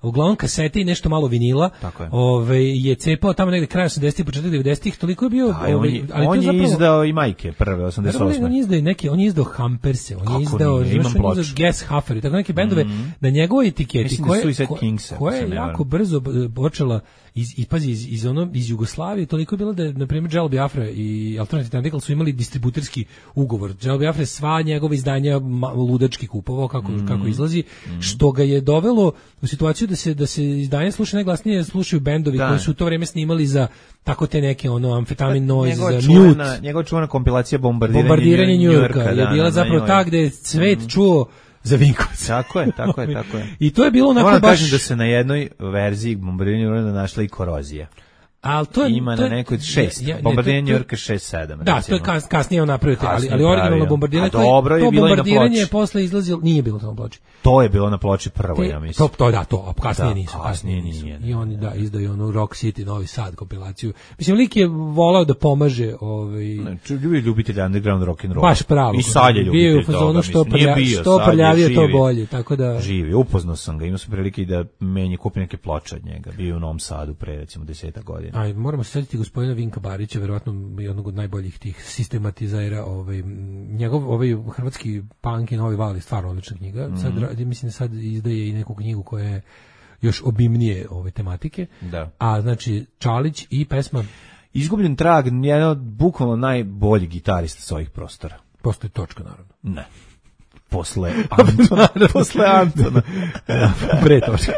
uglavnom kasete i nešto malo vinila. Je. Ove, je cepao tamo negde kraj osamdesetih, početak devedesetih, toliko je bio... Da, ove, on je, ali on je zapravo, izdao i Majke prve, osamdeset osme. On je izdao neke, on je izdao Hamperse, on Kako je izdao, nije, imam on je izdao Gas Huffer i tako neke bendove mm-hmm. na njegovoj etiketi koje, da ko, Kingsa, koja je jako brzo počela iz, i pazi, iz, iz, ono, iz Jugoslavije, toliko je bilo da je, na primjer, Jello Biafra i Alternative Tentacle su imali distributerski ugovor. Jello Biafra sva njegova izdanja ludački kupovao kako, mm-hmm. kako izlazi, mm-hmm. što ga je dovelo u situaciju da se, da se izdanje sluša najglasnije, slušaju bendovi da. koji su u to vreme snimali za tako te neke ono amfetamin noise, za Mute. Njegova čuvena kompilacija Bombardiranje, Bombardiranje New Yorka je da, bila da, zapravo da, ta gde je svet mm. čuo za Vinkovac. Tako je, tako je, tako je. I to je bilo onako baš... Moram kažem baš... da se na jednoj verziji Bombardiranja New Yorka našla i korozija. Al to je, ima to je, na nekoj šest, ja, bombardiranje New Yorka šest sedam. Da, recimo. To je kas, kasnije on napravio, ali, ali originalno bombardiranje, to, dobro je to bilo bombardiranje je posle izlazilo, nije bilo to na ploči. To je bilo na ploči prvo, Te, ja mislim. To, to da, to, a kasnije da, nisu. Kasnije nisu. nije. I oni da, izdaju onu Rock City, Novi Sad kompilaciju. Mislim, lik je volao da pomaže ovaj... Ljubi ljubitelj underground rock and roll. Baš pravo. I sad je ljubitelj bio u fazonu što, prlja, bio, što prljavije, to bolje. Tako da... Živi, upoznao sam ga, imao sam prilike da menje kupi neke ploče od njega. Bio u Novom Sadu pre, recimo, deseta godina. Aj, moramo se setiti gospodina Vinka Barića, verovatno jednog od najboljih tih sistematizera, ovaj njegov ovaj hrvatski punk i novi val je stvarno odlična knjiga. Mm-hmm. Sad mislim da sad izdaje i neku knjigu koja je još obimnije ove tematike. Da. A znači Čalić i pesma Izgubljen trag, jedan od bukvalno najboljih gitarista sa ovih prostora. Postoji točka, naravno. Ne. posle Antona. posle Antona. Pre točka.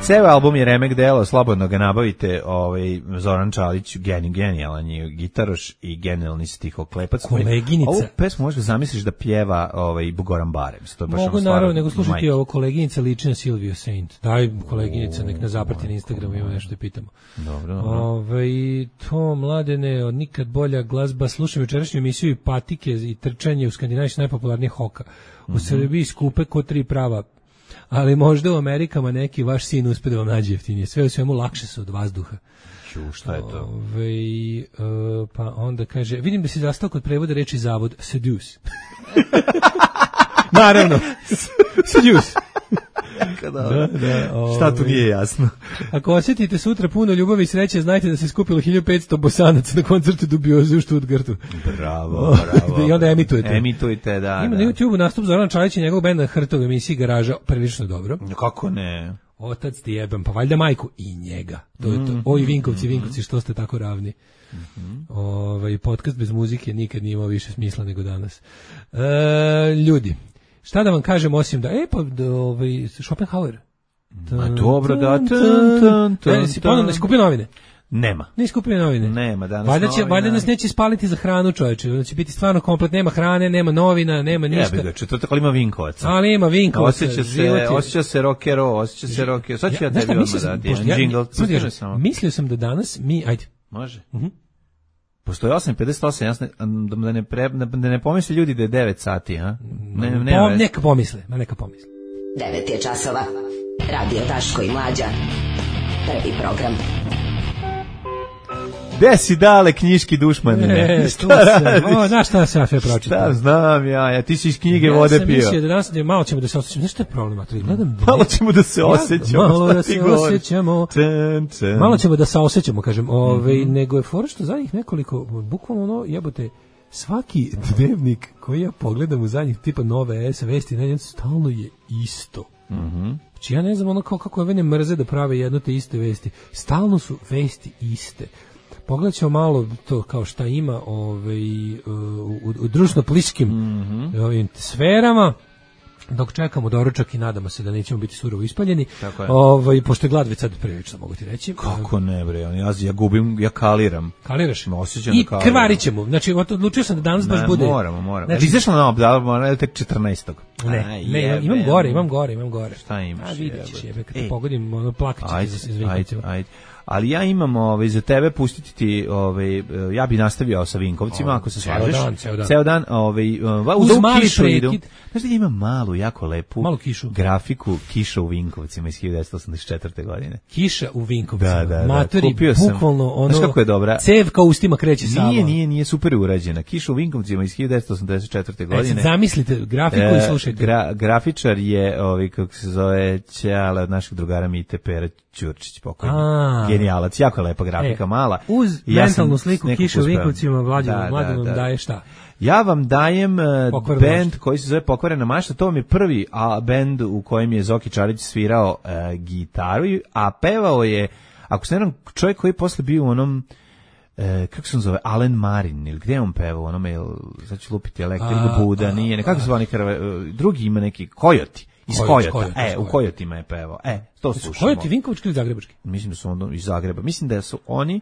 Ceo album je remek delo, slobodno ga nabavite. Ovaj, Zoran Čalić, geni, genijalan je gitaroš i genijalni stihoklepac. Koleginica. Ovu pesmu možeš zamisliš da pjeva ovaj, Goran Barem. To je baš Mogu ono naravno, nego slušati majke. ovo, koleginica liči na Silvio Saint. Daj koleginica, nek nas zaprati na Instagramu, ima nešto da pitamo. Dobro, dobro. Ove, to, mladene, od nikad bolja glazba. Slušam jučerašnju emisiju i patike i trčanje u Skandinaviji su najpopularnije hoka. U mm-hmm. Srbiji skupe ko tri prava, ali možda u Amerikama neki vaš sin uspe da vam nađe jeftinije. Sve u svemu lakše su od vazduha. Ču, šta je to? Ove, uh, pa onda kaže, vidim da si zastao kod prevoda reči zavod, seduce. Naravno, seduce. Da, da, ove, šta tu nije jasno? Ako osjetite sutra puno ljubavi i sreće, znajte da se skupilo hiljadu petsto bosanaca na koncertu Dubioze u Stuttgartu. Bravo, bravo. I onda emitujete. Emitujete, da. Ima da. na YouTubeu nastup Zorana Čalića i njegovog benda Hrtov emisiji Garaža, prilično dobro. Kako ne? Otac ti jebem, pa valjda majku i njega. To je to. Oj, Vinkovci, Vinkovci, što ste tako ravni. Mm-hmm. Ovaj podcast bez muzike nikad nije imao više smisla nego danas. E, ljudi, šta da vam kažem osim da, e pa, da, ovaj, Schopenhauer. Ma dobro, da. Tun, tun, tun, e, si ponovno skupio novine? Nema. Ne skupio novine. Nema danas. Valjda će, novina. valjda nas neće spaliti za hranu, čoveče. Da će biti stvarno komplet, nema hrane, nema novina, nema ništa. Jebe ga, četvrtak, ali ima Vinkovaca. Ali ima Vinkovaca. Osjeća se, osjeća se rockero, osjeća se rockero. Sad ću ja, ja tebi odmah dati jedan džingl. Mislio sam da danas mi, ajde. Može. Uh-huh. Postoje osam pedeset osam, jasno, da ne, pre, da ne pomisle ljudi da je devet sati, a? Ne, ne, Pom, neka pomisle, ma neka pomisle. devet je časova. Radio Daško i Mlađa. Prvi program. Gde si dale knjiški dušmane? E, šta radiš? O, znaš šta sam ja sve pročitao? Šta znam ja, ja ti si iz knjige ja vode pio. Ja sam mislio da danas malo ćemo da se osjećamo. Znaš šta je problem? Gledam, malo ćemo da se osjećamo. Malo da se osjećamo. Ten, ten. Malo ćemo da se osjećamo, kažem. Ove, mm-hmm. Nego je fora što zadnjih nekoliko, bukvalno ono, jebote, svaki dnevnik koji ja pogledam u zadnjih tipa Nove S vesti, ne, stalno je isto. Mhm. Znači ja ne znam ono kao kako ove ne mrze da prave jedno te iste vesti. Stalno su vesti iste. Pogledat ćemo malo to kao šta ima ovaj, u, u društveno-političkim mm-hmm. ovim sferama, dok čekamo doručak i nadamo se da nećemo biti surovo ispaljeni. Ovaj, pošto je glad već sad prilično, mogu ti reći. Kako ne, bre, ja, ja gubim, ja kaliram. Kaliraš? Osjećam I da krvarit ćemo. Znači, odlučio sam da danas ne, baš bude... Moramo, moramo. Znači, izašla na obdal, moramo tek četrnaestog Ne, Aj, ne, jebe, imam gore, imam gore, imam gore. Šta imaš? A vidjet ćeš, jebe, kad te Ej. pogodim, ono, plakat ćete Ajde, za Vinkovcima. ajde, ajde. Ali ja imam ovaj, za tebe pustiti ti, ovaj, ja bi nastavio sa Vinkovcima, ako se slažeš. Ceo dan, ceo dan. Ceo dan, ovaj, uz mali idu. prekid. Znaš da ima malu, jako lepu Malu kišu. grafiku Kiša u Vinkovcima iz hiljadu devetsto osamdeset četvrte. godine. Kiša u Vinkovcima. Da, da, da. Matori, Kupio sam. bukvalno ono... Znaš kako je dobra? Cev kao ustima kreće samo. Nije, nije, nije super urađena. Kiša u Vinkovcima iz hiljadu devetsto osamdeset četvrte. godine. E, sad zamislite grafiku e, i slušajte. Gra, grafičar je, ovaj, kako se zove, Ćale od našeg drugara Mite Pera Ćurčić, pokojni. A. Genijalac, jako lepa grafika, E, mala. Uz ja mentalnu sliku Kiša u Vinkovcima, Mlađe da, vam da, da. daje šta? Ja vam dajem uh, Pokvarena bend mašta. koji se zove Pokvarena mašta, to vam je prvi a, bend u kojem je Zoki Čarić svirao uh, gitaru, a pevao je, ako se ne znam, čovjek koji je posle bio u onom, uh, kako se on zove, Alen Marin, ili gdje je on pevao, onome, sad ću lupiti elektrik, Buda, nije, nekako se zvani, uh, drugi ima neki, Kojoti. Iz Kojot, Kojota, Kojot, e, u Kojotima je pevao, e, to slušamo. Kojoti Vinkovački ili Zagrebački? Mislim da su on iz Zagreba, mislim da su oni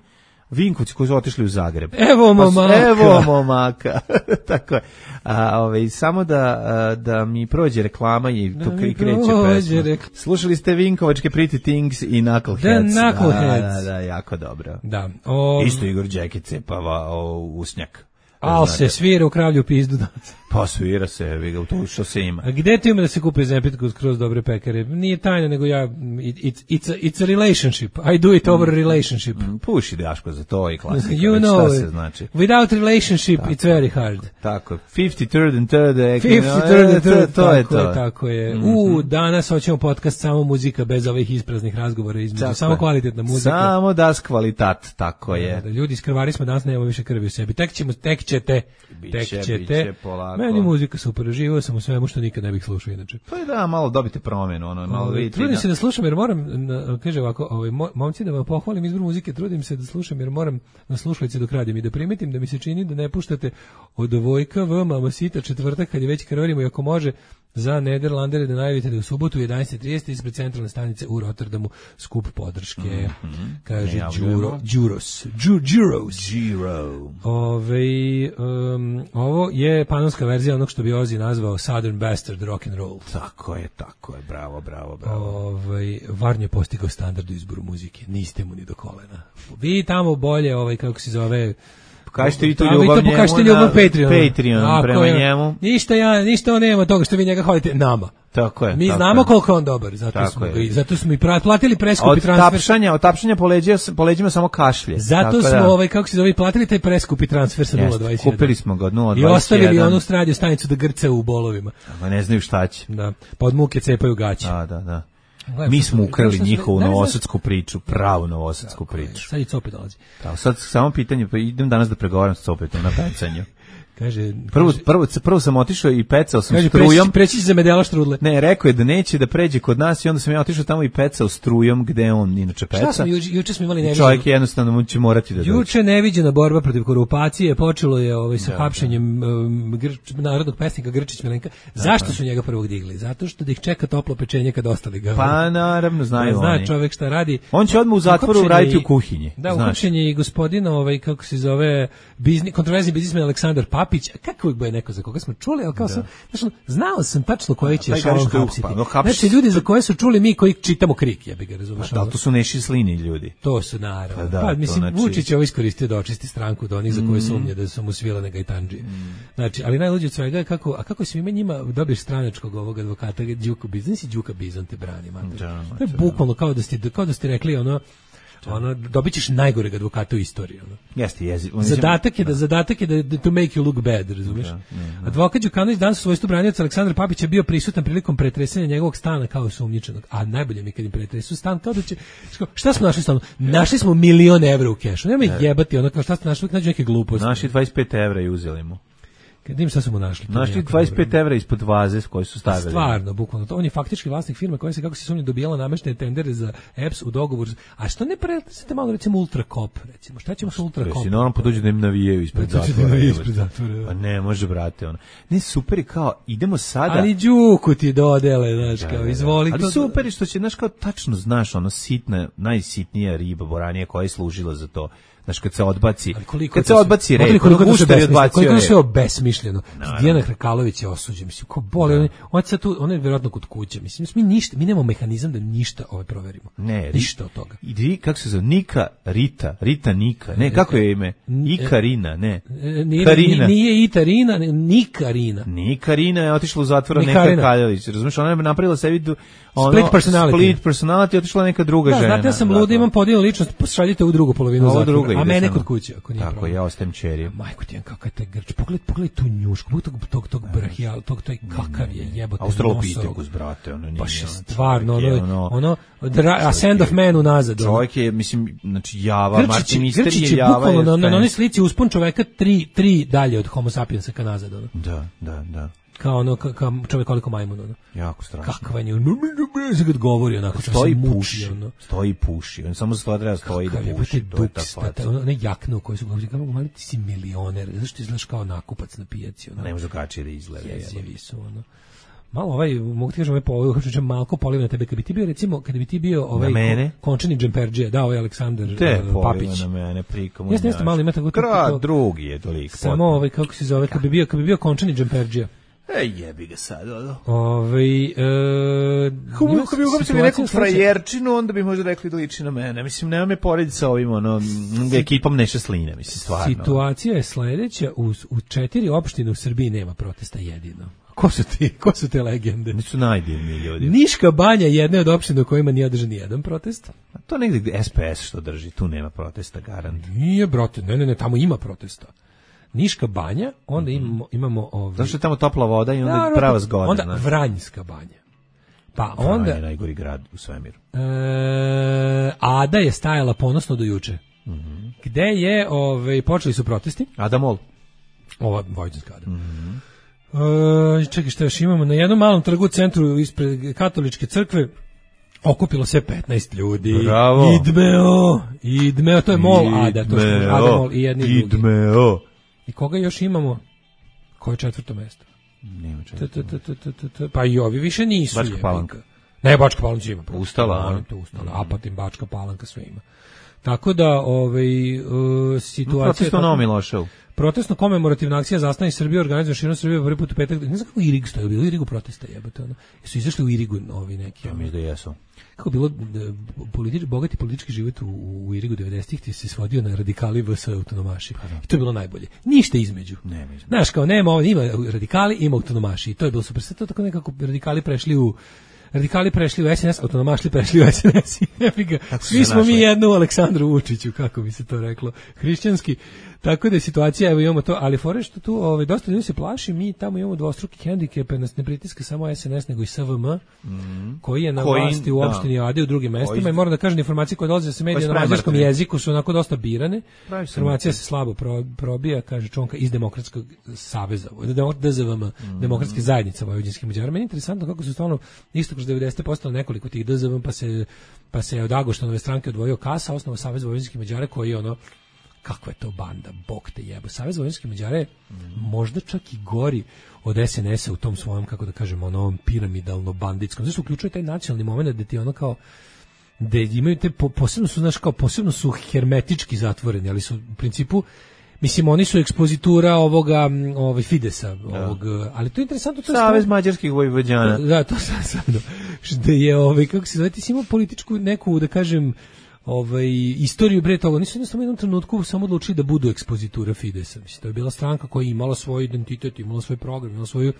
Vinkovci koji su otišli u Zagreb. Evo momaka. Evo momaka. Tako je. A, ove, samo da, a, da mi prođe reklama i tu Da mi kreće prođe pesma. rekl- Slušali ste Vinkovačke Pretty Things i Knuckleheads. The Knuckleheads. Da, da, da, jako dobro. Da. O, Isto Igor Đekić cepava o, usnjak. Al Znate. se svira u Kravlju pizdu danas. Pa svira se, vi ga u to što se ima. A gde ti ima da se kupi zempljetku skroz dobre pekare? Nije tajna, nego ja, it's, it's, a, it's a relationship. I do it over a relationship. Mm, Puši Daško za to i klasika. You već know šta it. se znači. Without relationship, it's very hard. Tako, fifty-third and third. fifty-third and third, to je tako to. je, tako je. Mm-hmm. U, danas hoćemo podcast samo muzika, bez ovih ispraznih razgovora između. Tako Samo je. kvalitetna muzika. Samo das kvalitat, tako je. Da, ljudi, iskrvari smo, danas nemamo više krvi u sebi. Tek ćemo, tek ćete, Biće, tek ćete. biće polako. Meni muzika super, živio sam u svemu što nikad ne bih slušao inače. Pa da, malo dobite promjenu, ono, malo Ovaj, vidite. trudim na- se da slušam jer moram, na- kaže ovako, ovaj, mo- momci da vam pohvalim izbor muzike, trudim se da slušam jer moram na slušalice dok radim i da primetim da mi se čini da ne puštate od Vojka V, Mama Sita, četvrtak kad je već krvarimo i ako može za Nederlandere da najavite da u subotu u jedanaest i trideset ispred centralne stanice u Rotterdamu skup podrške. Mm-hmm. Kaže Đuro, Đuros. Đuros. Giro. Ove, um, ovo je panonska verzija onog što bi Ozzy nazvao Southern Bastard rock and roll. Tako je, tako je. Bravo, bravo, bravo. Ove, Varnjo je postigao standard u izboru muzike. Niste mu ni do kolena. Vi tamo bolje, ovaj, kako se zove... Kažete vi tu ljubav njemu pokažete ljubav Patreon. Patreon prema je, njemu. Ništa ja, ništa on nema toga što vi njega hvalite nama. Tako je. Mi tako znamo je. koliko on dobar, zato tako smo je. ga, zato smo i platili preskupi transfer. Od tapšanja, od tapšanja po leđima, po leđima samo kašlje. Zato smo da. ovaj kako se zove platili taj preskupi transfer sa nula dvadeset jedan. Kupili smo ga od nula dvadeset jedan. I ostavili onu radio stanicu da grca u bolovima. Ma ne znaju šta će. Da. Pa od muke cepaju gaće. Da, da, da. Mi smo ukrali njihovu novosadsku priču, pravu novosadsku priču. Sad i Copet dolazi. Da, sad samo pitanje, pa idem danas da pregovaram s Copetom na pecanju. Kaže, prvo, kaže, prvo, prvo sam otišao i pecao sam kaže, strujom. Preći, preći za medela štrudle. Ne, rekao je da neće da pređe kod nas i onda sam ja otišao tamo i pecao strujom gde on inače peca. Šta smo, juče, juče smo imali neviđeno. Čovjek jednostavno mu će morati da dođe. Juče neviđena borba protiv korupcije, počelo je ovaj, sa da, hapšenjem um, grč, narodnog pesnika Grčić Milenka. Zašto su njega prvog digli? Zato što da ih čeka toplo pečenje kad ostali ga. Pa naravno, znaju zna oni. Zna čovjek šta radi. On će odmah u zatvoru raditi u kuhinji. Da, uhapšenje i gospodina, ovaj, kako se zove, biznis, kontroverzni biznismen Aleksandar Papić. Kako je neko za koga smo čuli, ali kao da. sam, znači, znao sam tačno koji će šalom hapsiti. No, znači, ljudi za koje su čuli mi koji čitamo krik, ja bih ga razumeš. Da, to su neši slini ljudi. To su, naravno. Pa, da, pa mislim, znači... Vučić je ovo iskoristio da očisti stranku do onih za koje sumnje da su mu svilane gajtandžije. Mm. Znači, ali najluđe od svega je kako, a kako si ime njima dobiješ stranačkog ovog advokata, Đuka Bizon, nisi Đuka Bizon te brani, mater. Da, to je bukvalno kao da ste, kao da ste rekli, ono, ono dobićeš najgoreg advokata u istoriji, ono. Jeste, jezi. Zadatak je da, da zadatak je da, da to make you look bad, razumiješ? Da, da, da. Advokat Đukanović danas u svojstvu branioca Aleksandar Papić je bio prisutan prilikom pretresanja njegovog stana kao osumnjičenog. A najbolje mi kad im pretresu stan kao da će šta smo našli stanu? Našli smo milion evra u kešu. Nema jebati, ono kao šta ste našli, nađu neke gluposti. Našli dvadeset pet evra i uzeli mu. Kad im šta su mu našli? Našli dvadeset pet evra ispod vaze koji su stavili. Stvarno, bukvalno. To on je faktički vlasnik firme koja se, kako se sumnja, dobijala nameštene tendere za E P S u dogovoru. A što ne prenosite malo, recimo, Ultrakop, recimo? Šta ćemo sa Ultrakopom? Jesi, normalno poduđu da im navijaju ispred da zatvora. ispred zatvora. Pa ne, može, brate, ono. Ne, super je kao, idemo sada... Ali Đuku ti dodele, znaš, da, kao, izvoli. Ali to... super je što će, znaš, kao, tačno znaš, ono, sitna, najsitnija riba, boranija koja je služila za to. Znaš, kad se odbaci, kad se odbaci red, koliko je odbacio koliko je sve obesmišljeno. Dijana Hrkalović je osuđen, mislim, ko boli, on, on sad tu, on je vjerojatno kod kuće, mislim, mi ništa, mi nemamo mehanizam da ništa ovaj proverimo. Ne, ništa od toga. I kako se zove, Nika, Rita, Rita Nika, ne, kako je ime? Ikarina, ne. Nije, Karina. Nije Itarina, Nikarina. Nikarina je otišla u zatvor Neka Kaljević, razumiješ, ona je napravila sebi ono, split personality. Split personality, otišla neka druga da, žena. Znate, ja sam luda, imam podijeljenu ličnost, šaljite u drugu polovinu zatvora, a mene kod kuće, ako nije tako, problem. ja ostajem čeri. Majko ti, kakav je taj grč, pogledaj, pogledaj tu njušku, pogledaj tog, tog, tog brahijal, tog, tog, kakav je jebote nosorog. Australopithecus, brate, ono nije. Baš je stvarno, ono, ono, a Sand of Man unazad. Čovjek je, mislim, znači, java, Martin Mister je java. Grčić je bukvalno, na onoj slici uspon čoveka tri, tri dalje od Homo sapiensa ka nazad, ono. Da, da, da. Kao ono, ka, ka čovjek koliko majmun, ono. Jako strašno. Kakva je, kad govori, onako, stoji puši, ono. Stoji puši, on samo za treba stoji da puši. To je ta faca. Ono, ne jakne u kojoj su govorili, kako mali ti si milioner, zašto izgledaš kao nakupac na pijaci, ono. Ne može drugačije da izgleda. Jezivi su, ono. Malo ovaj, mogu ti kažem, ovaj povoj, uopšte malko poliv na tebe, kad bi ti bio, recimo, kad bi ti bio ovaj končani džemperđija, da, ovaj Aleksandar uh, Papić. Na mene, prikomu. Jeste, jeste, malo ima tako... Krad, drugi je toliko. Samo ovaj, kako se zove, kad bi bio, kad bi bio končani džemperđija. Ej, jebi ga sad, ono. Ovaj e, Kako bi uhapsili neku frajerčinu, onda bi možda rekli da liči na mene. Mislim, nema me porediti sa ovim, ono, ekipom Neše Sline, mislim, stvarno. Situacija je sledeća, u, u četiri opštine u Srbiji nema protesta jedino. Ko su ti, ko su te legende? Nisu najdivni ljudi. Niška Banja je jedna od opština u kojima nije održan jedan protest. A to negdje S P S što drži, tu nema protesta, garant. Nije, brate, ne, ne, ne, tamo ima protesta. Niška Banja, onda imamo, imamo ovaj... Zašto je tamo topla voda i onda je prava zgoda. Onda ne? Vranjska Banja. Pa Vranje onda... je najgori grad u svemiru. E, Ada je stajala ponosno do juče. Mm-hmm. Gde je, ovaj, počeli su protesti. Ada Mol. Ova Vojvodinska Ada. Mm-hmm. E, čekaj, što još imamo? Na jednom malom trgu u centru ispred katoličke crkve okupilo se petnaest ljudi. Bravo. Idmeo. Idmeo, to je Mol Ada. To je Ada Mol i jedni drugi. Idmeo. I koga još imamo? Koje je četvrto mesto? Nema čega. T, t, t, t, t, t, t. Pa i ovi više nisu. Bačka jebika. Palanka. Ne, Bačka Palanka ima. Ustala, Molim te, ustala. Apatin, Bačka Palanka, sve ima. Tako da, ovaj, uh, situacija... Protestno Novo Milošev. Protestno komemorativna akcija Zastani Srbije organizuje širom Srbije prvi put u petak. Ne znam kako Irig stoji, bilo u Irigu protesta, jebote, ono. Jesu izašli u Irigu ovi neki. Ja mislim da jesu. Kako bilo politič, bogati politički život u, u Irigu devedesetih ti se svodio na radikali vs autonomaši. I to je bilo najbolje. Ništa između. Nema. Znaš, kao nema, ovo, ima radikali, ima autonomaši. I to je bilo super. Sve to tako nekako radikali prešli u Radikali prešli u S N S, autonomašli prešli u S N S. Svi smo mi jedno u Aleksandru Vučiću, kako bi se to reklo, hrišćanski. Tako da je situacija, evo imamo to, ali fore što tu ovaj, dosta ljudi se plaši, mi tamo imamo dvostruki hendikep, nas ne pritiska samo S N S, nego i S V M, mm. koji je na koji, vlasti u opštini Ade u drugim mestima koji, i moram da kažem, informacije koje dolaze sa medija na mađarskom jeziku su onako dosta birane. Informacija se slabo pro, probija, kaže Čonka, iz Demokratskog saveza, D Z V M, mm. Demokratske zajednice vojvođanskih Mađara. Meni je interesantno kako su stvarno isto kroz devedeset posto nekoliko tih D Z V M, pa se, pa se od Agoštanove stranke odvojio Kasa, osnova Savez vojvođanskih Mađara, koji je ono, kakva je to banda, bog te jebo. Savez vojvođanskih Mađara je mm. možda čak i gori od S N S-a u tom svojom, kako da kažemo, onom piramidalno banditskom. Zašto uključuje taj nacionalni moment da ti ono kao, da imaju te, posebno su, znaš, kao, posebno su hermetički zatvoreni, ali su u principu, mislim, oni su ekspozitura ovoga, ovaj Fidesa, ovog, da. Ali to je interesantno. To je Savez stvar... mađarskih vojvođana. Da, to sam sam, što je, ovaj, kako se zove, ti si imao političku neku, da kažem, ovaj, istoriju bre toga, nisu jednostavno u jednom trenutku samo odlučili da budu ekspozitura Fidesa. Mislim, to je bila stranka koja je imala svoj identitet, imala svoj program, imala svoju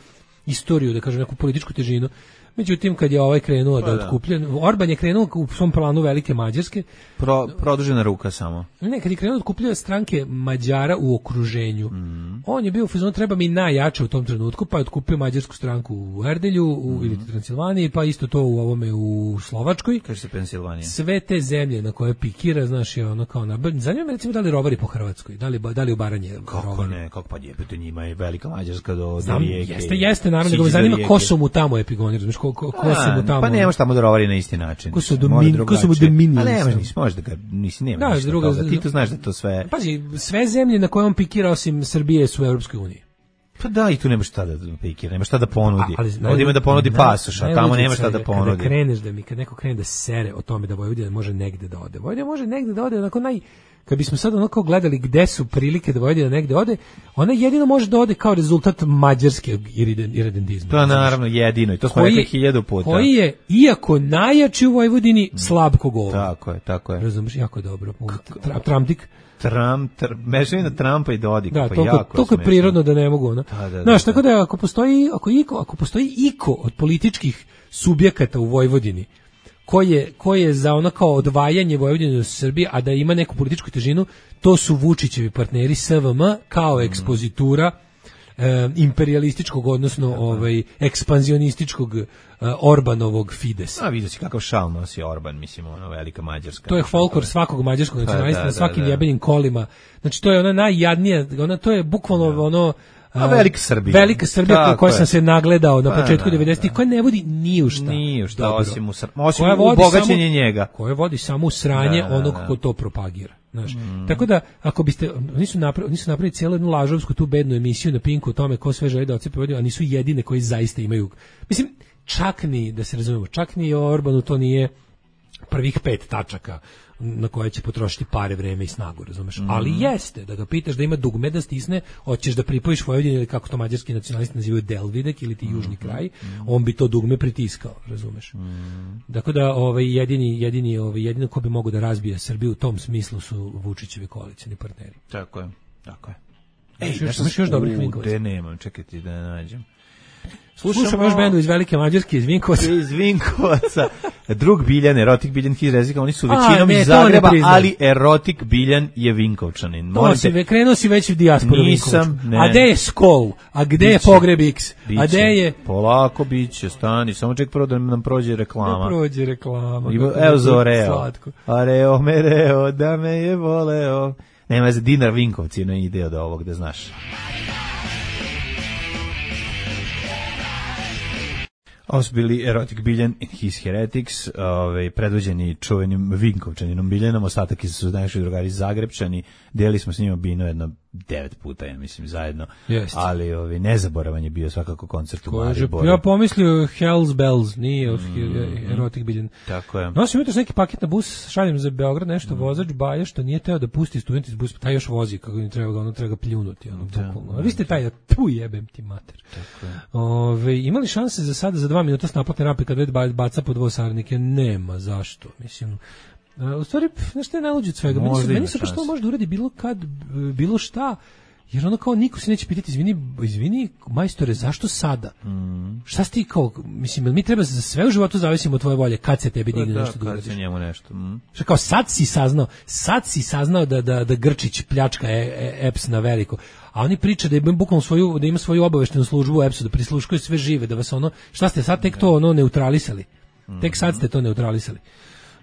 istoriju, da kažem, neku političku težinu. Međutim, kad je ovaj krenuo pa da otkuplja, Orban je krenuo u svom planu velike Mađarske. Pro, produžena ruka samo. Ne, kad je krenuo da otkuplja stranke Mađara u okruženju, mm. on je bio u fazonu, treba mi najjače u tom trenutku, pa je otkupio mađarsku stranku u Erdelju, u mm. ili Transilvaniji, pa isto to u ovome u Slovačkoj. Kaže se Pensilvanija. Sve te zemlje na koje pikira, znaš, je ono kao na... Zanima me recimo da li rovari po Hrvatskoj, da li, da li u Baranje kako rovari. Ne, kako pa jebete, njima je velika Mađarska do, do rijeke. Jeste, jeste, naravno, nego me zanima ko su mu tamo epigonir, znaš, ko, ko, ko su mu tamo... Pa nemaš tamo da rovari na isti način. Ko su domin, ko su mu dominili. A nemaš, nisi, možda ga, nisi, nema da, ništa druga, toga. Ti to znaš da to sve... Pazi, sve zemlje na koje on pikira osim Srbije su u Europskoj uniji. Pa da, i tu nemaš šta da pikira, nemaš šta da ponudi. Ovdje ima da ponudi pasoš, a tamo nema šta da ponudi. Kada kreneš da mi, kad neko krene da sere o tome da Vojvodina može negde da ode. Vojvodina može negde da ode, onako naj... Kad bismo sad onako gledali gde su prilike da Vojvodina negde ode, ona jedino može da ode kao rezultat mađarskog iredentizma. To je naravno jedino i to smo rekli hiljadu puta. Koji je, iako najjači u Vojvodini, slab kogol. Tako je, tako je. Razumiješ, jako je dobro. Tramdik. Trump, tr, mešavina Trumpa i Dodika, da, pa toliko, jako toliko je prirodno da ne mogu, ono. Da, da, znaš, da, tako da ako postoji, ako, iko, ako postoji iko od političkih subjekata u Vojvodini koji je, koji je za ono kao odvajanje Vojvodine od Srbije, a da ima neku političku težinu, to su Vučićevi partneri S V M kao ekspozitura e, imperialističkog, odnosno ovaj, ekspanzionističkog e, Orbanovog Fidesa. A vidio si kakav šal nosi Orban, mislim, ono velika Mađarska. To je folklor svakog mađarskog nacionalista na svakim da, da. jebenim kolima. Znači, to je ona najjadnija, ona, to je bukvalno da. ono... A velika Srbija. Velika Srbija koja sam se nagledao na početku devedesetih, koja ne vodi ni u šta. Ni u šta, osim u, osim u bogaćenje njega. Koja vodi samo u sranje da, da, onog ko to propagira. Znaš. Mm. Tako da, ako biste, nisu napravili, nisu napravili cijelu jednu lažovsku tu bednu emisiju na Pinku o tome ko sve želi da ocepe Vojvodinu, a nisu jedine koji zaista imaju. Mislim, čak ni, da se razumemo, čak ni Orbanu to nije prvih pet tačaka na koje će potrošiti pare, vreme i snagu, razumeš? Mm. Ali jeste, da ga pitaš da ima dugme da stisne, hoćeš da pripojiš Vojvodinu ili kako to mađarski nacionalisti nazivaju Delvidek ili ti mm. južni kraj, mm. on bi to dugme pritiskao, razumeš? Mm. Dakle da ovaj jedini jedini ovaj jedino ko bi mogao da razbije Srbiju u tom smislu su Vučićevi koalicioni partneri. Tako je. Tako je. Ej, Ej nešto još, još dobrih Vinkovaca. Da nemam, čekajte da nađem. Slušamo, Slušamo još bendu iz Velike Mađarske, iz Vinkovaca. Iz Vinkovaca. Drug Biljan, Erotik Biljan, his rezika, oni su većinom iz Zagreba, ali Erotik Biljan je Vinkovčanin. To si, ve, krenuo si već u dijasporu Vinkovčan. A gde je Skol? A gde biće, je Pogreb X? A gde je... Polako biće, stani, samo ček prvo da nam prođe reklama. Da prođe reklama. Evo za Oreo. Areo mereo, da me je voleo. Nema za dinar Vinkovci, ne ide od ovog, da znaš. Ovo su bili Erotic Biljan and His Heretics, ovaj, predvođeni čuvenim Vinkovčaninom Biljanom, ostatak su naši drugari Zagrebčani, delili smo s njima bino jedno devet puta, ja mislim, zajedno. Jest. Ali ovi, nezaboravan je bio svakako koncert u Kaže, Mariboru. ja pomislio Hell's Bells, nije mm, erotik biljen. Tako je. Nosim jutros neki paket na bus, šaljem za Beograd, nešto mm. vozač baje što nije teo da pusti student iz busa, taj još vozi, kako ne treba ga, ono treba ga pljunuti. Ono, da, da, vi ste taj, tu jebem ti mater. Ove, imali šanse za sada, za dva minuta s naplatne rampe kad već baca po dvosarnike? Nema, zašto? Mislim, u stvari, znaš što je najluđe od svega? Meni su, meni su pa što može da uradi bilo kad, bilo šta, jer ono kao niko se neće pitati, izvini, izvini majstore, zašto sada? Mm. Šta si ti kao, mislim, mi treba za sve u životu zavisimo od tvoje volje, kad se tebi digne da, nešto da uradiš. Kad se njemu nešto. Mm. Šta kao, sad si saznao, sad si saznao da, da, da Grčić pljačka E P S na veliko, a oni pričaju da ima bukvalno svoju, da ima svoju obaveštenu službu u E P S-u, da prisluškuju sve žive, da vas ono, šta ste sad tek to ono neutralisali? Mm. Tek sad ste to neutralisali.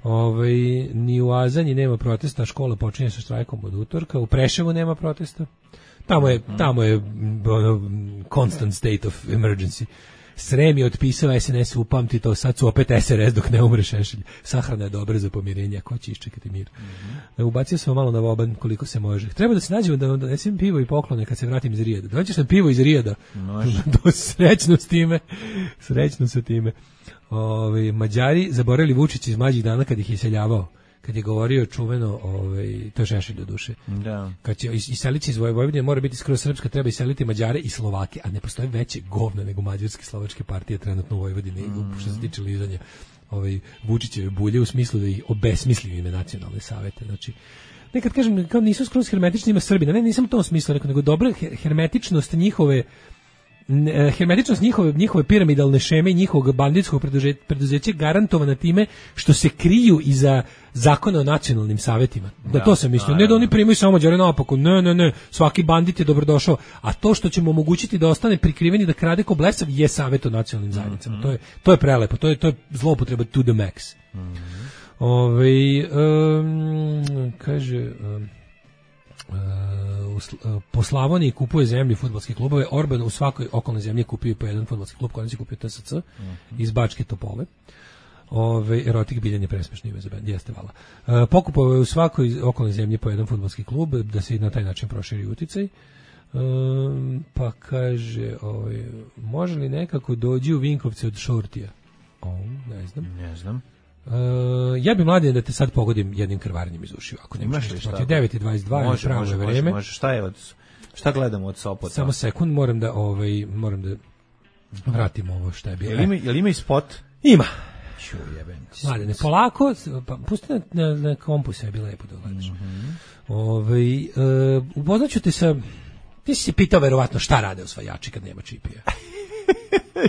Ovaj, ni u Azanji nema protesta, škola počinje sa štrajkom od utorka, u Preševu nema protesta. Tamo je, tamo je ono, constant state of emergency. Srem je otpisao S N S, upamti to, sad su opet S R S dok ne umre Šešelj. Sahrana je dobra za pomirenje, ko će iščekati mir. Mm-hmm. Ubacio sam malo na voban koliko se može. Treba da se nađemo da donesem pivo i poklone kad se vratim iz Rijada. Dođeš sam pivo iz Rijada. Do srećno s time. Srećno sa time. Ove, Mađari zaboravili Vučić iz mlađih dana kad ih je iseljavao. Kad je govorio čuveno, ovaj, to je Šešelj do duše. Da. Kad će iseliti iz Vojvodine, mora biti skroz srpska, treba iseliti Mađare i Slovake, a ne postoje veće govna nego mađarske slovačke partije trenutno u Vojvodini, mm. što se tiče lizanja ovaj, Vučićeve bulje, u smislu da ih obesmisli ime nacionalne savete. Znači, nekad kažem, kao nisu skroz hermetični ima Srbina, ne, nisam u tom smislu, nego dobra hermetičnost njihove hermetičnost njihove, njihove piramidalne šeme i njihovog banditskog preduzeća garantovana time što se kriju iza zakona o nacionalnim savetima. Da, da to sam mislio. Ne da oni primaju samo Mađare naopako. Ne, ne, ne. Svaki bandit je dobrodošao. A to što ćemo omogućiti da ostane prikriveni da krade ko blesav je savet o nacionalnim zajednicama. Mm-hmm. To je to je prelepo. To je to je zloupotreba to the max. Mm-hmm. Ovaj um, kaže um, Uh, po Slavoniji kupuje zemlju fudbalske klubove. Orban u svakoj okolnoj zemlji kupio po jedan fudbalski klub, koji se kupio T S C uh-huh. iz Bačke Topole. Ove, erotik biljan je presmešno ime za bend, jeste vala. Uh, pokupovao je u svakoj okolnoj zemlji po jedan fudbalski klub da se na taj način proširi uticaj. Um, pa kaže, ovaj, može li nekako dođi u Vinkovce od Šortija? O, ne znam. Ne znam. Uh, ja bi mladen da te sad pogodim jednim krvarenjem iz ušiju, ako ne možeš šta. devet i dvadeset dva je pravo može, vreme. Može, šta je od šta gledamo od Sopota? Samo sekund, moram da ovaj moram da vratim ovo šta je bilo. Jel ima, jel ima i spot? Ima. Ču jebem. Mladene, polako, pa pusti na, na, na kompu sve bi lepo da gledaš. Mm-hmm. Ovaj uh, upoznaću te sa, ti si se pitao verovatno šta rade osvajači kad nema čipija.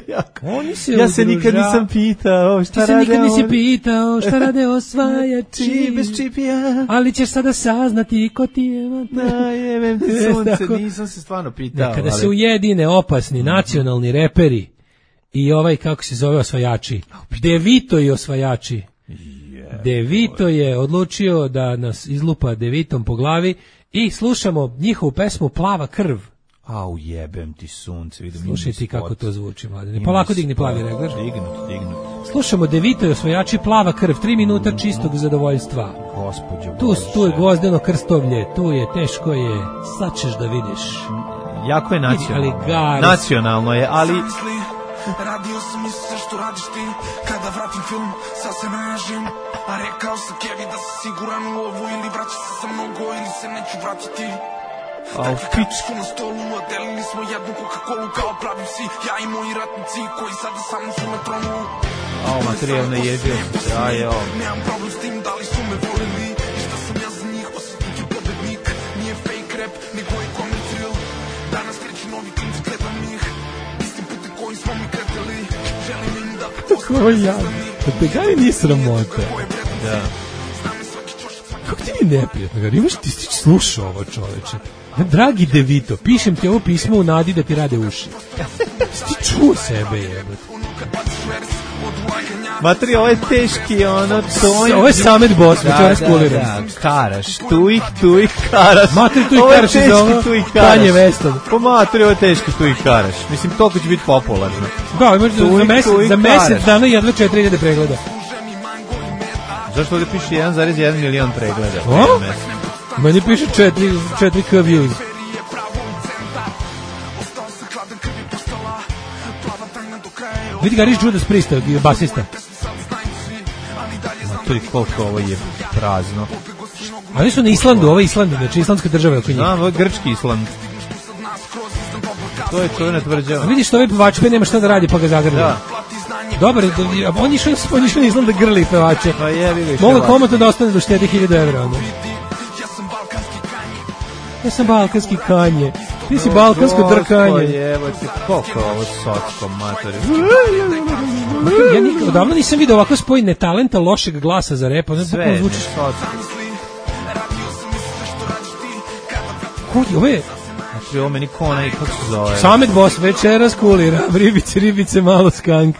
ja, Oni se ja se nikad nisam pitao šta rade. Ti se nikad nisi pitao šta rade osvajači bez čipija. Ali ćeš sada saznati ko ti je. Da, jebem ti sunce, nisam se stvarno pitao. Kada ali... se ujedine opasni mm-hmm. nacionalni reperi i ovaj kako se zove osvajači, De Vito i osvajači. Yeah, De Vito je odlučio da nas izlupa De Vitom po glavi i slušamo njihovu pesmu Plava krv. Au, jebem ti sunce, vidim. Slušaj ti kako to zvuči, mladine. Polako digni plavi regler. Dignut, dignut. Slušamo De Vito i osvajači Plava krv, tri minuta čistog zadovoljstva. Gospodju tu, tu je gvozdeno krstovlje, tu je, teško je, sad ćeš da vidiš. Jako je nacionalno. Ali nacionalno je, ali... Radio sam i sve što radiš ti. Kada vratim film, sad se naježim. A rekao sam Kevi da si siguran u ovu. Ili vraćaš se sa mnogo, ili se neću vratiti. Takvi kapičku na stolu, a delili smo jednu Coca-Colu kao pravi psi. Ja i moji ratnici koji sada sa mnom su na tronu. Ao, materijalno jebio. Ja, jo. Nemam problem s tim, da li su me volili. I šta sam ja za njih, osjetnik i pobednik. Nije fake rap, nego je comic real. Danas kreću novi klinci, gledam ih. Istim putem koji smo mi kretili. Želim im da Ko ja? Da te gari nije sramota. Da. Kako ti je neprijatno? Imaš ti stić slušao ovo čoveče. Dragi De Vito, pišem ti ovo pismo u nadi da ti rade uši. Ti čuo sebe, jebate. Matri, ovo je teški, ono, to je... Ovo je Samet Boss, da, večera skuliram. Da, da, Karaš, tu ih, tu ih, Karaš. Matri, tu ih Karaš iz ovo, Kanje Weston. Po Matri, ovo je teški, tu ih, Karaš. Mislim, toliko će biti popularno. Da, imaš za, mesec, za mesec dana jedva četiri hiljade pregleda. Zašto ovdje piše jedan zarez jedan milion pregleda? O? Meni piše četiri K views. Prazna krv je postala plava tajna do kraja. Vidi Gariš Judas Priest, basista. To je koliko ovo je prazno. A oni su na Islandu, ovo je Island, znači islandska država oko njih. Znam, ovo je grčki Island. To je čovjena tvrđava. A vidiš što ovaj pevač pe nema šta da radi pa ga zagrli. Da. Dobar, on je išao na Island da grli pevače. Pa jebi ga. Mogu komotno da ostane do štedi hiljadu evra. Onda. Ja sam balkanski kanje. Ti si balkansko drkanje. Evo ti, koliko je ovo socko, matori. Ja nikad, odavno nisam vidio ovako spoj netalenta, lošeg glasa za rep. Sve je socko. Kod, ovo je... Znači, ovo meni konaj, kako se zove? Samet Boss, večeras kulira, ribice, ribice, malo skank.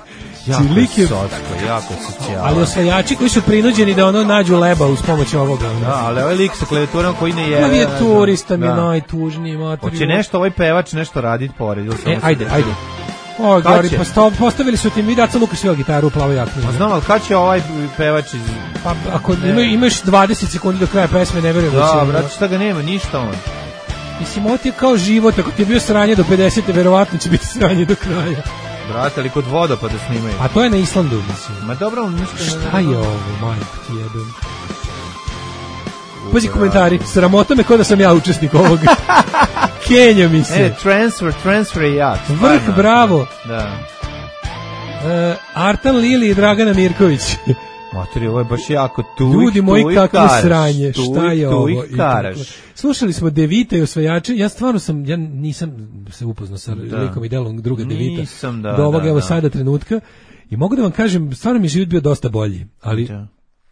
Jako je socko, jako je socijala. Ali osvajači koji su prinuđeni da ono nađu leba uz pomoć ovoga. Da, ali ovaj lik sa klavijaturom koji ne je... Ovo je turista mi najtužniji mater. Hoće nešto, ovaj pevač nešto raditi pored. E, ajde, ajde. O, Gori, postavili su ti mi Daca Luka svega gitaru u plavoj jakni. Pa znam, ali kad će ovaj pevač iz... Pa ako imaš dvadeset sekundi do kraja pesme, ne verujem da će... Da, brate, šta ga nema, ništa on. Mislim, ovo ti je kao život, ako ti je bio sranje do pedesete, verovatno će biti sranje do kraja. Brate, ali kod vodopada snimaju. A to je na Islandu, mislim. Ma dobro, ništa... Šta je ovo, majko ti jebem? Pazi komentari, sramota me kao da sam ja učesnik ovoga. Kenja mi se. E, transfer, transfer je jak. Vrh, bravo. Da. Uh, Artan Lili i Dragana Mirković. Matori, ovo je baš jako tu. Ljudi moji, kakvo sranje, tu, šta je tu ovo? I karaš. Slušali smo Devita i osvajače, ja stvarno sam, ja nisam se upoznao sa da. likom i delom druga Devita. Nisam, da, do ovog, da, evo da. sada trenutka. I mogu da vam kažem, stvarno mi je život bio dosta bolji, ali da.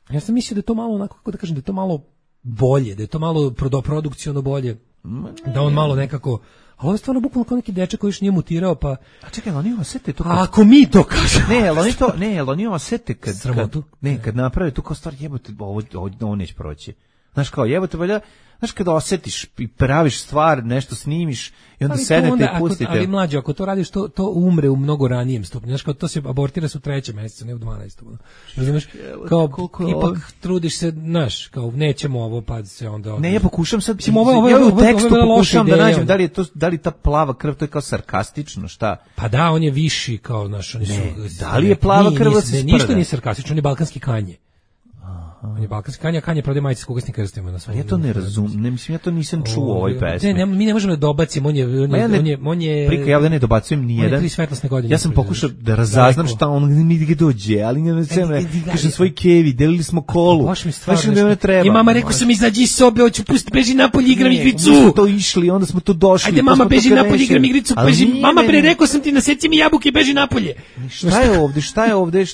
Ja sam mislio da je to malo, onako, kako da kažem, da je to malo bolje, da je to malo produkciono bolje, da on malo nekako... Ali ovo je stvarno bukvalno kao neki dečak koji još nije mutirao, pa... A čekaj, oni osete to... Kad... A ako mi to kažemo... Ne, ali oni to... Ne, ali oni osete kad... Sramotu? Kad, ne, kad naprave tu kao stvar, jebote, ovo, ovo, ovo neće proći. Znaš kao, jebote, valja... Znaš, kada osetiš i praviš stvar, nešto snimiš i onda sednete i pustite. Ako, ali mlađo, ako to radiš, to, to umre u mnogo ranijem stupnju. Znaš, kao to se abortira su u trećem mjesecu, ne u dvanaestom. Razumeš? Kao, ipak trudiš se, znaš, kao nećemo ovo, pa se onda... Ne, ja pokušam sad, mislim, ovo, ovo, ja ovo, u tekstu ovo, ovo pokušam da ideja, nađem da li je to, da li ta plava krv, to je kao sarkastično, šta? Pa da, on je viši, kao, znaš, oni su... Ne, da li je plava krv da se sprda? Ništa nije sarkastično, on je balkanski kanje. On je balkanski kanje, a kanje prodaje majice s kugasnim krstima na svom. Ja to ne razumem, ne mislim, ja to nisam čuo u ovoj pesmi. Ne, mi ne možemo da dobacimo, on je on je on je on je Prika, ja ne dobacujem ni jedan. Ja sam pokušao da razaznam šta on mi gdje dođe, ali ne znam, kažem svoj kevi, delili smo kolu. Baš mi stvarno ne treba. I mama rekao sam izađi iz sobe, hoću pustiti, beži napolje, igram igricu. Mi smo to išli, onda smo tu došli. Ajde mama, beži napolje, igram igricu, beži. Mama, pre rekao sam ti naseci mi jabuke, beži napolje. Šta je ovde? Šta je ovde?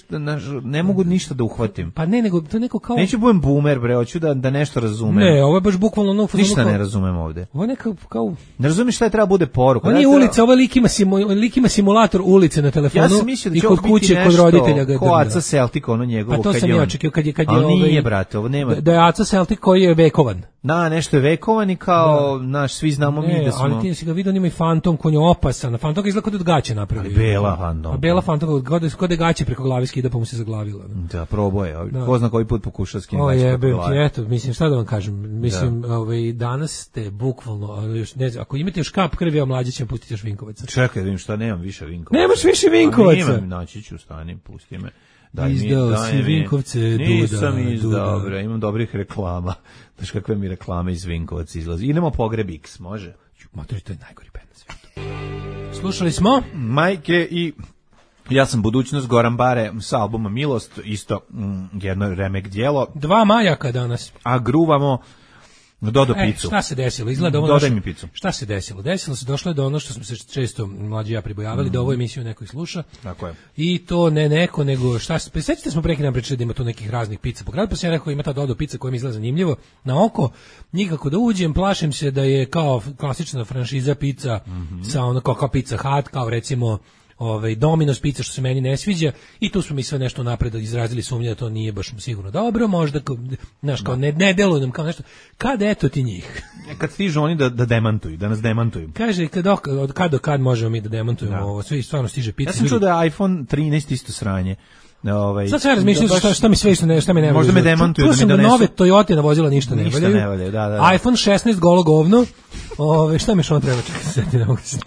Ne mogu ništa da uhvatim. Pa ne, nego to neko kao neću budem boomer, bre, hoću da, da nešto razumem. Ne, ovo je baš bukvalno ono... Ništa ne razumem ovde. Ovo je neka kao... Ne razumiješ šta je treba bude poruka. Ovo nije treba... ulica, ovo lik ima, simu, lik ima simulator ulice na telefonu. Ja sam mislio da će i kod kuće, nešto, kod roditelja ga ko Aca Celtic, ono njegovo. Pa to kad sam je ja on... očekio kad je... Kad je ali ovaj, nije, brate, ovo nema... Da je Aca Celtic koji je vekovan. Da, nešto je vekovan i kao, da. Naš, svi znamo ne, mi da smo... ali ti si ga vidio, on ima i Fantom, kon je opasan. Fantom ga izgleda kod od gaće napravio. Bela Fantom. A Bela Fantom, kod je gaće preko glavi skida, pa mu se zaglavila. Da, proboje. Da. Ko zna koji put pokušao skinuti gaće preko glavi. Eto, mislim, šta da vam kažem, mislim, da. Ovaj, danas ste bukvalno, još, ne znam, ako imate još kap krvi, a mlađe ćemo pustiti još Vinkovaca. Čekaj, vidim šta, nemam više Vinkovaca. Nemaš više Vinkovaca? Nemam, naći ću, stani, pusti me. Daj izdao mi, si mi, Vinkovce, Duda. Nisam izdao, bre, imam dobrih reklama. Znaš kakve mi reklame iz Vinkovaca izlazi. Idemo Pogreb X, može? Matori, to je najgori band na svijetu. Slušali smo? Majke i... Ja sam budućnost, Goran Bare sa albuma Milost, isto mm, jedno remek djelo. Dva majaka danas. A gruvamo Dodo e, picu. Šta se desilo? Izgleda ovo Dodaj naše... mi picu. Šta se desilo? Desilo se, došlo je do ono što smo se često mlađi ja pribojavali, mm. da ovu emisiju neko sluša. Tako je. I to ne neko, nego šta se... Sećate smo preki nam pričali da ima tu nekih raznih pica po gradu, pa sam ja rekao ima ta Dodo pica koja mi izgleda zanimljivo. Na oko, nikako da uđem, plašim se da je kao klasična franšiza pica mm-hmm. sa ono kao, kao Pizza Hut, kao recimo ovaj Domino's pizza što se meni ne sviđa i tu smo mi sve nešto napred izrazili sumnje da to nije baš sigurno dobro, možda znaš kao ne, ne deluje nam kao nešto. Kad eto ti njih. Kad stižu oni da da demantuju, da nas demantuju. Kaže kad od kad do kad možemo mi da demantujemo da. Ovo, sve stvarno stiže pizza. Ja sam čuo da je iPhone trinaest isto sranje. Ovaj, sad sve razmišljam šta, šta mi sve što ne, šta mi ne možda me demantuju da mi donesu. Nove Toyota na vozila ništa ne ništa valjaju. Ne valjaju da, da, da. iPhone šesnaest golo govno. Ove, šta mi što on treba čekati? Ne mogu se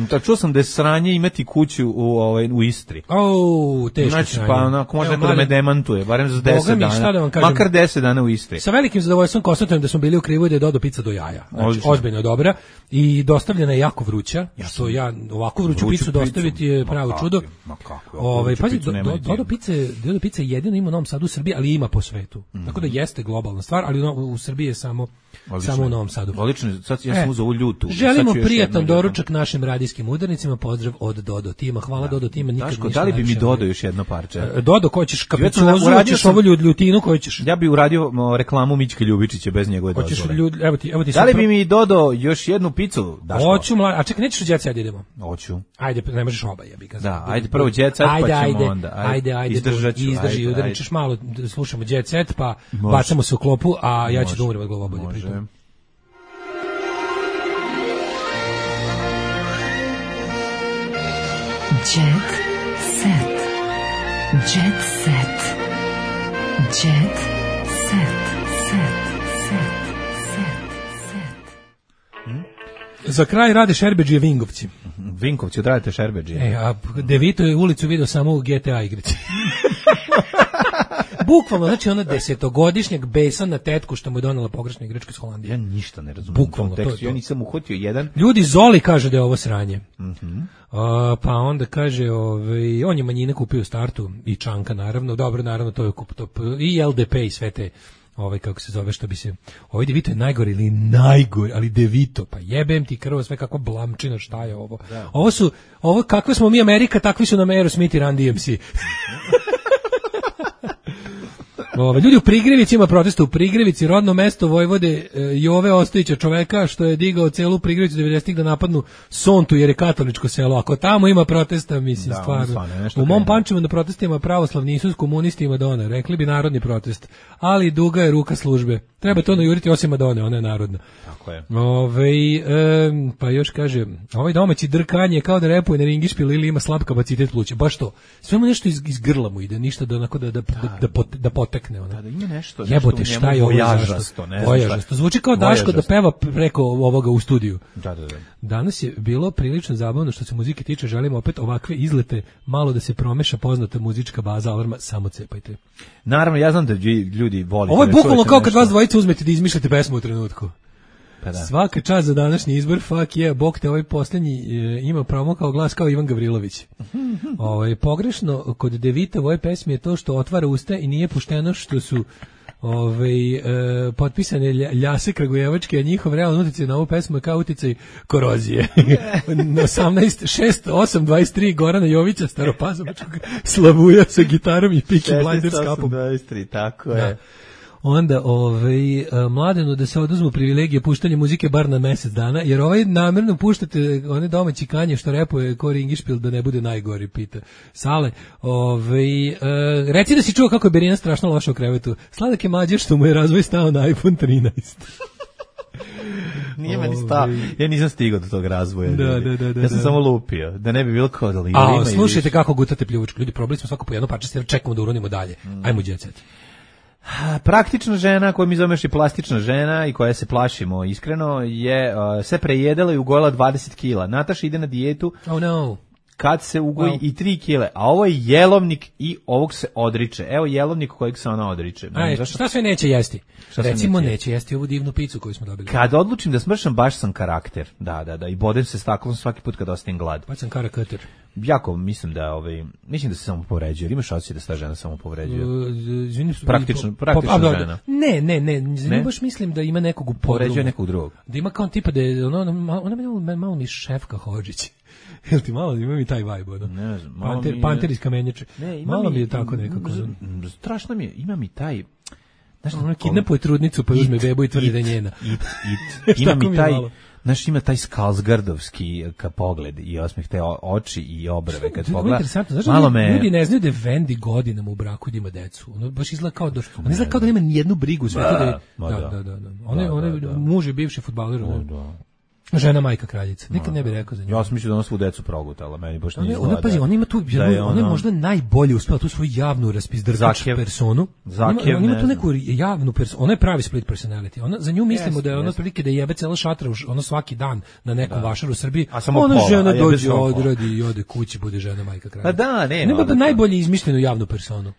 da čuo sam da je sranje imati kuću u ovaj u Istri. O, teško znači, sranje. Pa onako može da me demantuje, barem za deset dana. Da makar deset dana u Istri. Sa velikim zadovoljstvom konstatujem da smo bili u krivu i da je Dodo pica do jaja. Znači, ozbiljno dobra i dostavljena je jako vruća. Ja što ja ovako vruću, vruću picu dostaviti je pravo čudo. Ma kako? Ovaj pazi, do, do, Dodo pice, Dodo pice jedino ima u Novom Sadu u Srbiji, ali ima po svetu. Mm. Tako da jeste globalna stvar, ali u, u Srbiji je samo odlično, samo u Novom Sadu. Odlično, sad ja sam e, uzeo ovu ljutu. Želimo prijatan doručak našim radijskim udarnicima, pozdrav od Dodo tima. Hvala da. Dodo tima, nikad ništa. Da li bi mi dodao još jedno parče? Dodo, ko ćeš kapicozu, hoćeš ovu ljutinu, koju ćeš? Ja bih uradio reklamu Mićke Ljubičića bez njegove dozvole. Ljud, evo ti, evo ti da li bi mi dodao još jednu picu? Hoću, a čekaj, nećeš u Jet Set idemo? Hoću. Ajde, ne možeš oba, ja bih kazao. Da, ajde prvo Jet Set, pa ćemo ajde, onda. Ajde, ajde, izdržat ću. Izdrži, udarićeš malo, slušamo Jet Set, pa može. Bacamo se u klopu, a ja ću da umrem od glavobolje pritom. Jet Set. Jet Set. Jet Set. Set. Set. Set. Set. Hmm? Za kraj rade Šerbeđije Vingovci. Vinkovci odradite Šerbeđije. E, a Devito je ulicu vidio samo u G T A igrici. Bukvalno, znači ona desetogodišnjak besa na tetku što mu je donela pogrešna igračka iz Holandije. Ja ništa ne razumijem. Bukvalno, to, to. Ja nisam uhvatio jedan. Ljudi, Zoli kaže da je ovo sranje. Mhm. A, pa onda kaže, ovaj, on je manjine kupio u startu i Čanka naravno, dobro naravno to je kup, to, i L D P i sve te, ovaj kako se zove što bi se, ovaj Devito je najgori ili najgori, ali Devito, pa jebem ti krvo sve kakva blamčina, šta je ovo? Da. Ovo su, ovo kakve smo mi Amerika, takvi su nam Aerosmith i Run D M C. Ove, ljudi u Prigrevici, ima protesta u Prigrevici, rodno mesto Vojvode e, Jove Ostojića, čoveka što je digao celu Prigrevicu devedesetih da napadnu Sontu jer je katoličko selo. Ako tamo ima protesta, mislim, da, stvarno. U mom Pančevu na protestima pravoslavni Isus, komunisti i Madonna, rekli bi narodni protest, ali duga je ruka službe. Treba to najuriti osim Madone, ona je narodna. Tako je. Ove, e, pa još kaže, ovaj domaći drkanje kao da repuje na ringišpil ili ima slab kapacitet pluća. Baš to. Sve mu nešto iz, iz grla mu ide, ništa da, onako da, da, da, da, pot, da potekne. Ona. Da, da ima nešto. nešto Jebote, šta je ovo? Vojažasto, ne Vojažasto. Zvuči kao Daško da peva preko ovoga u studiju. Da, da, da. Danas je bilo prilično zabavno što se muzike tiče, želimo opet ovakve izlete, malo da se promeša poznata muzička baza Alarma, samo cepajte. Naravno, ja znam da ljudi vole. Ovo je bukvalno kao kad vas dvojice uzmete da izmišljate pesmu u trenutku. Pa da. Svaka čast za današnji izbor, fuck yeah, bog te ovaj posljednji e, ima pravo kao glas kao Ivan Gavrilović. Ovo je pogrešno kod Devita u ovoj pesmi je to što otvara usta i nije pušteno što su Ove, e, potpisane Ljase Kragujevačke, a njihov realan uticaj na ovu pesmu je kao uticaj korozije. Na osamnaest šest osam dvadeset tri Gorana Jovića, staropazovačkog slavuja sa gitarom i Peaky Blinders kapom. šesnaest osam dvadeset tri, tako je. Da. Onda ovaj mladenu da se oduzmu privilegije puštanja muzike bar na mjesec dana, jer ovaj namjerno puštate one domaći kanje što repuje Kori Ingišpil da ne bude najgori, pita Sale. Ovaj e, reci da si čuo kako je Berina strašno loša u krevetu. Sladak je mlađe što mu je razvoj stao na iPhone trinaest. Nije meni stao. Ja nisam stigao do tog razvoja. Da, da, da, da, ja sam da. samo lupio. Da ne bi bilo kao da li ima. A, slušajte kako gutate pljuvačku. Ljudi, probali smo svako po jedno parče, čekamo da uronimo dalje. Mm. Ajmo Jet Set. Praktična žena, koju mi zoveš i plastična žena i koja se plašimo iskreno, je uh, se prejedala i ugojila dvadeset kila. Nataša ide na dijetu. Oh no. Kad se ugoji Wow. i tri kile, a ovo je jelovnik i ovog se odriče. Evo jelovnik kojeg se ona odriče. Aj, zašto? šta sve neće jesti? Šta sve Recimo neće neće jesti ovu divnu picu koju smo dobili. Kad odlučim da smršam, baš sam karakter. Da, da, da. I bodem se staklom svaki put kad ostajem glad. Baš sam karakater. Jako mislim da ovaj mislim da se samo povređuje. Ili imaš osjećaj da se ta žena samo povređuje? Uh, izvini, praktično, po, praktična po, a, žena. Ne, ne, ne, ne, baš mislim da ima nekog u povređuje nekog drugog. Da ima kao tipa da je ono, ona, ona malo, malo mi Šefka Hodžić. Jel ti malo, ima mi taj vibe, ono? Ne znam, malo Panter, mi... Panter iz Kamenjače. Ne, malo mi, mi je tako nekako. Strašno mi je, ima mi taj... Znaš, ona kidnapuje trudnicu pa uzme bebu i tvrdi da je njena. It, it. Ima mi taj... Znaš, ima taj Skarsgardovski ka pogled i osmeh, te oči i obrve kad pogleda. Znaš, malo me... me... Ljudi ne znaju da je Vendi godinama u braku da ima decu. Ono baš izgleda kao da... On izgleda kao da nema nijednu brigu. Sve da, da, da, da, da. Ona je muž je bivši fudbaler. Da, da. Žena majka kraljica. Nikad ne bih rekao za nju. Ja sam mislio da ona svu decu progutala, meni baš nije ona, ona, pazi, ona ima tu, da je ona je možda najbolje uspela tu svoju javnu raspizdrkač personu. Zakev, ona ima tu neku javnu personu, ona je pravi split personality. Ona, za nju mislimo yes, da je ona otprilike da jebe cela šatra, ono svaki dan na nekom da. Vašaru u Srbiji. Ona pola, žena dođe, odradi i ode kući, bude žena majka kraljica. Pa da, nema. Nema da najbolje izmišljenu javnu personu.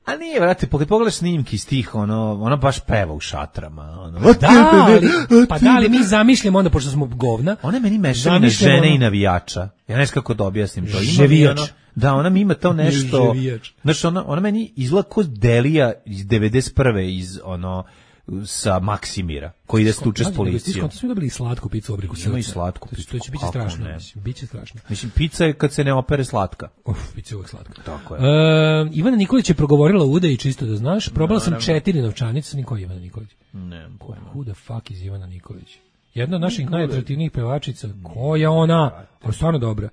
A nije, vrate, kad pogledaš snimki iz tih, ono, ona baš peva u šatrama. Ono. Da, ali, pa da, ali mi zamišljamo onda, pošto smo govna. Ona meni mešavina žene ono, i navijača. Ja ne znam kako da objasnim to. Ževijač. Ono, da, ona mi ima to nešto. Znaš, ona, ona meni izgleda ko Delija iz devedeset prve iz, ono, sa Maksimira, koji ide stuče s policijom. Skonto smo dobili slatku picu u obliku srca. Ima i slatku picu. To će biti strašno. Biće strašno. Mislim, pizza je kad se ne opere slatka. Uf, pizza je uvek slatka. Tako je. E, Ivana Nikolić je progovorila u udaji, čisto da znaš. Probala sam četiri novčanice. Niko je Ivana Nikolić? Ne, pojma. Who the fuck is Ivana Nikolić? Jedna od naših najatraktivnijih pevačica. Koja ona? Ona stvarno dobra.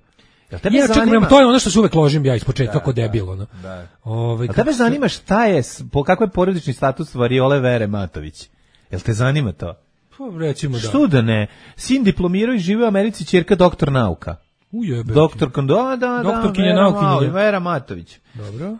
Ja čekam, to je ono što se uvek ložim ja ispočetka kao debil, ono. Da. Ove, a tebe zanima šta je, po kakav je porodični status Variole Vere Matović? Jel te zanima to? Pa recimo da. Što da ne? Sin diplomirao i živi u Americi, ćerka doktor nauka. Ujebe. Doktor Kondo, da, da, doktorkinja naukinja. Vera Matović. Dobro.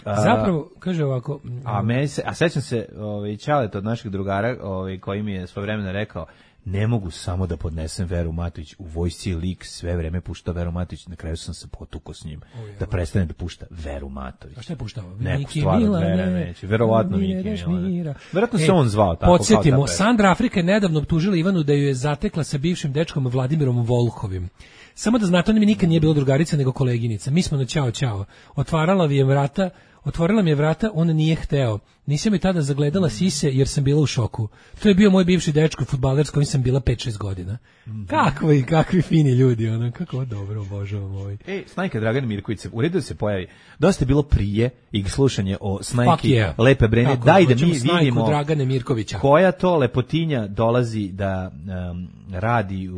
A, zapravo, kaže ovako... A, meni se, a sećam se, ovaj, Ćalet od naših drugara, ovaj, koji mi je svojevremeno rekao, ne mogu samo da podnesem Veru Matović, u vojsci je lik sve vreme pušta Veru Matović, na kraju sam se potukao s njim, o, da prestane da pušta Veru Matović. A šta je puštao? Neku stvar od Vere neće, verovatno Miki Milana. Verovatno se on zvao tako. Podsjetimo, Sandra Afrika je nedavno optužila Ivanu da ju je zatekla sa bivšim dečkom Vladimirom Volhovim. Samo da znate, ona mi nikad nije bila drugarica nego koleginica. Mi smo na ćao ćao. Otvarala mi je vrata, otvorila mi je vrata, on nije hteo. Nisam je tada zagledala sise jer sam bila u šoku. To je bio moj bivši dečko fudbaler s kojim sam bila pet šest godina. Mm-hmm. Kakvi, kakvi fini ljudi, ono, kako dobro, obožavam ovaj. Ej, Snajka Dragan Mirković, u redu da se pojavi. Dosta je bilo prije i slušanje o Snajki yeah. Lepe Brene. Tako, daj da mi vidimo Dragane Mirkovića. Koja to lepotinja dolazi da um, radi,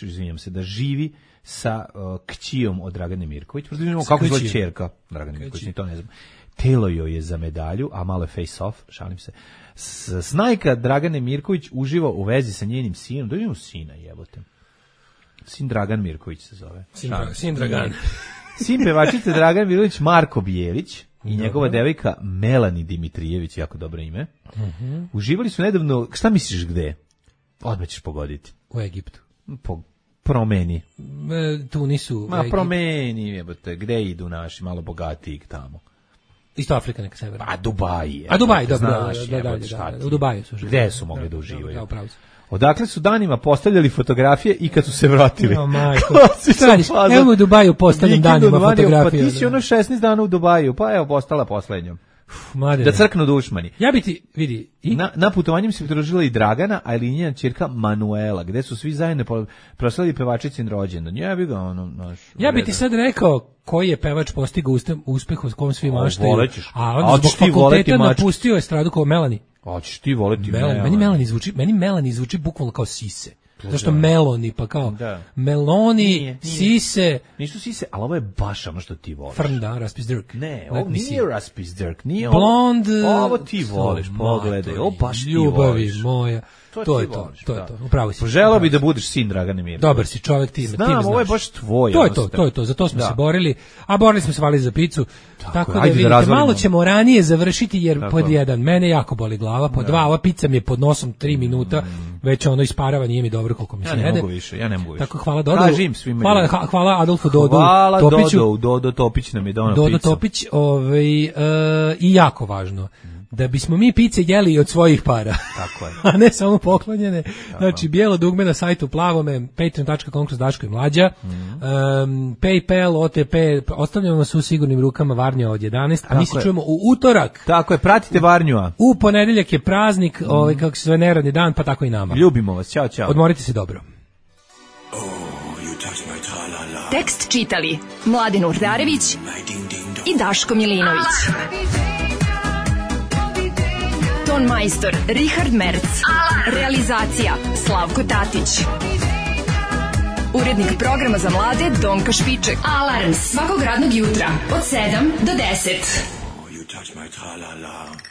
izvinjam se, da živi sa uh, kćijom od Dragane Mirković. Prosto kako zove ćerka Dragane Mirković, ni to ne znam. Telo joj je za medalju, a malo je face off, šalim se. Snajka Dragane Mirković uživa u vezi sa njenim sinom. Da imamo sina, jebote. Sin Dragan Mirković se zove. Sin, Dra- sin Dragan. Sin pevačice Dragan Mirković, Marko Bijelić i njegova devojka Melani Dimitrijević, jako dobro ime. Uh-huh. Uživali su nedavno, šta misliš gde? Odmah ćeš pogoditi. U Egiptu. Po promeni. E, Tunisu. Ma promeni, jebote, gde idu naši malo bogatiji tamo? Isto Afrika neka severna. A Dubai je. A Dubai, dobro, da, da, da, da, u Dubaju su živjeli. Gde su mogli da uživaju? Odakle su danima postavljali fotografije i kad su se vratili. No, majko. Evo u Dubaju postavljam danima fotografije. Pa ti si ono šesnaest dana u Dubaju, pa evo postala poslednjom. Da crknu dušmani. Ja bi ti, vidi... I? Na, na putovanjem se pridružila i Dragana, a i njena ćerka Manuela, gde su svi zajedno proslavili pevačicin rođendan. Ja bi ga ono... Naš, ja bi ti sad rekao koji je pevač postigao uspeh s kojom svi maštaju. A onda zbog fakulteta napustio estradu kao Melani. A ćeš ti voleti Melani. Meni Melani zvuči, meni Melani zvuči bukvalno kao sise. Zašto Meloni, pa kao da. Meloni, nije, nije. Sise. Nisu sise, ali ovo je baš ono što ti voliš. Frnda, Raspis Dirk. Ne, ovo nije Raspis Dirk. Nije Blond. Ovo, ovo ti voliš, pogledaj. Ovo baš ti voliš. Ljubavi moja. To, to je to, voliš, to je to. Upravo si. Poželao bi da budeš sin Dragane Mirković. Dobar si čovjek, ti, Znam, ti me znaš. Ovo je baš tvoj. To je to, to je to. Zato smo da. se borili, a borili smo se vali za picu. Tako, tako da vidite, da malo ćemo ranije završiti jer tako. pod jedan mene jako boli glava, pod da. dva ova pica mi je pod nosom tri minuta, mm. već ono isparava, nije mi dobro koliko mi se jede. Ja ne mogu više, ja ne mogu više. Tako hvala Dodo. Hvala, hvala Adolfu Dodu hvala Topiću. Dodo, Dodo Topić nam je donao picu. Dodo Topić, ovaj uh, i jako važno. Da bismo mi pice jeli od svojih para. Tako je. A ne samo poklonjene. Tako. Znači, bijelo dugme na sajtu Plavome, patreon dot com kroz Daško i Mlađa, mm-hmm. um, PayPal, O T P, ostavljamo vas u sigurnim rukama Varnja od jedanaest, a tako mi se je. čujemo u utorak. Tako je, pratite Varnjua. U ponedeljak je praznik, mm-hmm. ovaj, kako se zove neradni dan, pa tako i nama. Ljubimo vas, ćao, ćao. Odmorite se dobro. Oh, you touch my tra-la-la. Tekst čitali Mladin Urdarević i Daško Milinović. Ton majstor Richard Merc. Realizacija Slavko Tatić. Urednik programa za mlade Donka Špiček. Alarms svakog radnog jutra od sedam do deset. Oh, you touch my tra-la-la.